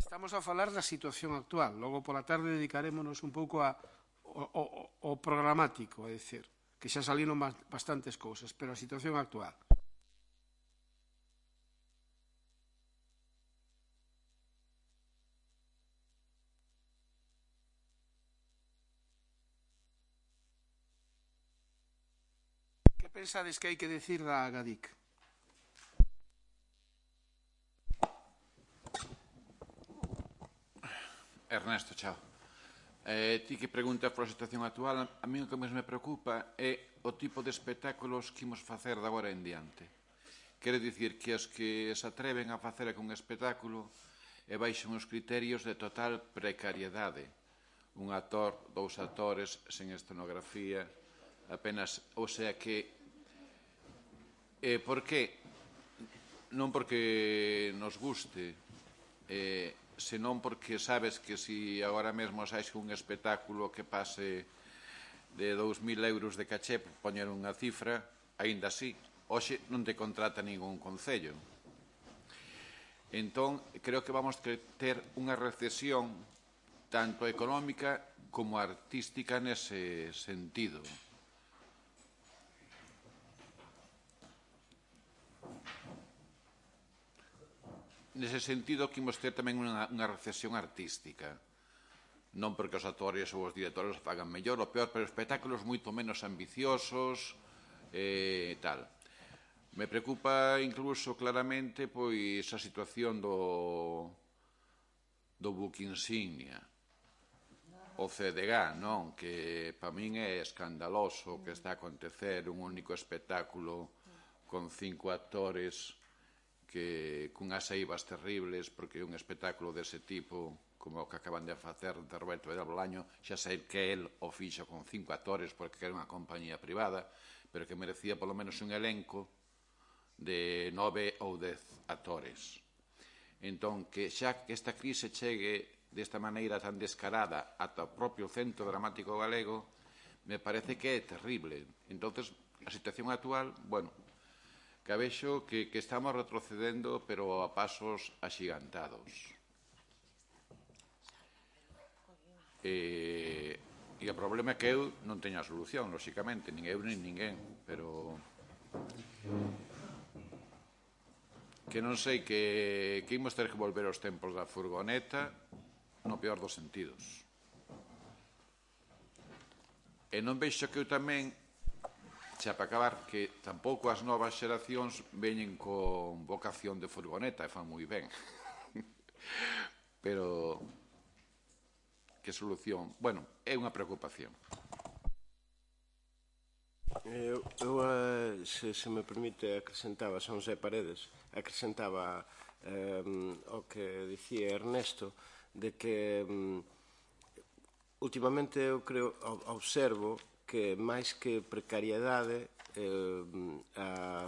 Estamos a falar da situación actual, logo pola tarde dedicarémonos un pouco a O, o, o programático, é dicir, que xa saliron bastantes cousas, pero a situación actual. Que pensades que hai que decir da Agadic? Ernesto, chao. Eh, ti que preguntas pola situación actual, a mí o que máis me preocupa é o tipo de espectáculos que imos facer de agora en diante. Quere dicir que os que se atreven a facer un espectáculo e baixan os criterios de total precariedade. Un actor, dous actores, sen escenografía, apenas, o sea que... Eh, por que? Non porque nos guste, eh, senón porque sabes que se agora mesmo sais un espectáculo que pase de dous mil euros de caché, por poñer unha cifra, aínda así, hoxe non te contrata ningún concello. Entón, creo que vamos a ter unha recesión tanto económica como artística nese sentido. Nese sentido, que imos ter tamén unha, unha recesión artística. Non porque os actores ou os directores o fagan mellor ou peor, pero espectáculos moito menos ambiciosos e eh, tal. Me preocupa incluso claramente pois a situación do, do buque insignia, o C D G, non? Que para min é escandaloso que está a acontecer un único espectáculo con cinco actores que cunhas eivas terribles, porque un espectáculo dese tipo, como o que acaban de facer de Roberto de Bolaño, xa sei que el o fixo con cinco actores porque era unha compañía privada, pero que merecía polo menos un elenco de nove ou dez actores. Entón, que xa que esta crise chegue desta maneira tan descarada ata o propio Centro Dramático Galego, me parece que é terrible. Entonces, a situación actual, bueno, que vexo que, que estamos retrocedendo, pero a pasos axigantados. E, e o problema é que eu non teño a solución, lóxicamente, nin eu nin ninguén, pero que non sei que, que imos ter que volver aos tempos da furgoneta no peor dos sentidos. E non vexo que eu tamén, xa para acabar, que tampouco as novas xeracións veñen con vocación de furgoneta e fan moi ben. Pero que solución? Bueno, é unha preocupación. Eu, eu se, se me permite, acrescentaba, son José Paredes, acrescentaba eh, o que dicía Ernesto, de que um, últimamente eu creo, observo que máis que precariedade, eh, a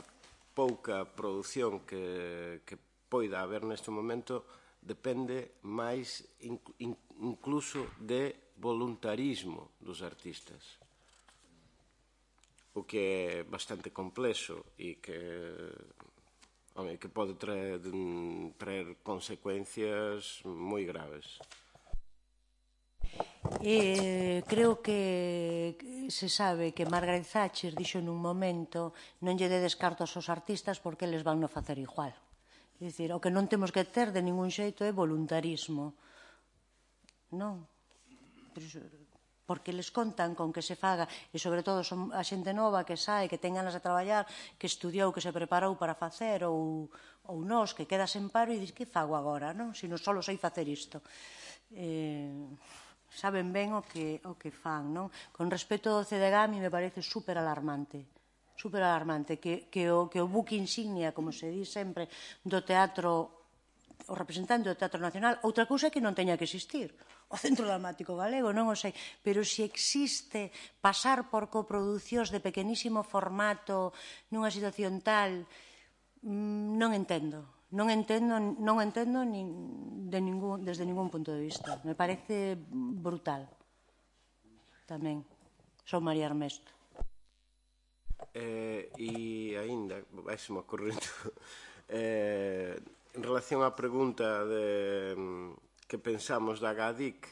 pouca produción que, que poida haber neste momento depende máis in, in, incluso de voluntarismo dos artistas, o que é bastante complexo e que, home, que pode traer, traer consecuencias moi graves. Eh, creo que se sabe que Margaret Thatcher dixo nun momento non lle dedes cartos aos artistas porque eles van no facer igual. É dicir, o que non temos que ter de ningún xeito é voluntarismo. Non. Porque les contan con que se faga, e sobre todo son a xente nova que sae, que ten ganas de traballar, que estudiou, que se preparou para facer, ou, ou nós, que quedas en paro e dis, que fago agora, non? Se non só sei facer isto. Eh... saben ben o que, o que fan, non? Con respecto ao C D G, a mi me parece super alarmante, super alarmante, que, que, o, que o buque insignia, como se di sempre, do teatro, o representante do Teatro Nacional, outra cousa é que non teña que existir, o Centro Dramático Galego, non o sei, pero se existe pasar por coproducións de pequenísimo formato nunha situación tal, non entendo. Non entendo, non entendo nin, de ningún, desde ningún punto de vista. Me parece brutal. Tamén. Son María Armesto. Eh, e aínda, vai-se-me ocorrendo, eh, en relación á pregunta de que pensamos da GADIC,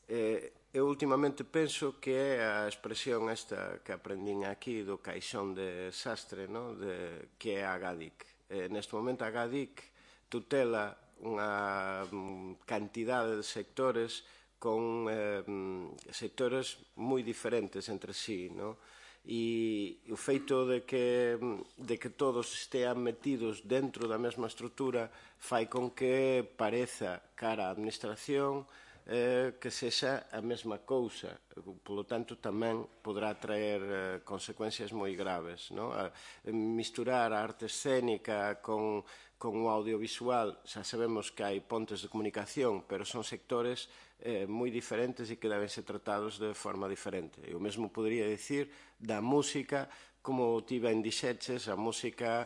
eh, eu últimamente penso que é a expresión esta que aprendín aquí do caixón de sastre, no? De, que é a GADIC. Eh, neste momento a GADIC tutela unha cantidade de sectores con eh, sectores moi diferentes entre sí, no? E o feito de que, de que todos estean metidos dentro da mesma estrutura fai con que pareza cara á administración que sexa a mesma cousa. Polo tanto, tamén poderá traer consecuencias moi graves. Misturar a arte escénica con o audiovisual, xa sabemos que hai pontes de comunicación, pero son sectores moi diferentes e que deben ser tratados de forma diferente. Eu mesmo podería dicir da música, como ti ben dixeches, a música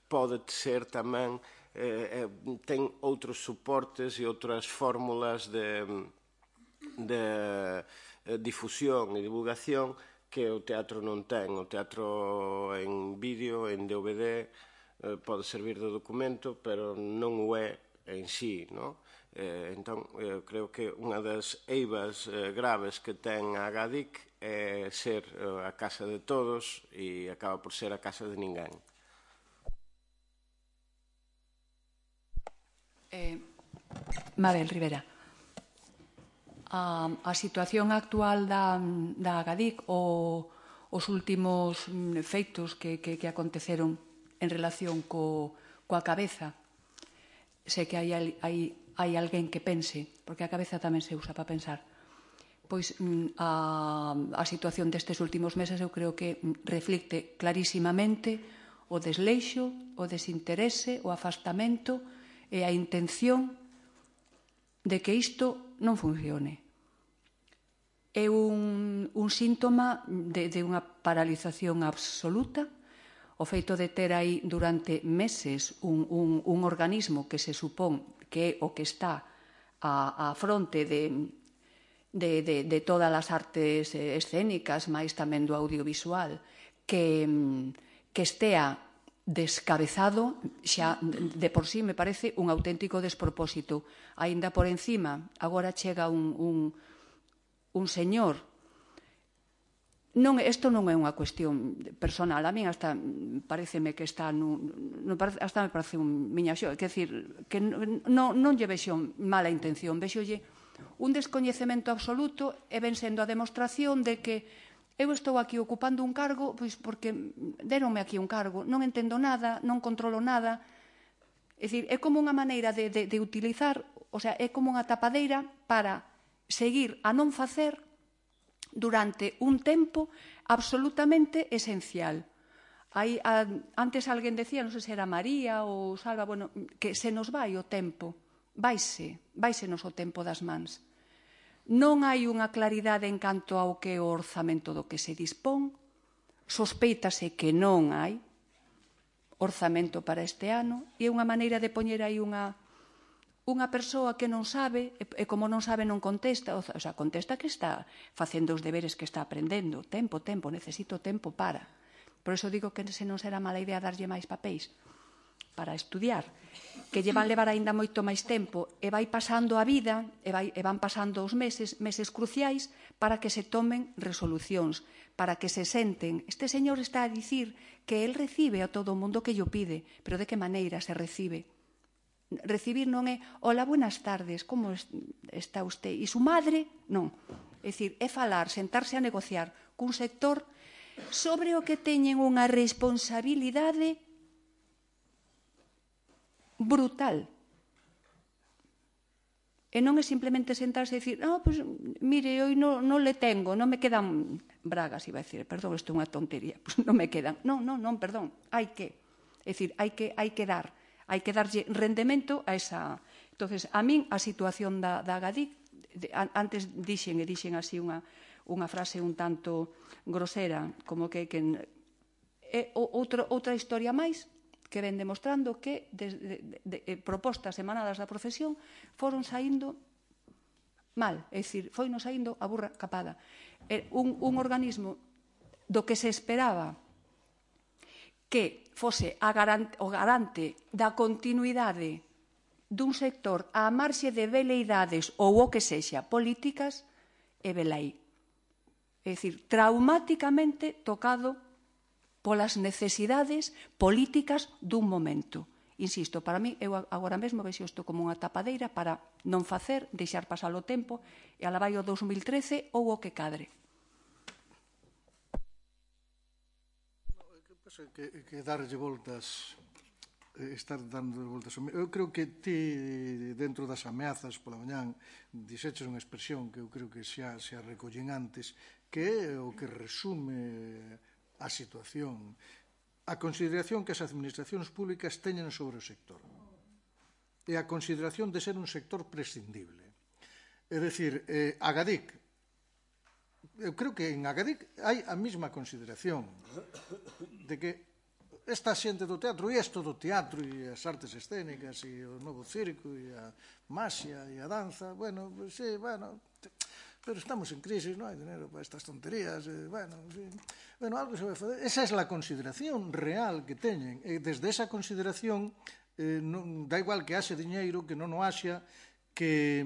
pode ser tamén, ten outros suportes e outras fórmulas de difusión e divulgación que o teatro non ten. O teatro en vídeo, en D V D, pode servir de documento, pero non o é en sí, non? Entón, eu creo que unha das eivas graves que ten a Agadic é ser a casa de todos e acaba por ser a casa de ninguén. Eh, Mabel Rivera, a, a situación actual da, da Agadic ou os últimos feitos que, que, que aconteceron en relación co, coa cabeza, sei que hai, hai, hai alguén que pense, porque a cabeza tamén se usa para pensar, pois a, a situación destes últimos meses eu creo que reflicte clarísimamente o desleixo, o desinterese, o afastamento e a intención de que isto non funcione. É un, un síntoma de, de unha paralización absoluta, o feito de ter aí durante meses un, un, un organismo que se supón que é o que está a, a fronte de, de, de, de todas as artes escénicas, máis tamén do audiovisual, que, que estea descabezado, xa de por sí me parece un auténtico despropósito. Aínda por encima, agora chega un, un, un señor. Non, isto non é unha cuestión personal, a min hasta pareceme que está nun, hasta me parece un miñaxo, quer decir, que non, non lle vexo mala intención, vexolle un descoñecemento absoluto e ven sendo a demostración de que eu estou aquí ocupando un cargo pois porque deronme aquí un cargo, non entendo nada, non controlo nada. É dicir, é como unha maneira de, de, de utilizar, o sea, é como unha tapadeira para seguir a non facer durante un tempo absolutamente esencial. Hai, a, antes alguén decía, non sei se era María ou Salva, bueno, que se nos vai o tempo, vaise, vaise nos o tempo das mans. Non hai unha claridade en canto ao que é o orzamento do que se dispón, sospeítase que non hai orzamento para este ano e é unha maneira de poñer aí unha unha persoa que non sabe e como non sabe non contesta, o sea, contesta que está facendo os deberes que está aprendendo, tempo, tempo, necesito tempo para. Por iso digo que se non será mala idea darlle máis papéis para estudiar, que lle van levar aínda moito máis tempo e vai pasando a vida e, vai, e van pasando os meses, meses cruciais para que se tomen resolucións, para que se senten. Este señor está a dicir que el recibe a todo o mundo que lle pide, pero de que maneira se recibe? Recibir non é, hola, buenas tardes, como está usted? E su madre? Non. É dicir, é falar, sentarse a negociar cun sector sobre o que teñen unha responsabilidade brutal. E non é simplemente sentarse e dicir, no, pues, mire, hoy non no le tengo, non me quedan bragas, iba a decir, perdón, isto é unha tontería, pues non me quedan. Non, non, non, perdón, hai que. É dicir, hai que, hai que dar, hai que darlle rendemento a esa. Entonces, a min, a situación da, da Agadic, de, antes dixen e dixen así unha, unha frase un tanto grosera, como que, que é outro, outra historia máis, que ven demostrando que de, de, de, de propostas emanadas da profesión foron saindo mal, é dicir, foi non saindo a burra capada. É un, un organismo do que se esperaba que fose a garante, o garante da continuidade dun sector á marxe de veleidades ou o que sexa políticas, e velaí. É dicir, traumáticamente tocado polas necesidades políticas dun momento. Insisto, para mí, eu agora mesmo vexo isto como unha tapadeira para non facer, deixar pasar o tempo, e ala vai o dos mil trece ou o que cadre. Que, que darlle voltas estar dando voltas. Eu creo que ti, dentro das ameazas pola mañán, dixeches unha expresión que eu creo que xa, xa recollen antes, que é o que resume a situación, a consideración que as administracións públicas teñen sobre o sector e a consideración de ser un sector prescindible. É dicir, eh, Agadic, eu creo que en Agadic hai a mesma consideración de que esta xente do teatro e isto do teatro e as artes escénicas e o novo circo e a maxia e a danza, bueno, pues, sí, bueno, pero estamos en crisis, non hai dinero para estas tonterías, eh, bueno, sí, bueno, algo se vai fazer. Esa é a consideración real que teñen, e desde esa consideración eh, non, da igual que haxe diñeiro, que non o haxa, que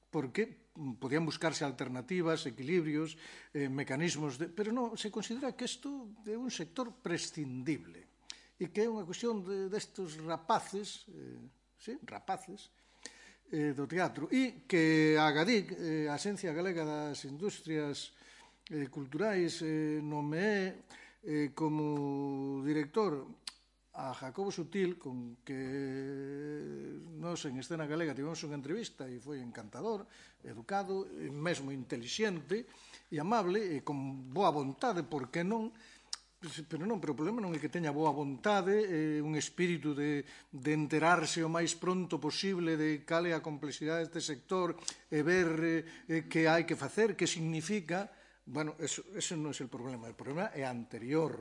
porque podían buscarse alternativas, equilibrios, eh, mecanismos, de, pero non, se considera que isto é un sector prescindible e que é unha cuestión de, destes rapaces, eh, sí, rapaces, eh, do teatro, e que a Agadic, eh, a Axencia Galega das Industrias eh, Culturais, eh, nomeé eh, como director a Jacobo Sutil, con que nos en Escena Galega tivemos unha entrevista e foi encantador, educado, mesmo intelixente e amable, e con boa vontade, por que non? Pero non, pero o problema non é que teña boa vontade, eh, un espírito de, de enterarse o máis pronto posible de cal é a complexidade deste sector e ver eh, que hai que facer, que significa. Bueno, eso, eso non é o problema, o problema é anterior.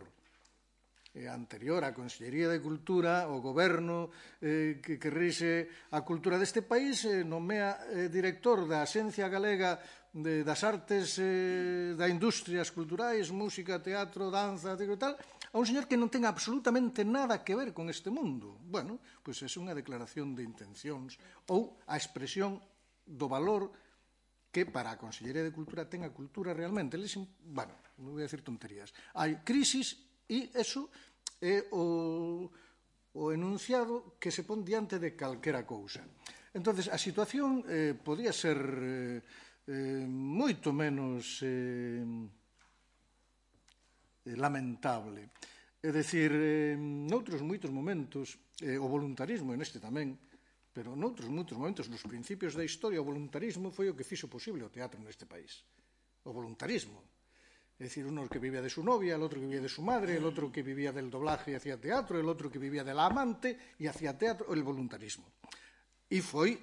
anterior á Consellería de Cultura, o goberno eh, que, que rixe a cultura deste país, eh, nomea eh, director da Axencia Galega de, das Artes, eh, da Industrias Culturais, música, teatro, danza, e tal, a un señor que non ten absolutamente nada que ver con este mundo. Bueno, pois é unha declaración de intencións ou a expresión do valor que para a Consellería de Cultura ten a cultura realmente. Bueno, non vou a decir tonterías. Hai crisis e eso é o, o enunciado que se pon diante de calquera cousa. Entonces, a situación eh, podía ser eh, eh, moito menos eh, lamentable. É dicir, eh, noutros moitos momentos, eh, o voluntarismo, e neste tamén, pero noutros moitos momentos, nos principios da historia, o voluntarismo foi o que fixo posible o teatro neste país. O voluntarismo. É dicir, uno que vivía de su novia, el otro que vivía de su madre, el otro que vivía del doblaje y hacía teatro, el otro que vivía de la amante y hacía teatro, el voluntarismo. E foi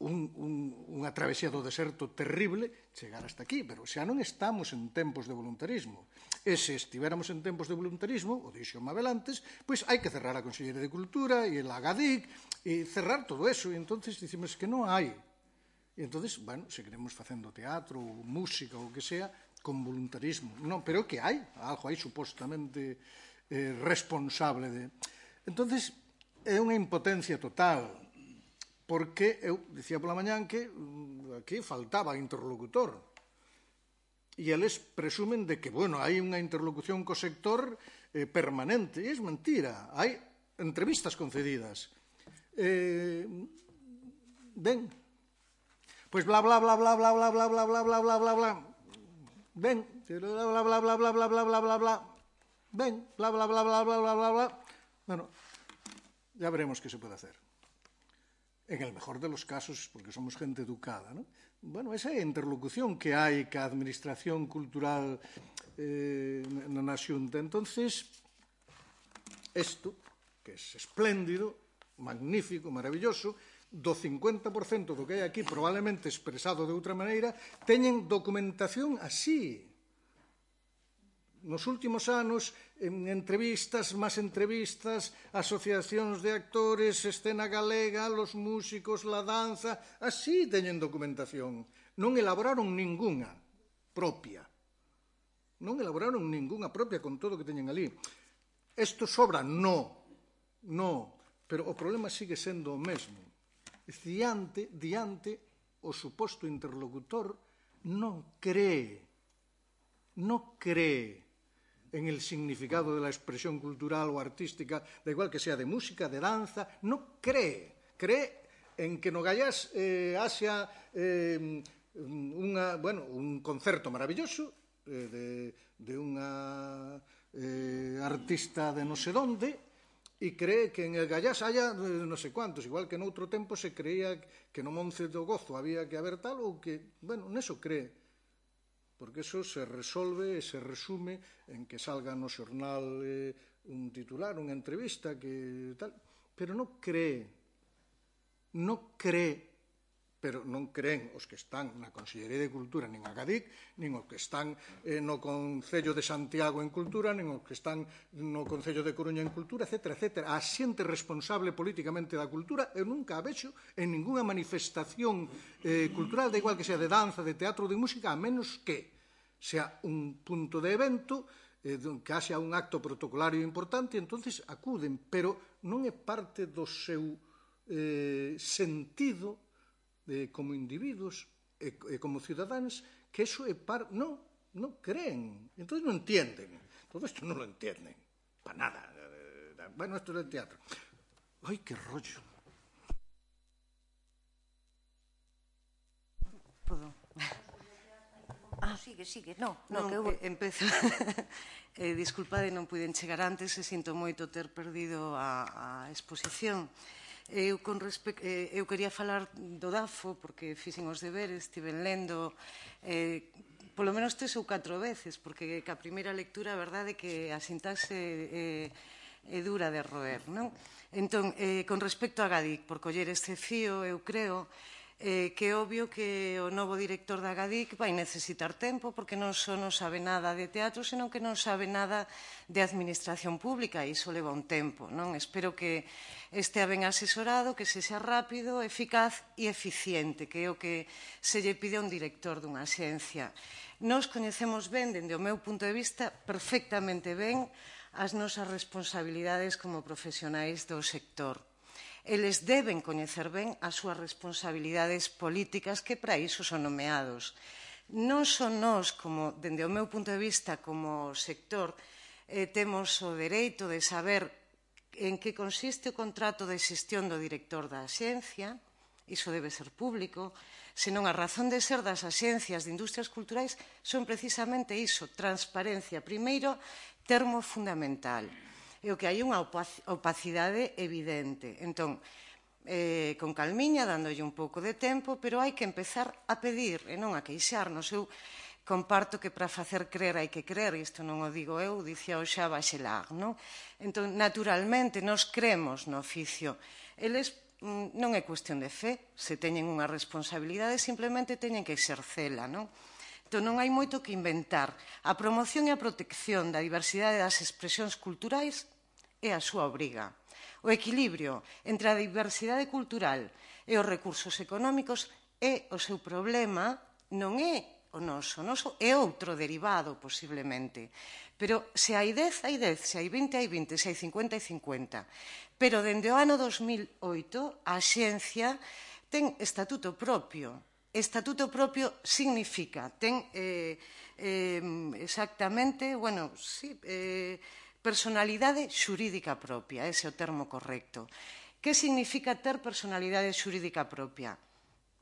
un, un, unha travesía do deserto terrible chegar hasta aquí, pero xa non estamos en tempos de voluntarismo. E se estivéramos en tempos de voluntarismo, o dixo Mabel antes, pois hai que cerrar a Consellería de Cultura e el Agadic e cerrar todo eso, e entonces dicimos que non hai. E entonces, bueno, seguiremos facendo teatro, ou música, ou o que sea, con voluntarismo. Non, pero que hai, algo hai supostamente eh, responsable de. Entonces, é unha impotencia total, porque eu dicía pola mañán que aquí faltaba interlocutor. E eles presumen de que, bueno, hai unha interlocución co sector eh, permanente. E é mentira, hai entrevistas concedidas. Eh, ben, pois bla, bla, bla, bla, bla, bla, bla, bla, bla, bla, bla, bla, bla, ven, bla, bla, bla, bla, bla, bla, bla, bla, bla, ven, bla, bla, bla, bla, bla, bla, bla, bla. Bueno, ya veremos qué se puede hacer. En el mejor de los casos, porque somos gente educada, ¿no? Bueno, esa interlocución que hai ca administración cultural eh, na Xunta. Entonces, esto, que es espléndido, magnífico, maravilloso, do cincuenta por cento do que hai aquí, probablemente expresado de outra maneira, teñen documentación así. Nos últimos anos, en entrevistas, máis entrevistas, asociacións de actores, Escena Galega, los músicos, la danza, así teñen documentación. Non elaboraron ningunha propia. Non elaboraron ningunha propia con todo o que teñen ali. Isto sobra? No. No. Pero o problema sigue sendo o mesmo. Diante, diante, o suposto interlocutor non cree, non cree en el significado de la expresión cultural o artística, da igual que sea de música, de danza, non cree. Cree en que no Gallás eh, haxa eh, unha, bueno, un concerto maravilloso eh, de, de unha eh, artista de non sei donde, e cree que en el Gallás haya non sei cuantos, igual que noutro tempo se creía que no Monte do Gozo había que haber tal, ou que, bueno, neso cree, porque eso se resolve e se resume en que salga no xornal eh, un titular, unha entrevista, que tal, pero non cree, non cree, pero non creen os que están na Consellería de Cultura nin a Gadic, nin os que están eh, no Concello de Santiago en Cultura, nin os que están no Concello de Coruña en Cultura, etcétera, etcétera. A xente responsable políticamente da cultura eu nunca a vexo en ninguna manifestación eh, cultural, da igual que sea de danza, de teatro, de música, a menos que sea un punto de evento, eh, que haxa un acto protocolario importante, entonces acuden, pero non é parte do seu eh, sentido de, como individuos e, e como cidadáns, que eso é par... Non, non creen, entón non entienden. Todo isto non lo entienden, para nada. Bueno, isto é del teatro. Ai, que rollo. Podo? Ah, sigue, sigue. No, no, non, que eu... eh, empezo. eh, disculpade, non puiden chegar antes e sinto moito ter perdido a, a exposición. Eu, con respe... eh, eu quería falar do DAFO, porque fixen os deberes, estiven lendo eh, polo menos tres ou catro veces, porque que a primeira lectura a verdade é que a sintaxe é, é dura de roer, non? Entón, eh, con respecto a Gadic, por coller este fío, eu creo eh, que é obvio que o novo director da Gadic vai necesitar tempo, porque non só non sabe nada de teatro, senón que non sabe nada de administración pública, e iso leva un tempo, non? Espero que estea ben asesorado, que se xa rápido, eficaz e eficiente, que é o que se lle pide a un director dunha axencia. Nos coñecemos ben, dende o meu punto de vista, perfectamente ben as nosas responsabilidades como profesionais do sector. Eles deben coñecer ben as súas responsabilidades políticas, que para iso son nomeados. Non son nós, como, dende o meu punto de vista, como sector, eh, temos o dereito de saber en que consiste o contrato de xestión do director da axencia, iso debe ser público, senón a razón de ser das axencias de industrias culturais son precisamente iso, transparencia. Primeiro, termo fundamental. É o que hai unha opacidade evidente. Entón, eh, con calmiña, dándolle un pouco de tempo, pero hai que empezar a pedir e non a queixarnos. Eu comparto que para facer crer hai que crer, isto non o digo eu, dicía o xa Bachelard, non? Entón, naturalmente, nos cremos no oficio. Eles non é cuestión de fe, se teñen unha responsabilidade, simplemente teñen que exercela, non? Entón, non hai moito que inventar. A promoción e a protección da diversidade das expresións culturais é a súa obriga. O equilibrio entre a diversidade cultural e os recursos económicos é o seu problema, non é o noso. O noso é outro derivado, posiblemente. Pero se hai dez, hai dez, se hai vinte, hai vinte, se hai cincuenta, hai cincuenta. Pero dende o ano dos mil oito, a xencia ten estatuto propio. Estatuto propio significa, ten eh, eh, exactamente, bueno, sí, eh, personalidade xurídica propia, ese é o termo correcto. Que significa ter personalidade xurídica propia?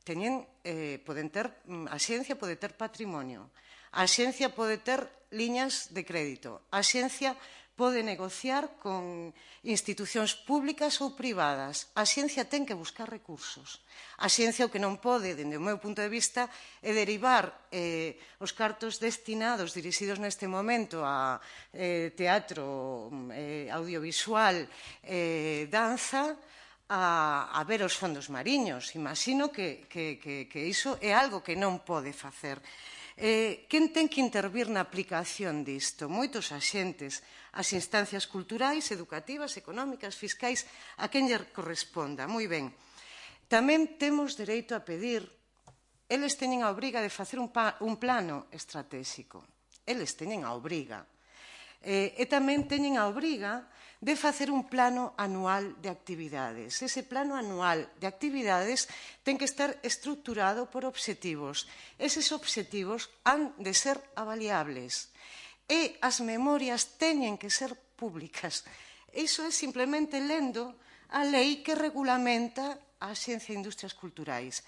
Teñen, eh, poden ter, a xencia pode ter patrimonio, a xencia pode ter liñas de crédito, a xencia pode negociar con institucións públicas ou privadas. A xencia ten que buscar recursos. A xencia o que non pode, dende o meu punto de vista, é derivar eh, os cartos destinados, dirixidos neste momento a eh, teatro, eh, audiovisual, eh, danza, a, a ver os fondos mariños. Imagino que, que, que, que iso é algo que non pode facer. Eh, quen ten que intervir na aplicación disto? Moitos axentes, as instancias culturais, educativas, económicas, fiscais, a quen lle corresponda. Moi ben. Tamén temos dereito a pedir, eles teñen a obriga de facer un, pa, un plano estratégico. Eles teñen a obriga. Eh, e tamén teñen a obriga de facer un plano anual de actividades. Ese plano anual de actividades ten que estar estructurado por obxectivos. Eses obxectivos han de ser avaliables. E as memorias teñen que ser públicas. Iso é simplemente lendo a lei que regulamenta a Xencia de Industrias Culturais.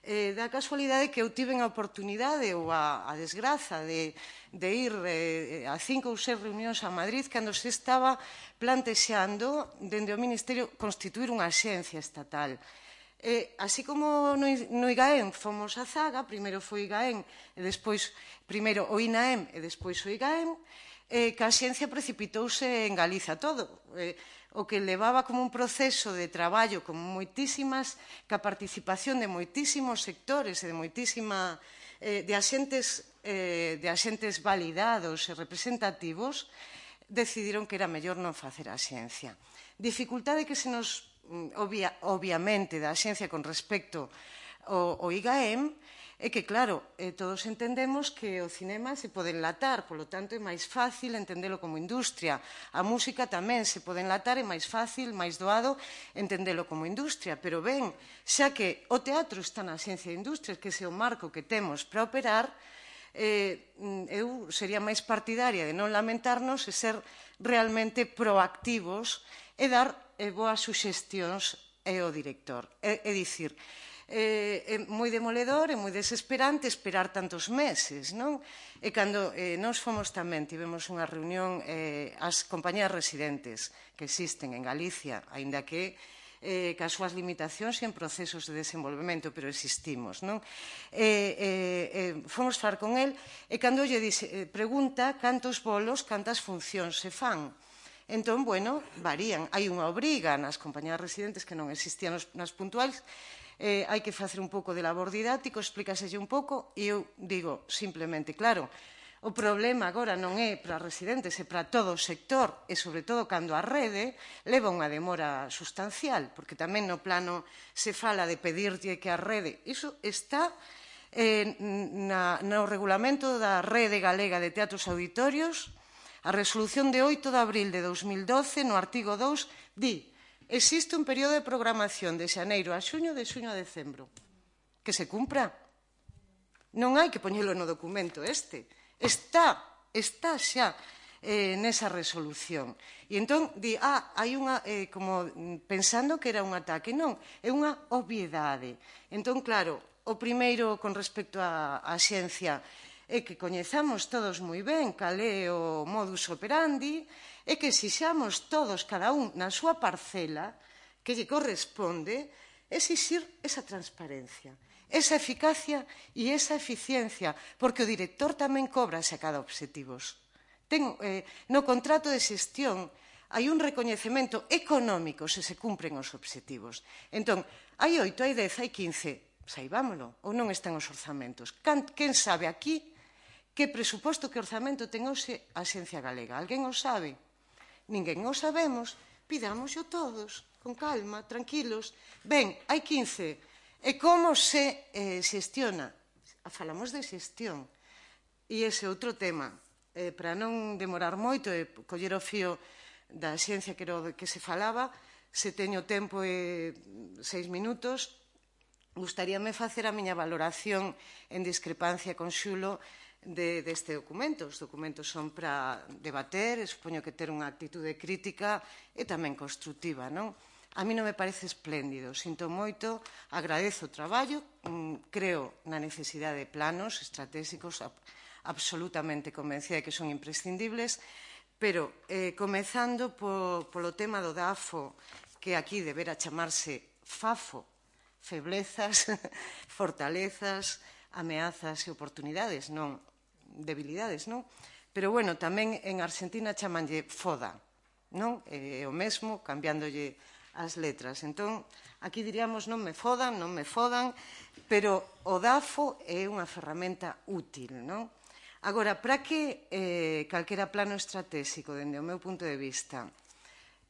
Eh, da casualidade que eu tiven a oportunidade ou a, a desgraza de, de ir eh, a cinco ou seis reunións a Madrid cando se estaba plantexando dende o Ministerio constituir unha xencia estatal. Eh, así como no, no IGAEM fomos a zaga, primeiro foi IGAEM e despois, primeiro o INAEM e despois o IGAEM, eh, que a xencia precipitouse en Galiza todo. Eh, o que levaba como un proceso de traballo con moitísimas, ca participación de moitísimos sectores e de moitísima, eh, de axentes, eh, de axentes validados e representativos, decidiron que era mellor non facer a xencia. Dificultade que se nos, obvia, obviamente, da xencia con respecto ao, ao IGAEM, é que, claro, eh, todos entendemos que o cinema se pode enlatar, polo tanto é máis fácil entendelo como industria. A música tamén se pode enlatar, é máis fácil, máis doado entendelo como industria. Pero ben, xa que o teatro está na xencia de industrias, que ese é o marco que temos para operar, eh, eu sería máis partidaria de non lamentarnos e ser realmente proactivos e dar eh, boas suxestións ao director. É, é dicir, Eh, é moi demoledor e moi desesperante esperar tantos meses, non? E cando eh, nós fomos tamén, tivemos unha reunión eh, as compañías residentes que existen en Galicia, aínda que eh, cas súas limitacións e en procesos de desenvolvemento, pero existimos, non? Eh, eh, eh, fomos falar con el e cando lle dixe, eh, pregunta cantos bolos, cantas funcións se fan. Entón, bueno, varían. Hai unha obriga nas compañías residentes que non existían nas puntuais. Eh, hai que facer un pouco de labor didáctico, explícaselle un pouco, e eu digo simplemente, claro, o problema agora non é para residentes, é para todo o sector, e sobre todo cando a rede leva unha demora sustancial, porque tamén no plano se fala de pedirlle que a rede, iso está eh, na, no regulamento da Rede Galega de Teatros Auditorios, a resolución de oito de abril de dos mil doce, no artigo dous, di: existe un período de programación de xaneiro a xuño, de xuño a decembro. Que se cumpra. Non hai que poñelo no documento este. Está, está xa eh, nesa resolución. E entón, di, ah, hai unha, eh, como pensando que era un ataque. Non, é unha obviedade. Entón, claro, o primeiro con respecto á xencia é que coñezamos todos moi ben cal é o modus operandi, é que exixamos todos, cada un, na súa parcela, que lle corresponde, exixir esa transparencia, esa eficacia e esa eficiencia, porque o director tamén cobra se a cada obxectivos. Ten, eh, no contrato de xestión hai un recoñecemento económico se se cumpren os obxectivos. Entón, hai oito, hai dez, hai quince, saibámolo, ou non están os orzamentos. Quen sabe aquí que presuposto, que orzamento ten hoxe a Xencia Galega? Alguén o sabe? Ninguén o sabemos, pidámoslo todos, con calma, tranquilos. Ben, hai quince. E como se eh, xestiona? Falamos de xestión. E ese outro tema, eh, para non demorar moito e coller o fío da xencia que, era que se falaba, se teño tempo e seis minutos, gustaríame facer a miña valoración en discrepancia con Xulo de, deste documento. Os documentos son para debater, e supoño que ter unha actitude crítica e tamén constructiva, non? A mí non me parece espléndido, sinto moito, agradezo o traballo, creo na necesidade de planos estratégicos absolutamente convencida de que son imprescindibles, pero eh, comezando po, polo tema do DAFO, que aquí debera chamarse FAFO, feblezas, fortalezas, ameazas e oportunidades, non debilidades, non? Pero, bueno, tamén en Argentina chamanlle FODA, non? É o mesmo, cambiándolle as letras. Entón, aquí diríamos non me fodan, non me fodan, pero o DAFO é unha ferramenta útil, non? Agora, para que eh, calquera plano estratégico, dende o meu punto de vista,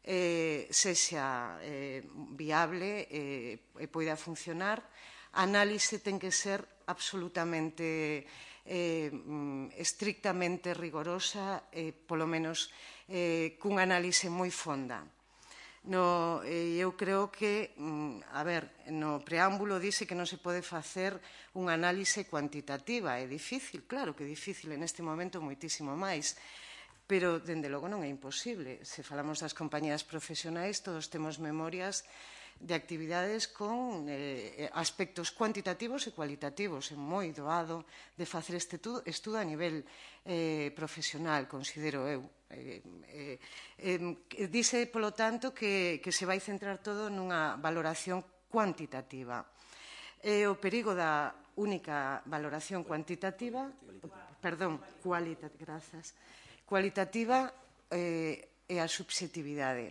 eh, sexa eh, viable eh, e poida funcionar, a análise ten que ser absolutamente eh, estrictamente rigorosa, eh, polo menos eh, cunha análise moi fonda. No, eh, eu creo que, a ver, no preámbulo dice que non se pode facer unha análise cuantitativa. É difícil, claro que é difícil, en este momento moitísimo máis, pero, dende logo, non é imposible. Se falamos das compañías profesionais, todos temos memorias de actividades con eh, aspectos cuantitativos e cualitativos. É moi doado de facer este estudo a nivel eh, profesional, considero eu. Eh, eh, eh, dice, polo tanto, que, que se vai centrar todo nunha valoración cuantitativa. E o perigo da única valoración cuantitativa, perdón, cualitativa, grazas, cualitativa eh, é a subxetividade.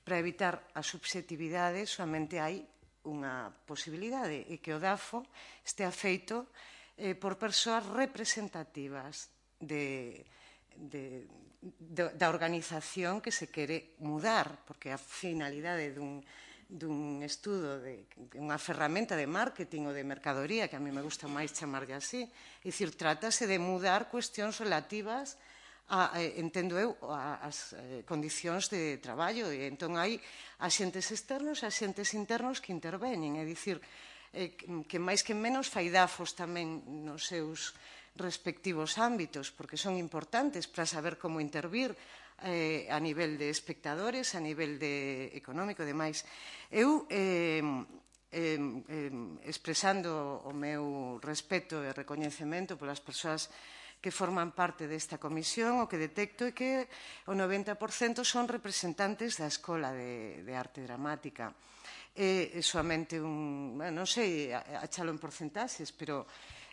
Para evitar a subxetividade soamente hai unha posibilidade, e que o DAFO estea feito eh, por persoas representativas de, de, de, da organización que se quere mudar, porque a finalidade dun, dun estudo, de, de unha ferramenta de marketing ou de mercadoría, que a mí me gusta máis chamarlle así, é dicir, trátase de mudar cuestións relativas a, eh, entendo eu, as eh, condicións de traballo, e entón hai axentes externos e axentes internos que intervenen, é dicir, eh, que máis que menos fai dafos tamén nos seus respectivos ámbitos, porque son importantes para saber como intervir eh, a nivel de espectadores, a nivel de económico e demais. Eu, eh, eh, eh, expresando o meu respeto e recoñecemento polas persoas que forman parte desta comisión, o que detecto é que o noventa por cento son representantes da Escola de, de Arte Dramática. É, é soamente un, bueno, non sei, achalo en porcentaxes, pero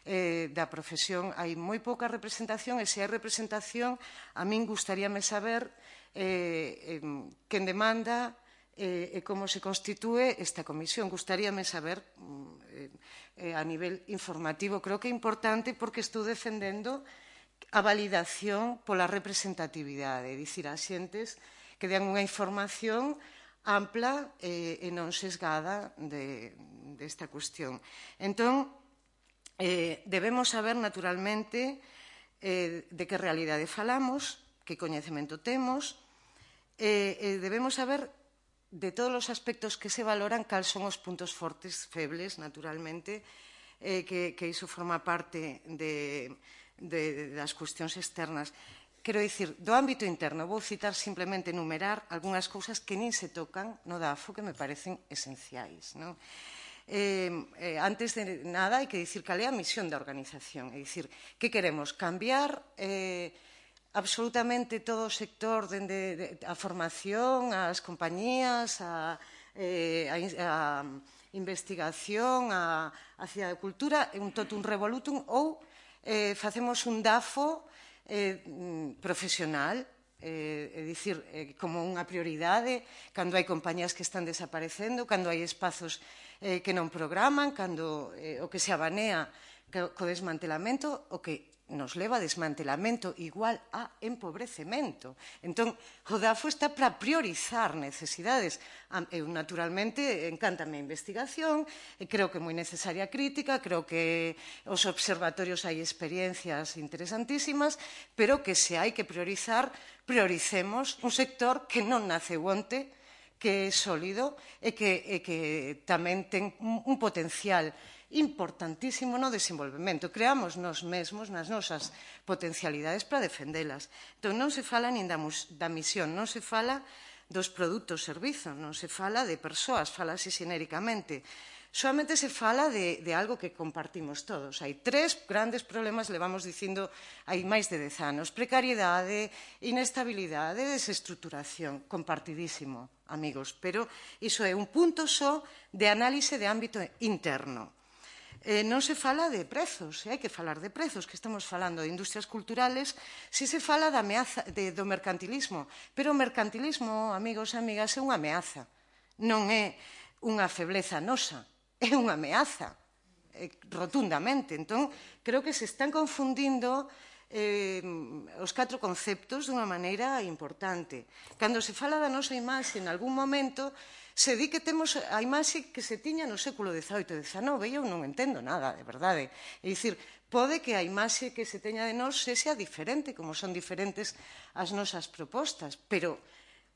eh, da profesión hai moi pouca representación, e se hai representación, a min gustaríame saber eh, eh, quen demanda eh, e como se constitúe esta comisión. Gustaríame saber eh, eh, a nivel informativo. Creo que é importante porque estou defendendo a validación pola representatividade, é dicir, a xentes que den unha información ampla eh, e non sesgada de, desta cuestión. Entón, eh, debemos saber naturalmente eh, de que realidade falamos, que coñecemento temos, e eh, eh, debemos saber de todos os aspectos que se valoran, cal son os puntos fortes, febles, naturalmente, eh, que, que iso forma parte de, de, das cuestións externas. Quero dicir, do ámbito interno, vou citar simplemente enumerar algunhas cousas que nin se tocan no DAFO que me parecen esenciais. Non? Eh, eh, antes de nada, hai que dicir cal é a misión da organización. É dicir, que queremos? Cambiar eh, absolutamente todo o sector, dende a formación, as compañías, a, eh, a, a investigación, a, a cidade de cultura, un totum revolutum, ou eh, facemos un DAFO eh, profesional, eh, é dicir, eh, como unha prioridade, cando hai compañías que están desaparecendo, cando hai espazos eh, que non programan, cando eh, o que se abanea co desmantelamento, o que nos leva a desmantelamento igual a empobrecemento. Entón, o DAFO está para priorizar necesidades. Eu, naturalmente, encántame a investigación, e creo que é moi necesaria a crítica, creo que os observatorios hai experiencias interesantísimas, pero que se hai que priorizar, prioricemos un sector que non naceu onte, que é sólido e que, e que tamén ten un, un potencial importantísimo no desenvolvemento. Creamos nos mesmos nas nosas potencialidades para defendelas. Entón, non se fala nin da, da misión, non se fala dos produtos servizos, non se fala de persoas, falase xenéricamente. Solamente se fala de, de algo que compartimos todos. Hai tres grandes problemas, levamos dicindo hai máis de dez anos. Precariedade, inestabilidade, desestructuración. Compartidísimo, amigos. Pero iso é un punto só de análise de ámbito interno. Eh, non se fala de prezos, e hai que falar de prezos, que estamos falando de industrias culturales, si se fala da ameaza, de, do mercantilismo, pero o mercantilismo, amigos e amigas, é unha ameaza, non é unha febleza nosa, é unha ameaza, eh, rotundamente. Entón, creo que se están confundindo eh, os catro conceptos dunha maneira importante. Cando se fala da nosa imaxe, en algún momento, se di que temos a imaxe que se tiña no século dezaoito e dezanove, e eu non entendo nada, de verdade. É dicir, pode que a imaxe que se teña de nós sexa diferente, como son diferentes as nosas propostas, pero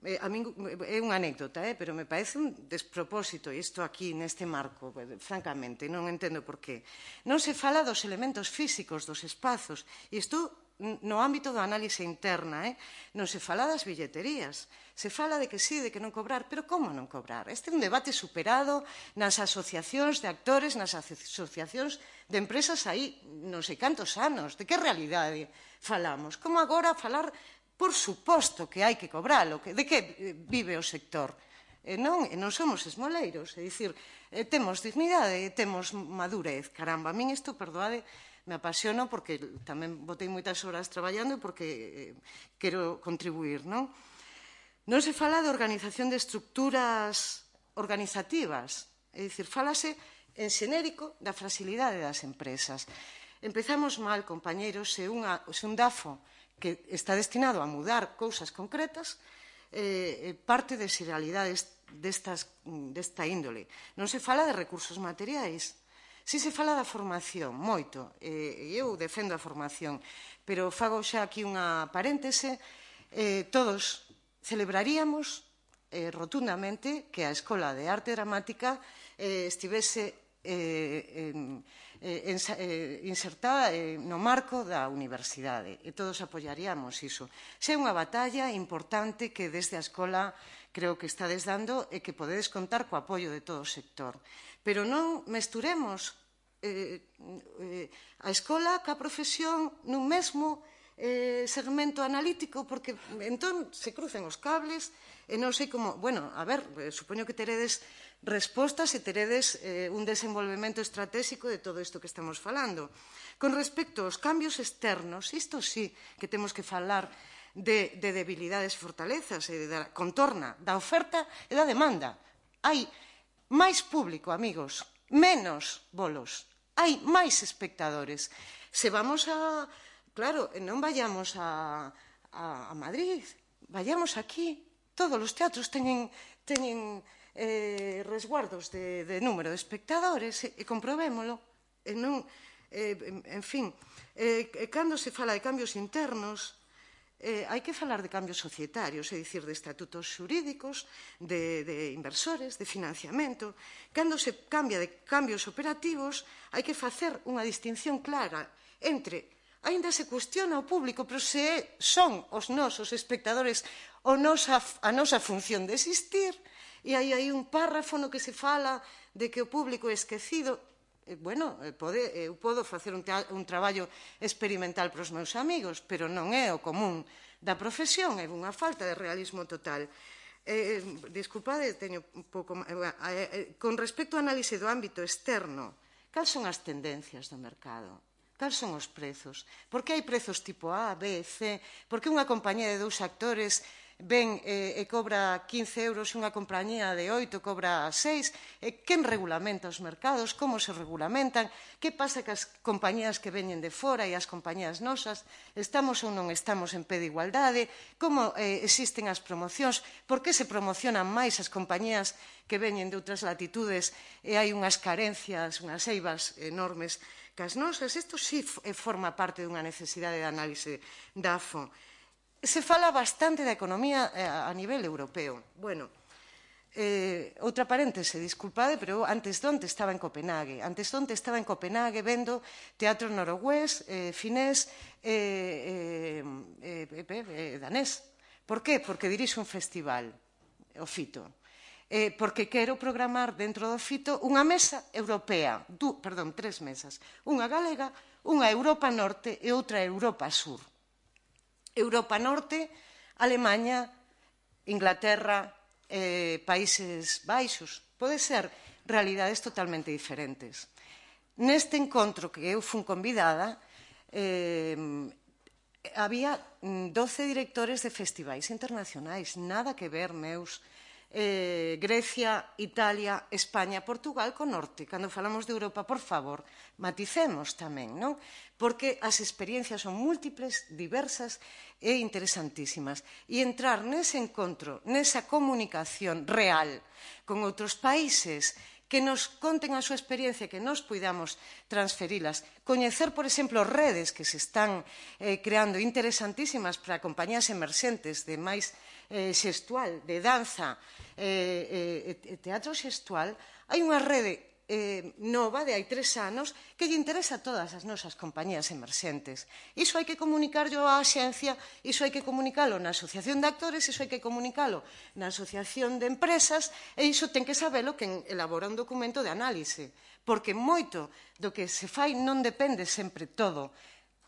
eh, a min, é unha anécdota, eh, pero me parece un despropósito isto aquí neste marco, francamente, non entendo por qué. Non se fala dos elementos físicos dos espazos, e isto no ámbito da análise interna, eh? Non se fala das billeterías, se fala de que sí, de que non cobrar, pero como non cobrar? Este é un debate superado nas asociacións de actores, nas asociacións de empresas aí non sei cantos anos, de que realidade falamos? Como agora falar, por suposto que hai que cobralo, de que vive o sector? E non, e non somos esmoleiros, é dicir, temos dignidade, temos madurez, caramba, a min isto, perdoade, me apasiono porque tamén botei moitas horas traballando e porque eh, quero contribuir, non? Non se fala de organización de estructuras organizativas, é dicir, falase en xenérico da fragilidade das empresas. Empezamos mal, compañeiros, se, unha, se un DAFO que está destinado a mudar cousas concretas eh, parte de xeralidades destas, desta índole. Non se fala de recursos materiais. Si se fala da formación, moito, e eu defendo a formación, pero fago xa aquí unha paréntese, eh, todos celebraríamos eh, rotundamente que a Escola de Arte Dramática eh, estivese eh, eh, eh, insertada eh, no marco da universidade, e todos apoiaríamos iso. Se é unha batalla importante que desde a Escola creo que estades dando e que podedes contar co apoio de todo o sector. Pero non mesturemos eh, eh, a escola ca profesión nun mesmo eh, segmento analítico, porque entón se crucen os cables e non sei como... Bueno, a ver, eh, supoño que teredes respostas e teredes eh, un desenvolvemento estratégico de todo isto que estamos falando. Con respecto aos cambios externos, isto sí que temos que falar de, de debilidades e fortalezas, e da contorna da oferta e da demanda. Hai máis público, amigos, menos bolos. Hai máis espectadores. Se vamos a... Claro, non vayamos a, a, a Madrid, vayamos aquí. Todos os teatros teñen, teñen eh, resguardos de, de número de espectadores e, e comprobémolo. E non, eh, en fin, eh, cando se fala de cambios internos... Eh, hai que falar de cambios societarios, é dicir, de estatutos xurídicos, de, de inversores, de financiamento. Cando se cambia de cambios operativos, hai que facer unha distinción clara entre, aínda se cuestiona o público, pero se son os nosos espectadores o nosa, a nosa función de existir, e hai aí un párrafo no que se fala de que o público é esquecido. Eh, bueno, eh, pode, eu podo facer un, un traballo experimental para os meus amigos, pero non é o común da profesión, é unha falta de realismo total. Eh, disculpade, teño un pouco... Eh, eh, con respecto ao análise do ámbito externo, cal son as tendencias do mercado? Cal son os prezos? Por que hai prezos tipo A, B, C? Por que unha compañía de dous actores ven e cobra quince euros e unha compañía de oito cobra seis? Quen regulamenta os mercados? Como se regulamentan? Que pasa cas compañías que veñen de fora e as compañías nosas? Estamos ou non estamos en pé de igualdade? Como existen as promocións? Por que se promocionan máis as compañías que veñen de outras latitudes e hai unhas carencias, unhas eivas enormes cas nosas? Isto sí forma parte dunha necesidade de análise da A F O. Se fala bastante da economía a nivel europeo. Bueno, eh, outra paréntese, disculpade, pero antes donte estaba en Copenhague. Antes donte estaba en Copenhague vendo teatro noruegués, eh, finés e eh, eh, eh, eh, danés. Por que? Porque dirixe un festival, o Fito. Eh, porque quero programar dentro do Fito unha mesa europea, du, perdón, tres mesas. Unha galega, unha Europa Norte e outra Europa Sur. Europa Norte, Alemanha, Inglaterra, eh, Países Baixos. Pode ser realidades totalmente diferentes. Neste encontro que eu fun convidada, eh, había doce directores de festivais internacionais, nada que ver, meus, eh, Grecia, Italia, España, Portugal co norte. Cando falamos de Europa, por favor, maticemos tamén, non? Porque as experiencias son múltiples, diversas e interesantísimas. E entrar nese encontro, nesa comunicación real con outros países que nos conten a súa experiencia, que nos poidamos transferilas. Coñecer, por exemplo, redes que se están eh, creando interesantísimas para compañías emerxentes de máis eh, xestual, de danza e eh, eh, teatro xestual. Hai unha rede eh, nova de hai tres anos que lle interesa a todas as nosas compañías emerxentes. Iso hai que comunicarlo á xencia, iso hai que comunicalo na asociación de actores, iso hai que comunicalo na asociación de empresas e iso ten que sabelo quen elabora un documento de análise, porque moito do que se fai non depende sempre todo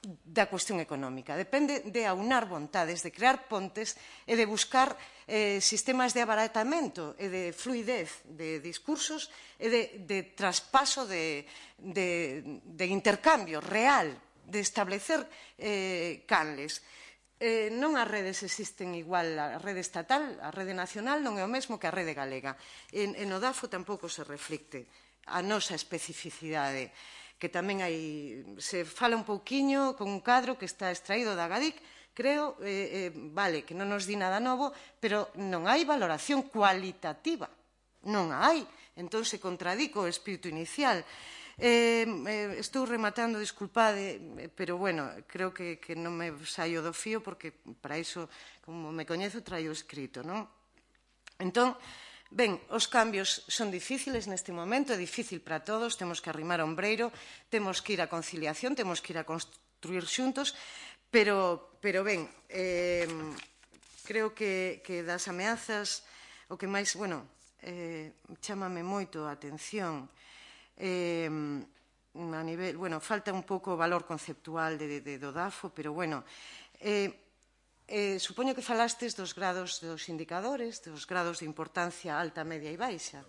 da cuestión económica, depende de aunar vontades, de crear pontes e de buscar eh, sistemas de abaratamento e de fluidez de discursos e de, de traspaso de, de, de intercambio real, de establecer eh, canles. Eh, non as redes existen igual, a rede estatal, a rede nacional non é o mesmo que a rede galega. En, en o D A F O tampouco se reflicte a nosa especificidade, que tamén hai, se fala un pouquiño con un cadro que está extraído da Agadic, creo, eh, eh, vale, que non nos di nada novo, pero non hai valoración cualitativa, non hai, entón se contradico o espírito inicial. Eh, eh, estou rematando, disculpade, pero bueno, creo que, que non me saio do fío porque para iso, como me coñezo, traio escrito, non? Entón, ben, os cambios son difíciles neste momento, é difícil para todos, temos que arrimar o ombreiro, temos que ir a conciliación, temos que ir a construir xuntos, pero, pero ben, eh, creo que, que das ameazas, o que máis, bueno, eh, chámame moito a atención, eh, a nivel, bueno, falta un pouco o valor conceptual de, de, do D A F O, pero bueno, eh, Eh, supoño que falastes dos grados dos indicadores, dos grados de importancia alta, media e baixa.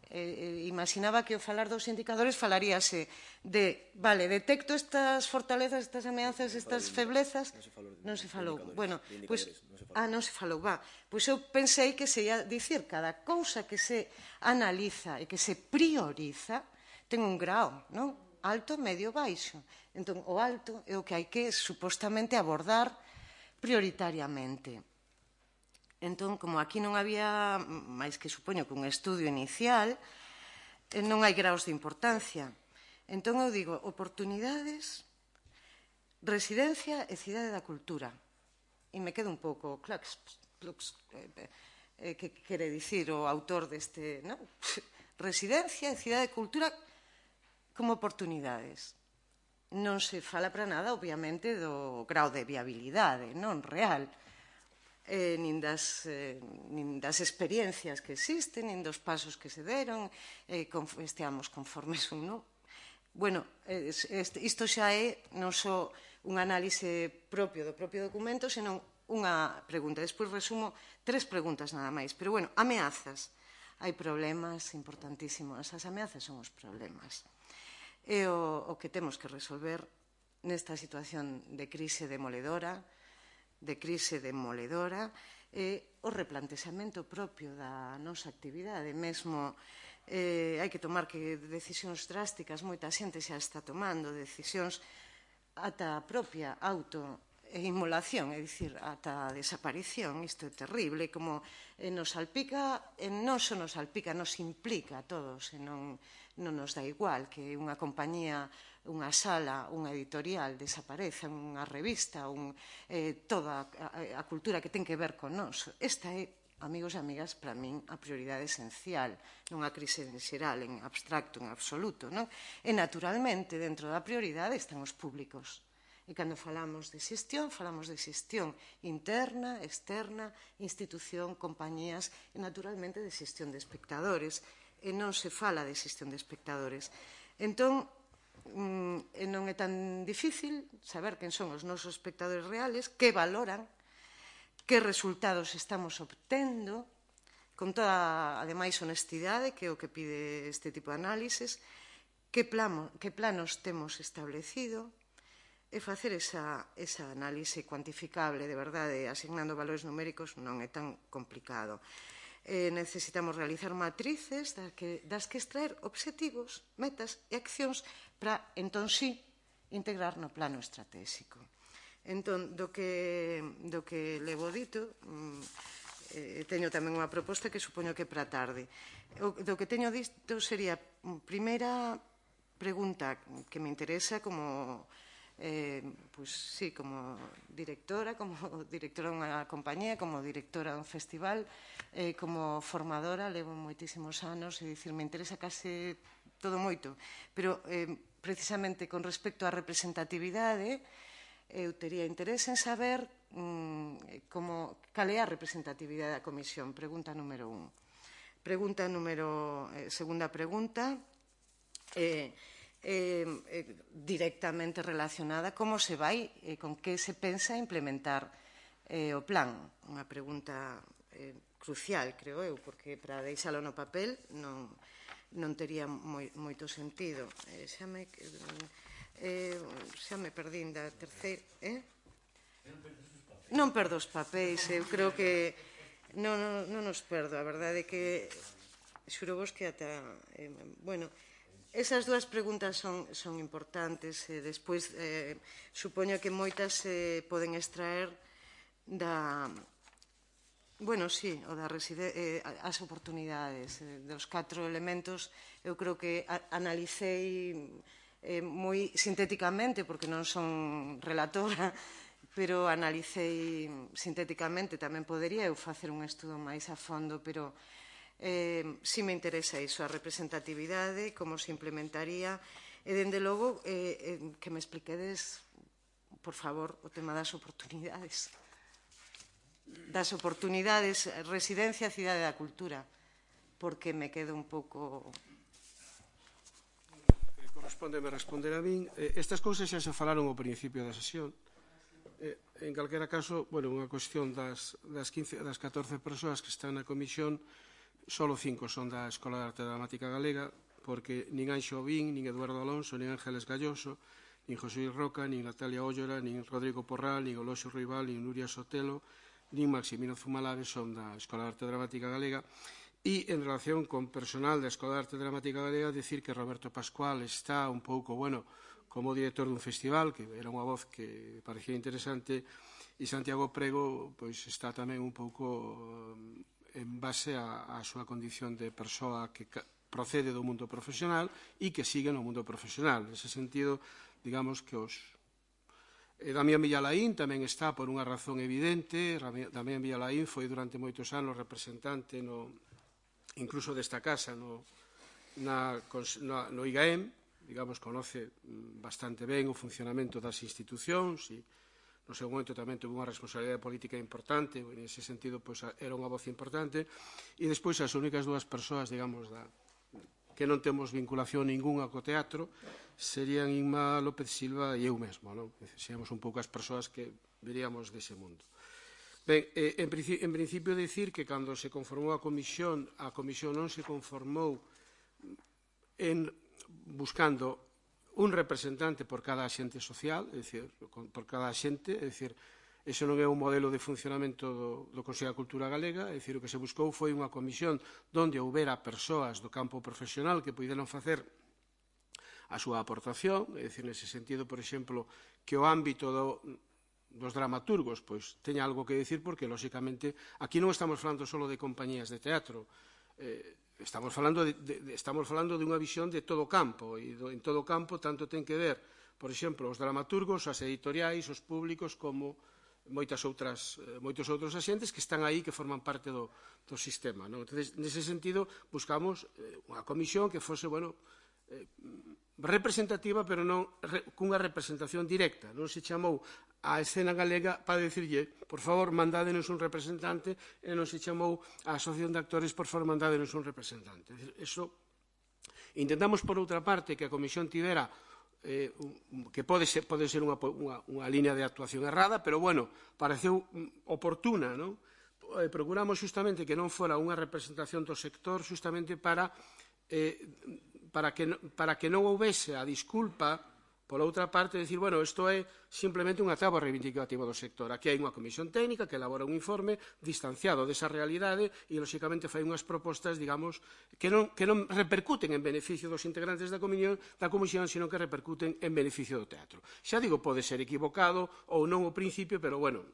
Eh, eh, imaginaba que ao falar dos indicadores falaríase de, vale, detecto estas fortalezas, estas ameazas, estas feblezas. Non se falou. Bueno, pois, ah, non se falou, va. Pois eu pensei que se ia dicir cada cousa que se analiza e que se prioriza ten un grau, non? Alto, medio, baixo. Entón, o alto é o que hai que supostamente abordar prioritariamente. Entón, como aquí non había, máis que supoño que un estudio inicial, non hai graus de importancia. Entón, eu digo, oportunidades, residencia e cidade da cultura. E me quedo un pouco, clax, plux, eh, que quere dicir o autor deste, non? Residencia e cidade de cultura como oportunidades. Non se fala para nada, obviamente, do grau de viabilidade, non real, eh, nin, das, eh, nin das experiencias que existen, nin dos pasos que se deron, eh, con, esteamos conformes ou non. Bueno, eh, isto xa é non só un análise propio do propio documento, senón unha pregunta. Despois resumo tres preguntas nada máis. Pero, bueno, ameazas. Hai problemas importantísimos. As ameazas son os problemas. É o, o que temos que resolver nesta situación de crise demoledora, de crise demoledora, é o replantexamento propio da nosa actividade. Mesmo eh, hai que tomar que decisións drásticas, moita xente xa está tomando decisións ata a propia autoinmolación, é dicir, ata a desaparición. Isto é terrible, como eh, nos salpica, e non só nos salpica, nos implica a todos, e non non nos dá igual que unha compañía, unha sala, unha editorial desapareza, unha revista, un, eh, toda a, a cultura que ten que ver con nós. Esta é, amigos e amigas, para min a prioridade esencial, non a crise en xeral, en abstracto, en absoluto, non? E, naturalmente, dentro da prioridade están os públicos. E cando falamos de xestión, falamos de xestión interna, externa, institución, compañías e, naturalmente, de xestión de espectadores. E non se fala de xestión de espectadores. Entón, non é tan difícil saber quen son os nosos espectadores reales, que valoran, que resultados estamos obtendo, con toda, ademais, honestidade, que é o que pide este tipo de análises, que, plano, que planos temos establecido, e facer esa, esa análise cuantificable, de verdade, asignando valores numéricos, non é tan complicado. Eh, necesitamos realizar matrices das que, das que extraer obxectivos, metas e accións para, entón, sí, integrar no plano estratégico. Entón, do que, do que levo dito, eh, teño tamén unha proposta que supoño que para a tarde. O, do que teño dito sería, primeira pregunta que me interesa como, eh, pues, sí, como directora, como directora dunha compañía, como directora dun festival, eh, como formadora, levo moitísimos anos, e dicir, me interesa case todo moito, pero eh, precisamente con respecto á representatividade, eu tería interés en saber mm, como, cal é a representatividade da Comisión. Pregunta número un. Pregunta número... Eh, segunda pregunta, eh, eh, eh, directamente relacionada como se vai, eh, con que se pensa implementar eh, o plan. Unha pregunta eh, crucial, creo eu, porque para deixalo no papel non, non tería moi, moito sentido. Eh, xa me... Eh, xa me perdín da terceira, eh? Non perdo os papéis, eu creo que non, non, non os perdo, a verdade é que xuro vos que ata, eh, bueno, esas dúas preguntas son, son importantes, e despois eh, supoño que moitas se eh, poden extraer da, bueno, sí, o da reside, eh, as oportunidades, eh, dos catro elementos, eu creo que a, analicei Eh, moi sintéticamente, porque non son relatora, pero analicei sintéticamente, tamén podería eu facer un estudo máis a fondo, pero eh, si me interesa iso, a representatividade, como se implementaría, e, dende logo, eh, eh, que me expliquedes, por favor, o tema das oportunidades. Das oportunidades, residencia, cidade da cultura, porque me quedo un pouco... Respóndeme responder a min. Estas cousas xa se falaron ao principio da sesión. En calquera caso, bueno, unha cuestión das, das, quince, das catorce persoas que están na comisión, solo cinco son da Escola de Arte Dramática Galega, porque nin Anxo Obín, nin Eduardo Alonso, nin Ángeles Galloso, nin José Luis Roca, nin Natalia Óllora, nin Rodrigo Porral, nin Oloxo Ruibal, nin Nuria Sotelo, nin Maximino Zumalares son da Escola de Arte Dramática Galega. E, en relación con personal da Escola de Arte Dramática Galega, decir que Roberto Pascual está un pouco, bueno, como director dun festival, que era unha voz que parecía interesante, e Santiago Prego, pois, está tamén un pouco en base a, a súa condición de persoa que procede do mundo profesional e que sigue no mundo profesional. Nese sentido, digamos que os... E Damián Villalaín tamén está por unha razón evidente. Damián Villalaín foi durante moitos anos representante no... incluso desta casa no, na, na, no I G A E M, digamos, conoce bastante ben o funcionamento das institucións e no seu momento tamén tuvo unha responsabilidade política importante, e nese sentido pois, era unha voz importante, e despois as únicas dúas persoas, digamos, da, que non temos vinculación ninguna co teatro serían Inma López Silva e eu mesmo, non? Seríamos un pouco as persoas que veríamos dese mundo. Ben, eh, en, en principio dicir que cando se conformou a comisión, a comisión non se conformou en buscando un representante por cada axente social, é dicir, por cada axente, é dicir, ese non é un modelo de funcionamento do, do Consello da Cultura Galega, é dicir, o que se buscou foi unha comisión onde houbera persoas do campo profesional que puderan facer a súa aportación, é dicir, nese sentido, por exemplo, que o ámbito do dos dramaturgos, pois, teña algo que dicir, porque, lóxicamente, aquí non estamos falando só de compañías de teatro, eh, estamos falando de, de, estamos falando de unha visión de todo o campo, e do, en todo o campo tanto ten que ver, por exemplo, os dramaturgos, as editoriais, os públicos, como moitas outras, eh, moitos outros axentes que están aí, que forman parte do, do sistema, non? Entonces, nese sentido, buscamos eh, unha comisión que fose, bueno, eh, representativa, pero non re, cunha representación directa. Non se chamou a escena galega para dicirlle, por favor, mandádenos un representante, e non se chamou a Asociación de Actores, por favor, mandádenos un representante. Eso, intentamos, por outra parte, que a comisión tivera, eh, que pode ser, pode ser unha, unha, unha línea de actuación errada, pero, bueno, pareceu oportuna, non? Eh, procuramos justamente que non fora unha representación do sector, justamente para... Eh, para que, para que non houvese a disculpa, por outra parte, decir, bueno, isto é simplemente unha táboa reivindicativa do sector. Aquí hai unha comisión técnica que elabora un informe distanciado desa realidade e, lóxicamente, fai unhas propostas, digamos, que non, que non repercuten en beneficio dos integrantes da comisión, da comisión, sino que repercuten en beneficio do teatro. Xa digo, pode ser equivocado ou non o principio, pero, bueno,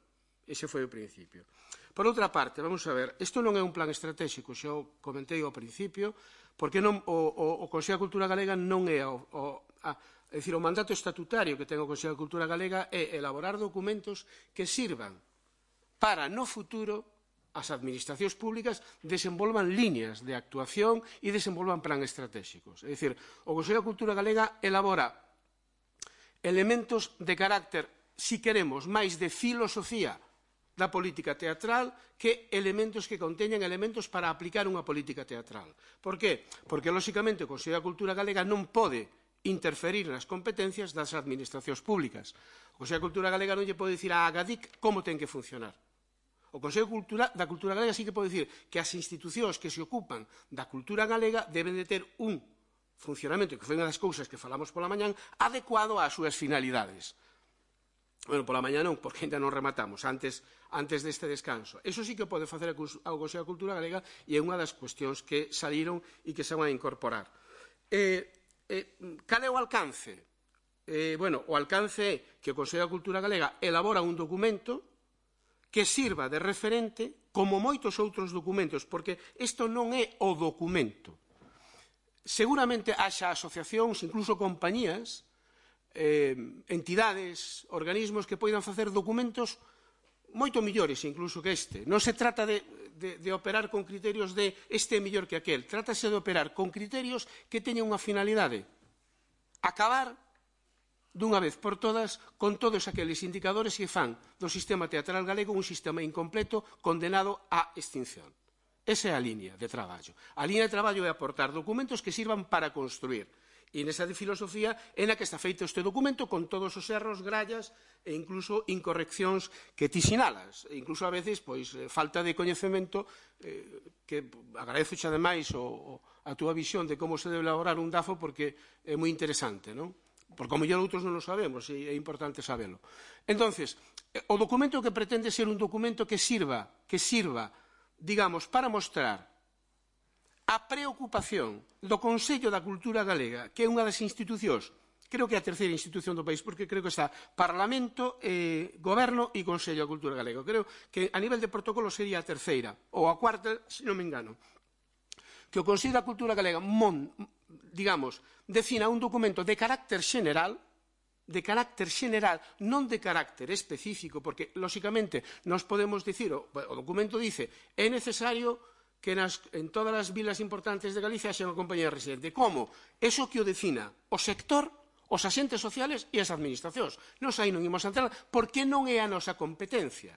ese foi o principio. Por outra parte, vamos a ver, isto non é un plan estratégico, xa o comentei ao principio, porque non, o, o, o Consello da Cultura Galega non é o, o, a, é dicir, o mandato estatutario que ten o Consello da Cultura Galega é elaborar documentos que sirvan para, no futuro, as administracións públicas desenvolvan líneas de actuación e desenvolvan plan estratégicos. É dicir, o Consello da Cultura Galega elabora elementos de carácter, si queremos, máis de filosofía da política teatral que elementos que conteñan elementos para aplicar unha política teatral. Por que? Porque, lóxicamente, o Consello da Cultura Galega non pode interferir nas competencias das administracións públicas. O Consello da Cultura Galega non lle pode dicir a Agadic como ten que funcionar. O Consello da Cultura Galega sí que pode dicir que as institucións que se ocupan da cultura galega deben de ter un funcionamento, que foi unha das cousas que falamos pola mañán, adecuado ás súas finalidades. Bueno, pola mañá non, porque ainda non rematamos, antes, antes deste descanso. Eso sí que pode facer o Consello da Cultura Galega e é unha das cuestións que saliron e que se van a incorporar. Eh, eh, cal é o alcance? Eh, bueno, o alcance é que o Consello da Cultura Galega elabora un documento que sirva de referente como moitos outros documentos, porque isto non é o documento. Seguramente haxa asociacións, incluso compañías, eh, entidades, organismos que poidan facer documentos moito millores incluso que este. Non se trata de, de, de operar con criterios de este é mellor que aquel. Trátase de operar con criterios que teñen unha finalidade. Acabar dunha vez por todas con todos aqueles indicadores que fan do sistema teatral galego un sistema incompleto condenado á extinción. Esa é a liña de traballo. A liña de traballo é aportar documentos que sirvan para construir. E nesa de filosofía é na que está feito este documento con todos os erros, grallas e incluso incorreccións que ti sinalas. E incluso a veces, pois, falta de coñecemento eh, que agradezo xa ademais o, a túa visión de como se debe elaborar un DAFO porque é moi interesante, non? Porque como mellor outros non o sabemos e é importante sabelo. Entonces, o documento que pretende ser un documento que sirva, que sirva, digamos, para mostrar a preocupación do Consello da Cultura Galega, que é unha das institucións, creo que é a terceira institución do país, porque creo que está Parlamento, eh, Goberno e Consello da Cultura Galega. Creo que a nivel de protocolo sería a terceira, ou a cuarta, se non me engano. Que o Consello da Cultura Galega mon, digamos, defina un documento de carácter xeneral, de carácter xeneral, non de carácter específico, porque, lóxicamente, nos podemos dicir, o, o documento dice, é necesario que nas, en todas as vilas importantes de Galicia haxa unha compañía residente. Como? Eso que o defina o sector, os axentes sociales e as administracións. Nos aí non imos a entrar, porque non é a nosa competencia.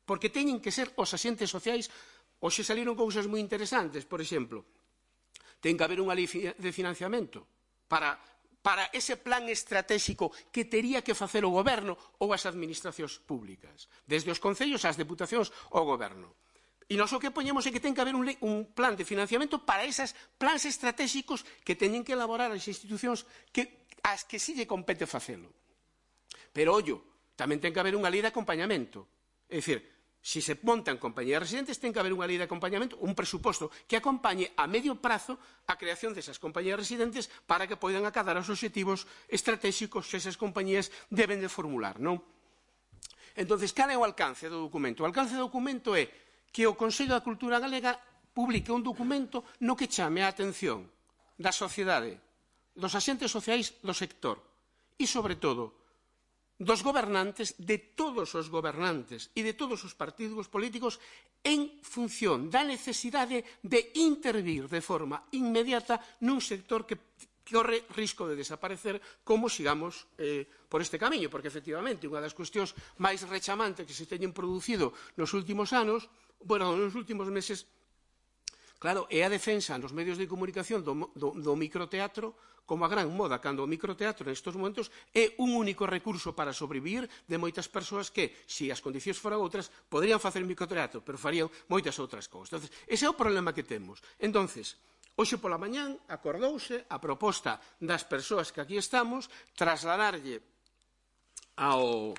Porque teñen que ser os axentes sociais. Hoxe saliron cousas moi interesantes, por exemplo, ten que haber unha lei de financiamento para, para ese plan estratégico que tería que facer o goberno ou as administracións públicas, desde os concellos ás deputacións ao goberno. E nós o que poñemos é que ten que haber un, un plan de financiamento para esas plans estratégicos que teñen que elaborar as institucións que, as que si lle compete facelo. Pero, ollo, tamén ten que haber unha lei de acompañamento. É dicir, se se montan compañías residentes, ten que haber unha lei de acompañamento, un presuposto que acompañe a medio prazo a creación desas compañías residentes para que poidan acadar os obxectivos estratégicos que esas compañías deben de formular, non? Entonces, cal é o alcance do documento? O alcance do documento é que o Consello da Cultura Galega publique un documento no que chame a atención da sociedade, dos axentes sociais do sector e, sobre todo, dos gobernantes, de todos os gobernantes e de todos os partidos políticos en función da necesidade de intervir de forma inmediata nun sector que corre risco de desaparecer como sigamos eh, por este camiño, porque efectivamente unha das cuestións máis rechamantes que se teñen producido nos últimos anos, bueno, nos últimos meses, claro, é a defensa nos medios de comunicación do, do, do microteatro como a gran moda, cando o microteatro nestes momentos é un único recurso para sobrevivir de moitas persoas que, se as condicións foran outras, poderían facer microteatro, pero farían moitas outras cousas. Entonces, ese é o problema que temos. Entonces, hoxe pola mañán acordouse a proposta das persoas que aquí estamos trasladarlle ao,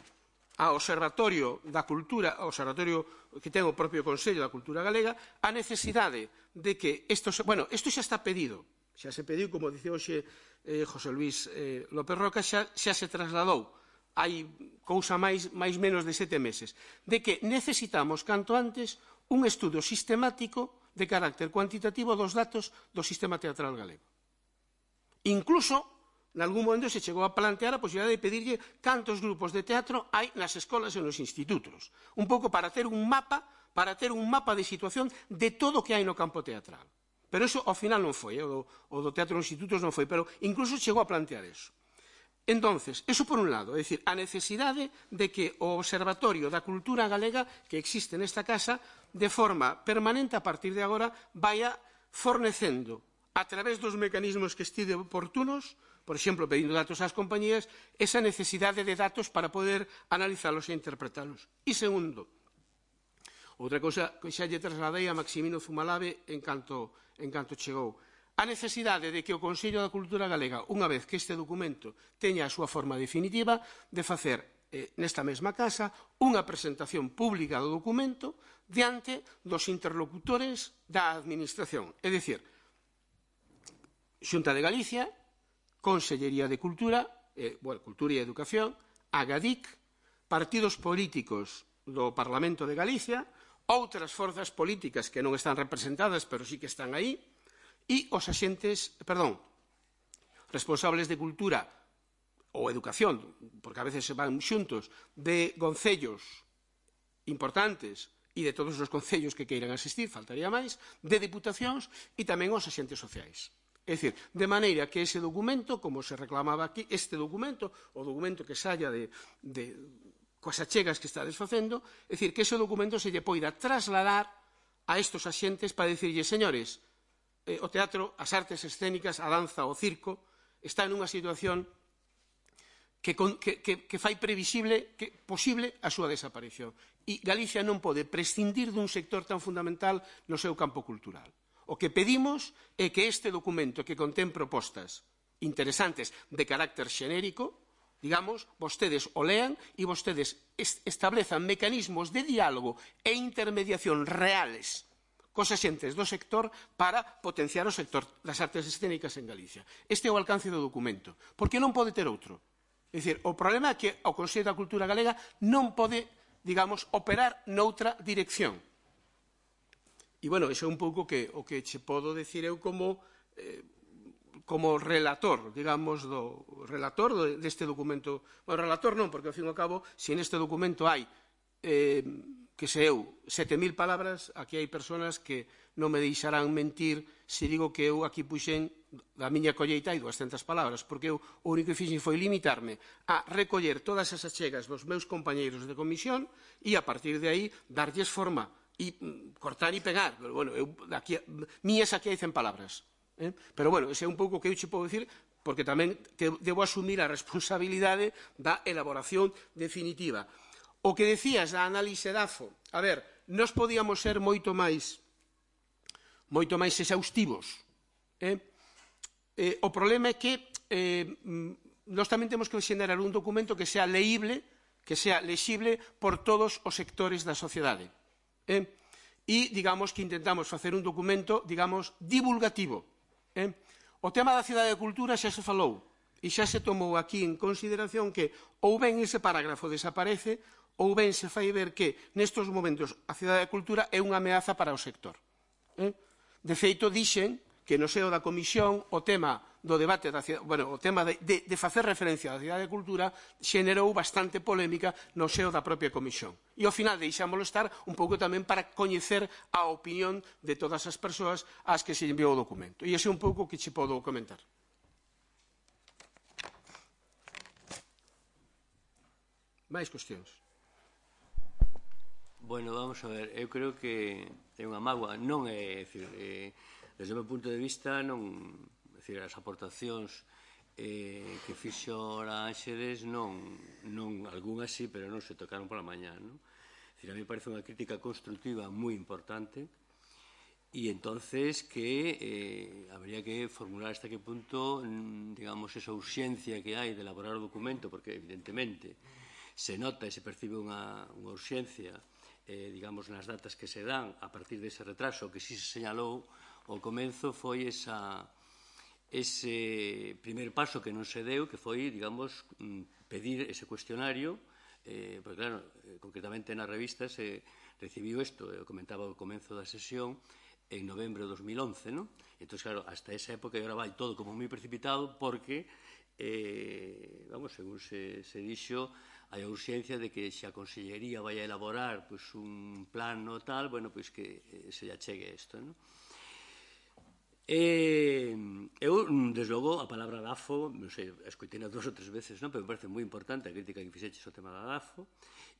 ao Observatorio da Cultura, ao Observatorio que ten o propio Consello da Cultura Galega, a necesidade de que isto, bueno, isto xa está pedido, xa se pediu, como dice hoxe eh, José Luis eh, López Roca, xa, xa se trasladou hai cousa máis, máis menos de sete meses, de que necesitamos, canto antes, un estudo sistemático de carácter cuantitativo dos datos do sistema teatral galego. Incluso, en algún momento se chegou a plantear a posibilidade de pedirlle cantos grupos de teatro hai nas escolas e nos institutos, un pouco para ter un mapa, para ter un mapa de situación de todo o que hai no campo teatral. Pero eso, ao final, non foi, o do teatro nos institutos non foi, pero incluso chegou a plantear eso. Entonces, eso por un lado, é dicir, a necesidade de que o Observatorio da Cultura Galega que existe nesta casa, de forma permanente a partir de agora, vaya fornecendo, a través dos mecanismos que estide oportunos, por exemplo, pedindo datos ás compañías, esa necesidade de datos para poder analizalos e interpretalos. E segundo, outra cousa que xa lle trasladei a Maximino Zumalave en canto, en canto chegou, a necesidade de que o Consello da Cultura Galega, unha vez que este documento teña a súa forma definitiva, de facer eh, nesta mesma casa unha presentación pública do documento diante dos interlocutores da Administración. É dicir, Xunta de Galicia, Consellería de Cultura, eh, bueno, Cultura e Educación, Agadic, partidos políticos do Parlamento de Galicia, outras forzas políticas que non están representadas, pero sí que están aí, e os axentes, perdón, responsables de cultura ou educación, porque a veces se van xuntos, de concellos importantes e de todos os concellos que queiran asistir, faltaría máis, de diputacións e tamén os axentes sociais. É dicir, de maneira que ese documento, como se reclamaba aquí, este documento, o documento que saia de, de coas achegas que estades facendo, é dicir, que ese documento se lle poida trasladar a estos axentes para dicirlle, señores, eh, o teatro, as artes escénicas, a danza, o circo, está nunha situación que, que, que, que fai previsible, que, posible a súa desaparición. E Galicia non pode prescindir dun sector tan fundamental no seu campo cultural. O que pedimos é que este documento que contén propostas interesantes de carácter xenérico, digamos, vostedes o lean e vostedes establezan mecanismos de diálogo e intermediación reales cos axentes do sector para potenciar o sector das artes escénicas en Galicia. Este é o alcance do documento, porque non pode ter outro. É dicir, o problema é que o Consello da Cultura Galega non pode, digamos, operar noutra dirección. E, bueno, iso é un pouco que, o que che podo decir eu como, eh, como relator, digamos, do relator deste documento. Bueno, relator non, porque, ao fin e ao cabo, se neste documento hai eh, que se eu, sete mil palabras, aquí hai persoas que non me deixarán mentir se digo que eu aquí puxen da miña colleita hai duascentas palabras, porque eu o único que fixen foi limitarme a recoller todas as achegas dos meus compañeiros de comisión e a partir de aí darlles forma e cortar e pegar. Pero, bueno, eu, aquí, mías aquí hai cen palabras. Eh? Pero, bueno, ese é un pouco que eu che podo dicir, porque tamén te, debo asumir a responsabilidade da elaboración definitiva. O que decías da análise D A F O, a ver, nós podíamos ser moito máis moito máis exhaustivos. Eh? Eh, o problema é que eh, nós tamén temos que xenerar un documento que sea leíble, que sea lexible por todos os sectores da sociedade. Eh? E, digamos, que intentamos facer un documento, digamos, divulgativo. Eh? O tema da cidade de cultura xa se falou e xa se tomou aquí en consideración que ou ben ese parágrafo desaparece ou ben se fai ver que nestes momentos a cidade de cultura é unha ameaza para o sector. Eh? De feito, dixen que no seo da comisión o tema do debate da cidade, bueno, o tema de, de, de facer referencia á cidade de cultura xenerou bastante polémica no seo da propia comisión. E ao final deixámoslo estar un pouco tamén para coñecer a opinión de todas as persoas ás que se enviou o documento. E ese é un pouco que che podo comentar. máis cuestións. Bueno, vamos a ver, eu creo que é unha mágoa, non é, é dicir, eh, desde o meu punto de vista, non, é dicir, as aportacións eh, que fixo a Ángeles non, non, algunhas sí, pero non se tocaron pola mañá, non? É dicir, a mí parece unha crítica constructiva moi importante e entonces que eh, habría que formular hasta que punto, digamos, esa urxencia que hai de elaborar o documento, porque evidentemente se nota e se percibe unha, unha urxencia eh, digamos, nas datas que se dan a partir dese retraso que si se señalou ao comenzo foi esa, ese primer paso que non se deu, que foi, digamos, pedir ese cuestionario, eh, porque, claro, eh, concretamente na revista se recibiu isto, eu comentaba ao comenzo da sesión, en novembro de dos mil once, non? Entón, claro, hasta esa época, e agora vai todo como moi precipitado, porque, eh, vamos, según se, se dixo, hai a urxencia de que se a Consellería vai a elaborar pues, un plano tal, bueno, pois que eh, se lle chegue isto, non? Eh, eu, desde logo, a palabra DAFO, non sei, escoitei dúas ou tres veces, non? Pero me parece moi importante a crítica que fixeches o tema da DAFO.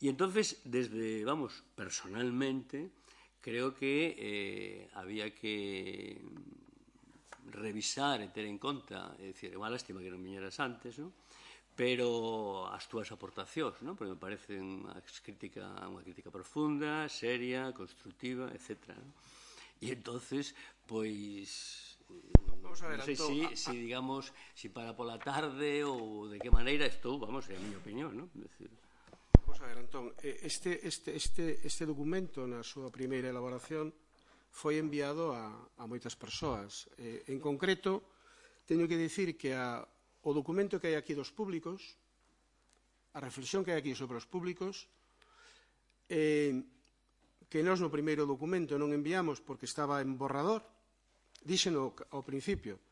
E entonces, desde, vamos, personalmente, creo que eh, había que revisar e ter en conta, é dicir, é unha lástima que non viñeras antes, non? Pero as túas aportacións, non? Porque me parece unha crítica, unha crítica profunda, seria, constructiva, etcétera. Non? E entonces, pois, vamos a ver, non sei Antón, si, a, a... si, digamos, si para pola tarde ou de que maneira estou, vamos, é a miña opinión, non? Decir... Vamos a ver, Antón, este, este, este, este documento na súa primeira elaboración foi enviado a, a moitas persoas. Eh, en concreto, teño que dicir que a, o documento que hai aquí dos públicos, a reflexión que hai aquí sobre os públicos, eh, que nós no primeiro documento non enviamos porque estaba en borrador, díxeno ao principio,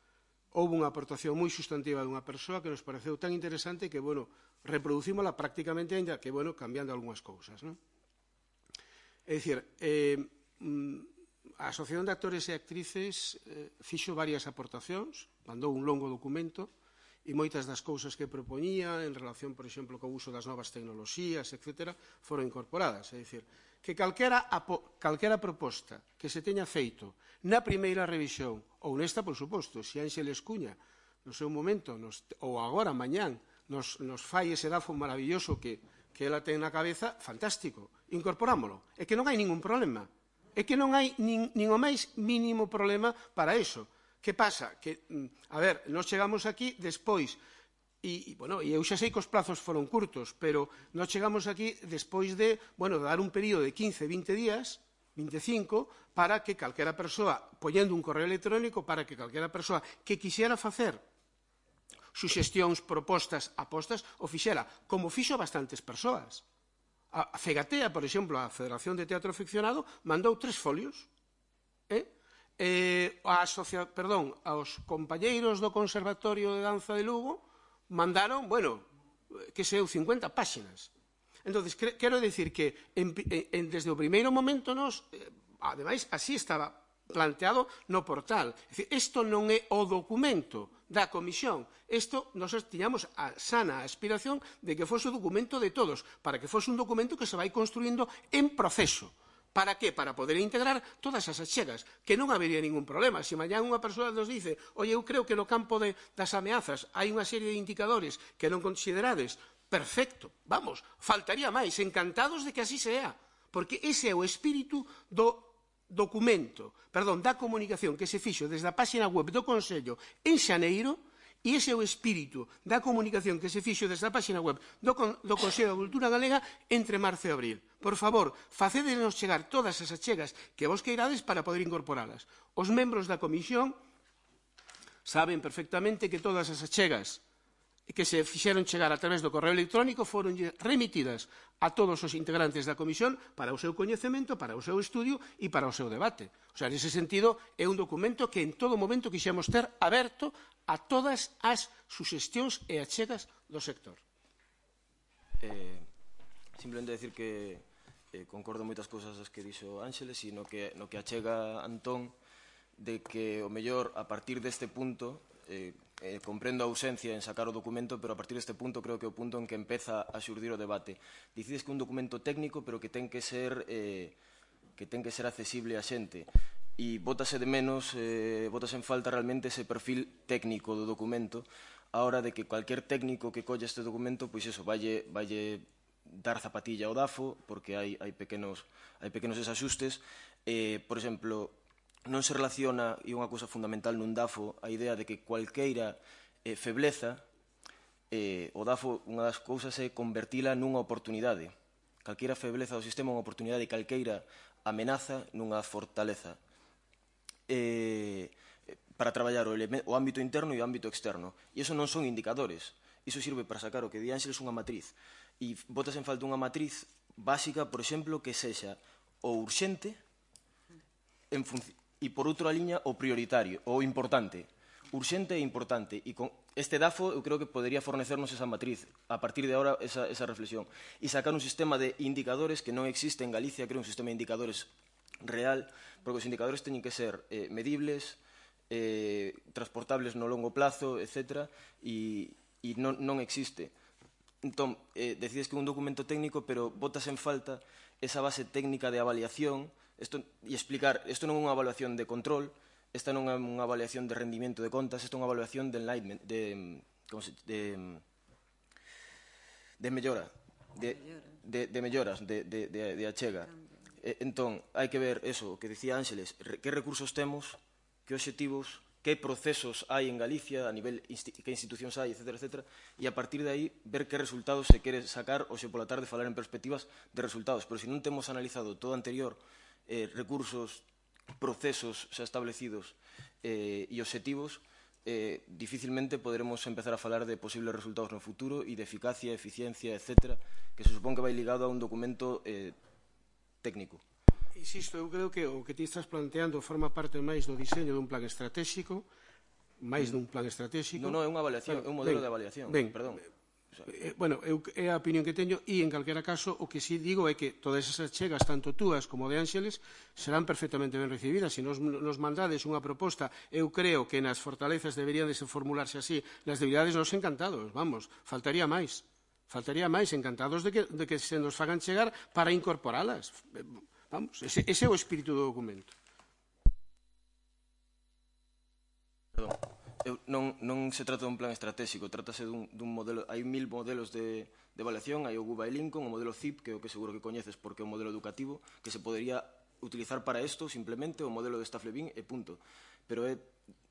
houve unha aportación moi sustantiva dunha persoa que nos pareceu tan interesante que, bueno, reproducímola prácticamente ainda que, bueno, cambiando algunhas cousas, non? É dicir, eh, a Asociación de Actores e Actrices eh, fixo varias aportacións, mandou un longo documento, e moitas das cousas que propoñía en relación, por exemplo, co uso das novas tecnoloxías, etcétera, foron incorporadas. É dicir, que calquera, calquera proposta que se teña feito na primeira revisión, ou nesta, por suposto, se Ánxeles Cuña, no seu momento, nos, ou agora, mañán, nos, nos fai ese dafo maravilloso que, que ela ten na cabeza, fantástico, incorporámolo. É que non hai ningún problema. É que non hai nin, nin o máis mínimo problema para iso. Que pasa? Que, a ver, nós chegamos aquí despois, e, e, bueno, e eu xa sei que os plazos foron curtos, pero nós chegamos aquí despois de, bueno, dar un período de quince, vinte días, veinticinco, para que calquera persoa, poñendo un correo electrónico, para que calquera persoa que quixera facer suxestións, propostas, apostas, o fixera, como fixo bastantes persoas. A Fegatea, por exemplo, a Federación de Teatro Ficcionado, mandou tres folios, eh? Eh, a asocia... perdón, aos compañeiros do Conservatorio de Danza de Lugo mandaron, bueno, que sei eu, cincuenta páxinas. Entón, quero dicir que en, en, desde o primeiro momento nos, eh, ademais, así estaba planteado no portal. Isto non é o documento da comisión. Isto, nós tiñamos a sana aspiración de que fose o documento de todos, para que fose un documento que se vai construindo en proceso. Para que? Para poder integrar todas as achegas, que non habería ningún problema. Se mañán unha persoa nos dice, oye, eu creo que no campo de, das ameazas hai unha serie de indicadores que non considerades, perfecto, vamos, faltaría máis, encantados de que así sea, porque ese é o espírito do documento, perdón, da comunicación que se fixo desde a página web do Consello en xaneiro, e ese é o espírito da comunicación que se fixo desde a página web do, do Consello da Cultura Galega entre marzo e abril. Por favor, facédenos chegar todas as achegas que vos queirades para poder incorporalas. Os membros da comisión saben perfectamente que todas as achegas que se fixeron chegar a través do correo electrónico foron remitidas a todos os integrantes da comisión para o seu coñecemento, para o seu estudio e para o seu debate. O sea, nese sentido, é un documento que en todo momento quixemos ter aberto a todas as suxestións e achegas do sector. Eh, simplemente decir que eh, concordo moitas cousas das que dixo Ánxeles e no que, no que achega Antón de que o mellor a partir deste punto eh, eh, comprendo a ausencia en sacar o documento, pero a partir deste punto creo que é o punto en que empeza a xurdir o debate. Dicides que é un documento técnico, pero que ten que ser eh, que ten que ser accesible a xente. E bótase de menos, eh, bótase en falta realmente ese perfil técnico do documento, a hora de que cualquier técnico que colla este documento, pois eso, valle, valle dar zapatilla ao DAFO, porque hai, hai, pequenos, hai pequenos desaxustes. Eh, por exemplo, non se relaciona, e unha cousa fundamental nun DAFO, a idea de que cualqueira eh, febleza, eh, o DAFO, unha das cousas é convertila nunha oportunidade. Calqueira febleza do sistema é unha oportunidade e calqueira amenaza nunha fortaleza. Eh, para traballar o, o ámbito interno e o ámbito externo. E iso non son indicadores. Iso sirve para sacar o que di Ángeles unha matriz. E botas en falta unha matriz básica, por exemplo, que sexa o urxente en e por outra liña o prioritario, o importante. Urxente e importante. E con este DAFO eu creo que podría fornecernos esa matriz, a partir de ahora esa, esa reflexión. E sacar un sistema de indicadores que non existe en Galicia, creo un sistema de indicadores real, porque os indicadores teñen que ser eh, medibles, eh, transportables no longo plazo, etcétera, e, e non, non existe. Entón, eh, decides que é un documento técnico, pero botas en falta esa base técnica de avaliación, esto, e explicar, isto non é unha evaluación de control, esta non é unha evaluación de rendimento de contas, esta é unha evaluación de enlightenment, de, como se, de, de mellora, de, de, de melloras, de, de, de, de achega. Entón, hai que ver eso, o que dicía Ángeles, que recursos temos, que obxectivos, que procesos hai en Galicia, a nivel que institucións hai, etcétera, etcétera, e a partir de aí ver que resultados se quere sacar ou se pola tarde falar en perspectivas de resultados. Pero se non temos analizado todo anterior, eh, recursos, procesos xa establecidos eh, e obxectivos, eh, dificilmente poderemos empezar a falar de posibles resultados no futuro e de eficacia, eficiencia, etcétera, que se supón que vai ligado a un documento eh, técnico. Insisto, eu creo que o que ti estás planteando forma parte máis do diseño dun plan estratégico, máis dun plan estratégico. Non, non, é unha avaliación, é un modelo de avaliación. Ben, perdón. Eh, bueno, eu, é a opinión que teño e, en calquera caso, o que sí digo é que todas esas chegas, tanto túas como de Ángeles, serán perfectamente ben recibidas. Se nos, nos mandades unha proposta, eu creo que nas fortalezas deberían de formularse así, nas debilidades nos encantados, vamos, faltaría máis. Faltaría máis, encantados de que, de que se nos fagan chegar para incorporalas. Vamos, ese, ese é o espírito do documento. Perdón. Eu, non, non se trata dun plan estratégico, trátase dun, dun modelo, hai mil modelos de, de evaluación, hai o Guba e Lincoln, o modelo C I P, que é o que seguro que coñeces porque é un modelo educativo, que se podería utilizar para isto simplemente, o modelo de Staff-Levin e punto. Pero é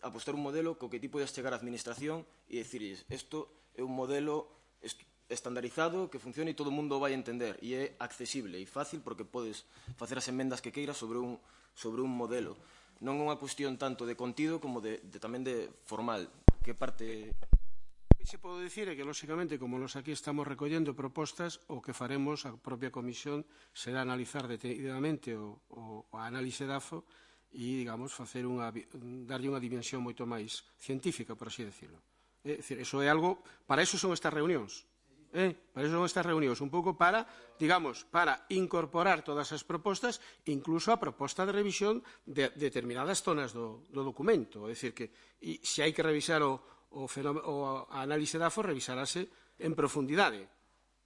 apostar un modelo co que ti podes chegar á administración e dicirles, isto é un modelo estandarizado que funciona e todo o mundo vai entender e é accesible e fácil porque podes facer as emendas que queiras sobre un, sobre un modelo. Non é unha cuestión tanto de contido como de, de tamén de formal. Que parte... O que se pode dicir é que, lóxicamente, como nos aquí estamos recollendo propostas, o que faremos a propia comisión será analizar detenidamente o, o, o análise DAFO e, digamos, facer unha, darlle unha dimensión moito máis científica, por así decirlo. É dicir, eso é algo... Para eso son estas reunións. Eh, para eso son estas reunións, un pouco para, digamos, para incorporar todas as propostas, incluso a proposta de revisión de, de determinadas zonas do, do documento. É dicir, que e, se hai que revisar o, o, o análise DAFO, revisarase en profundidade.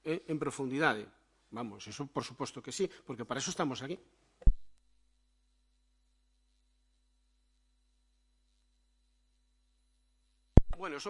Eh, en profundidade. Vamos, eso por suposto que sí, porque para eso estamos aquí. Bueno, son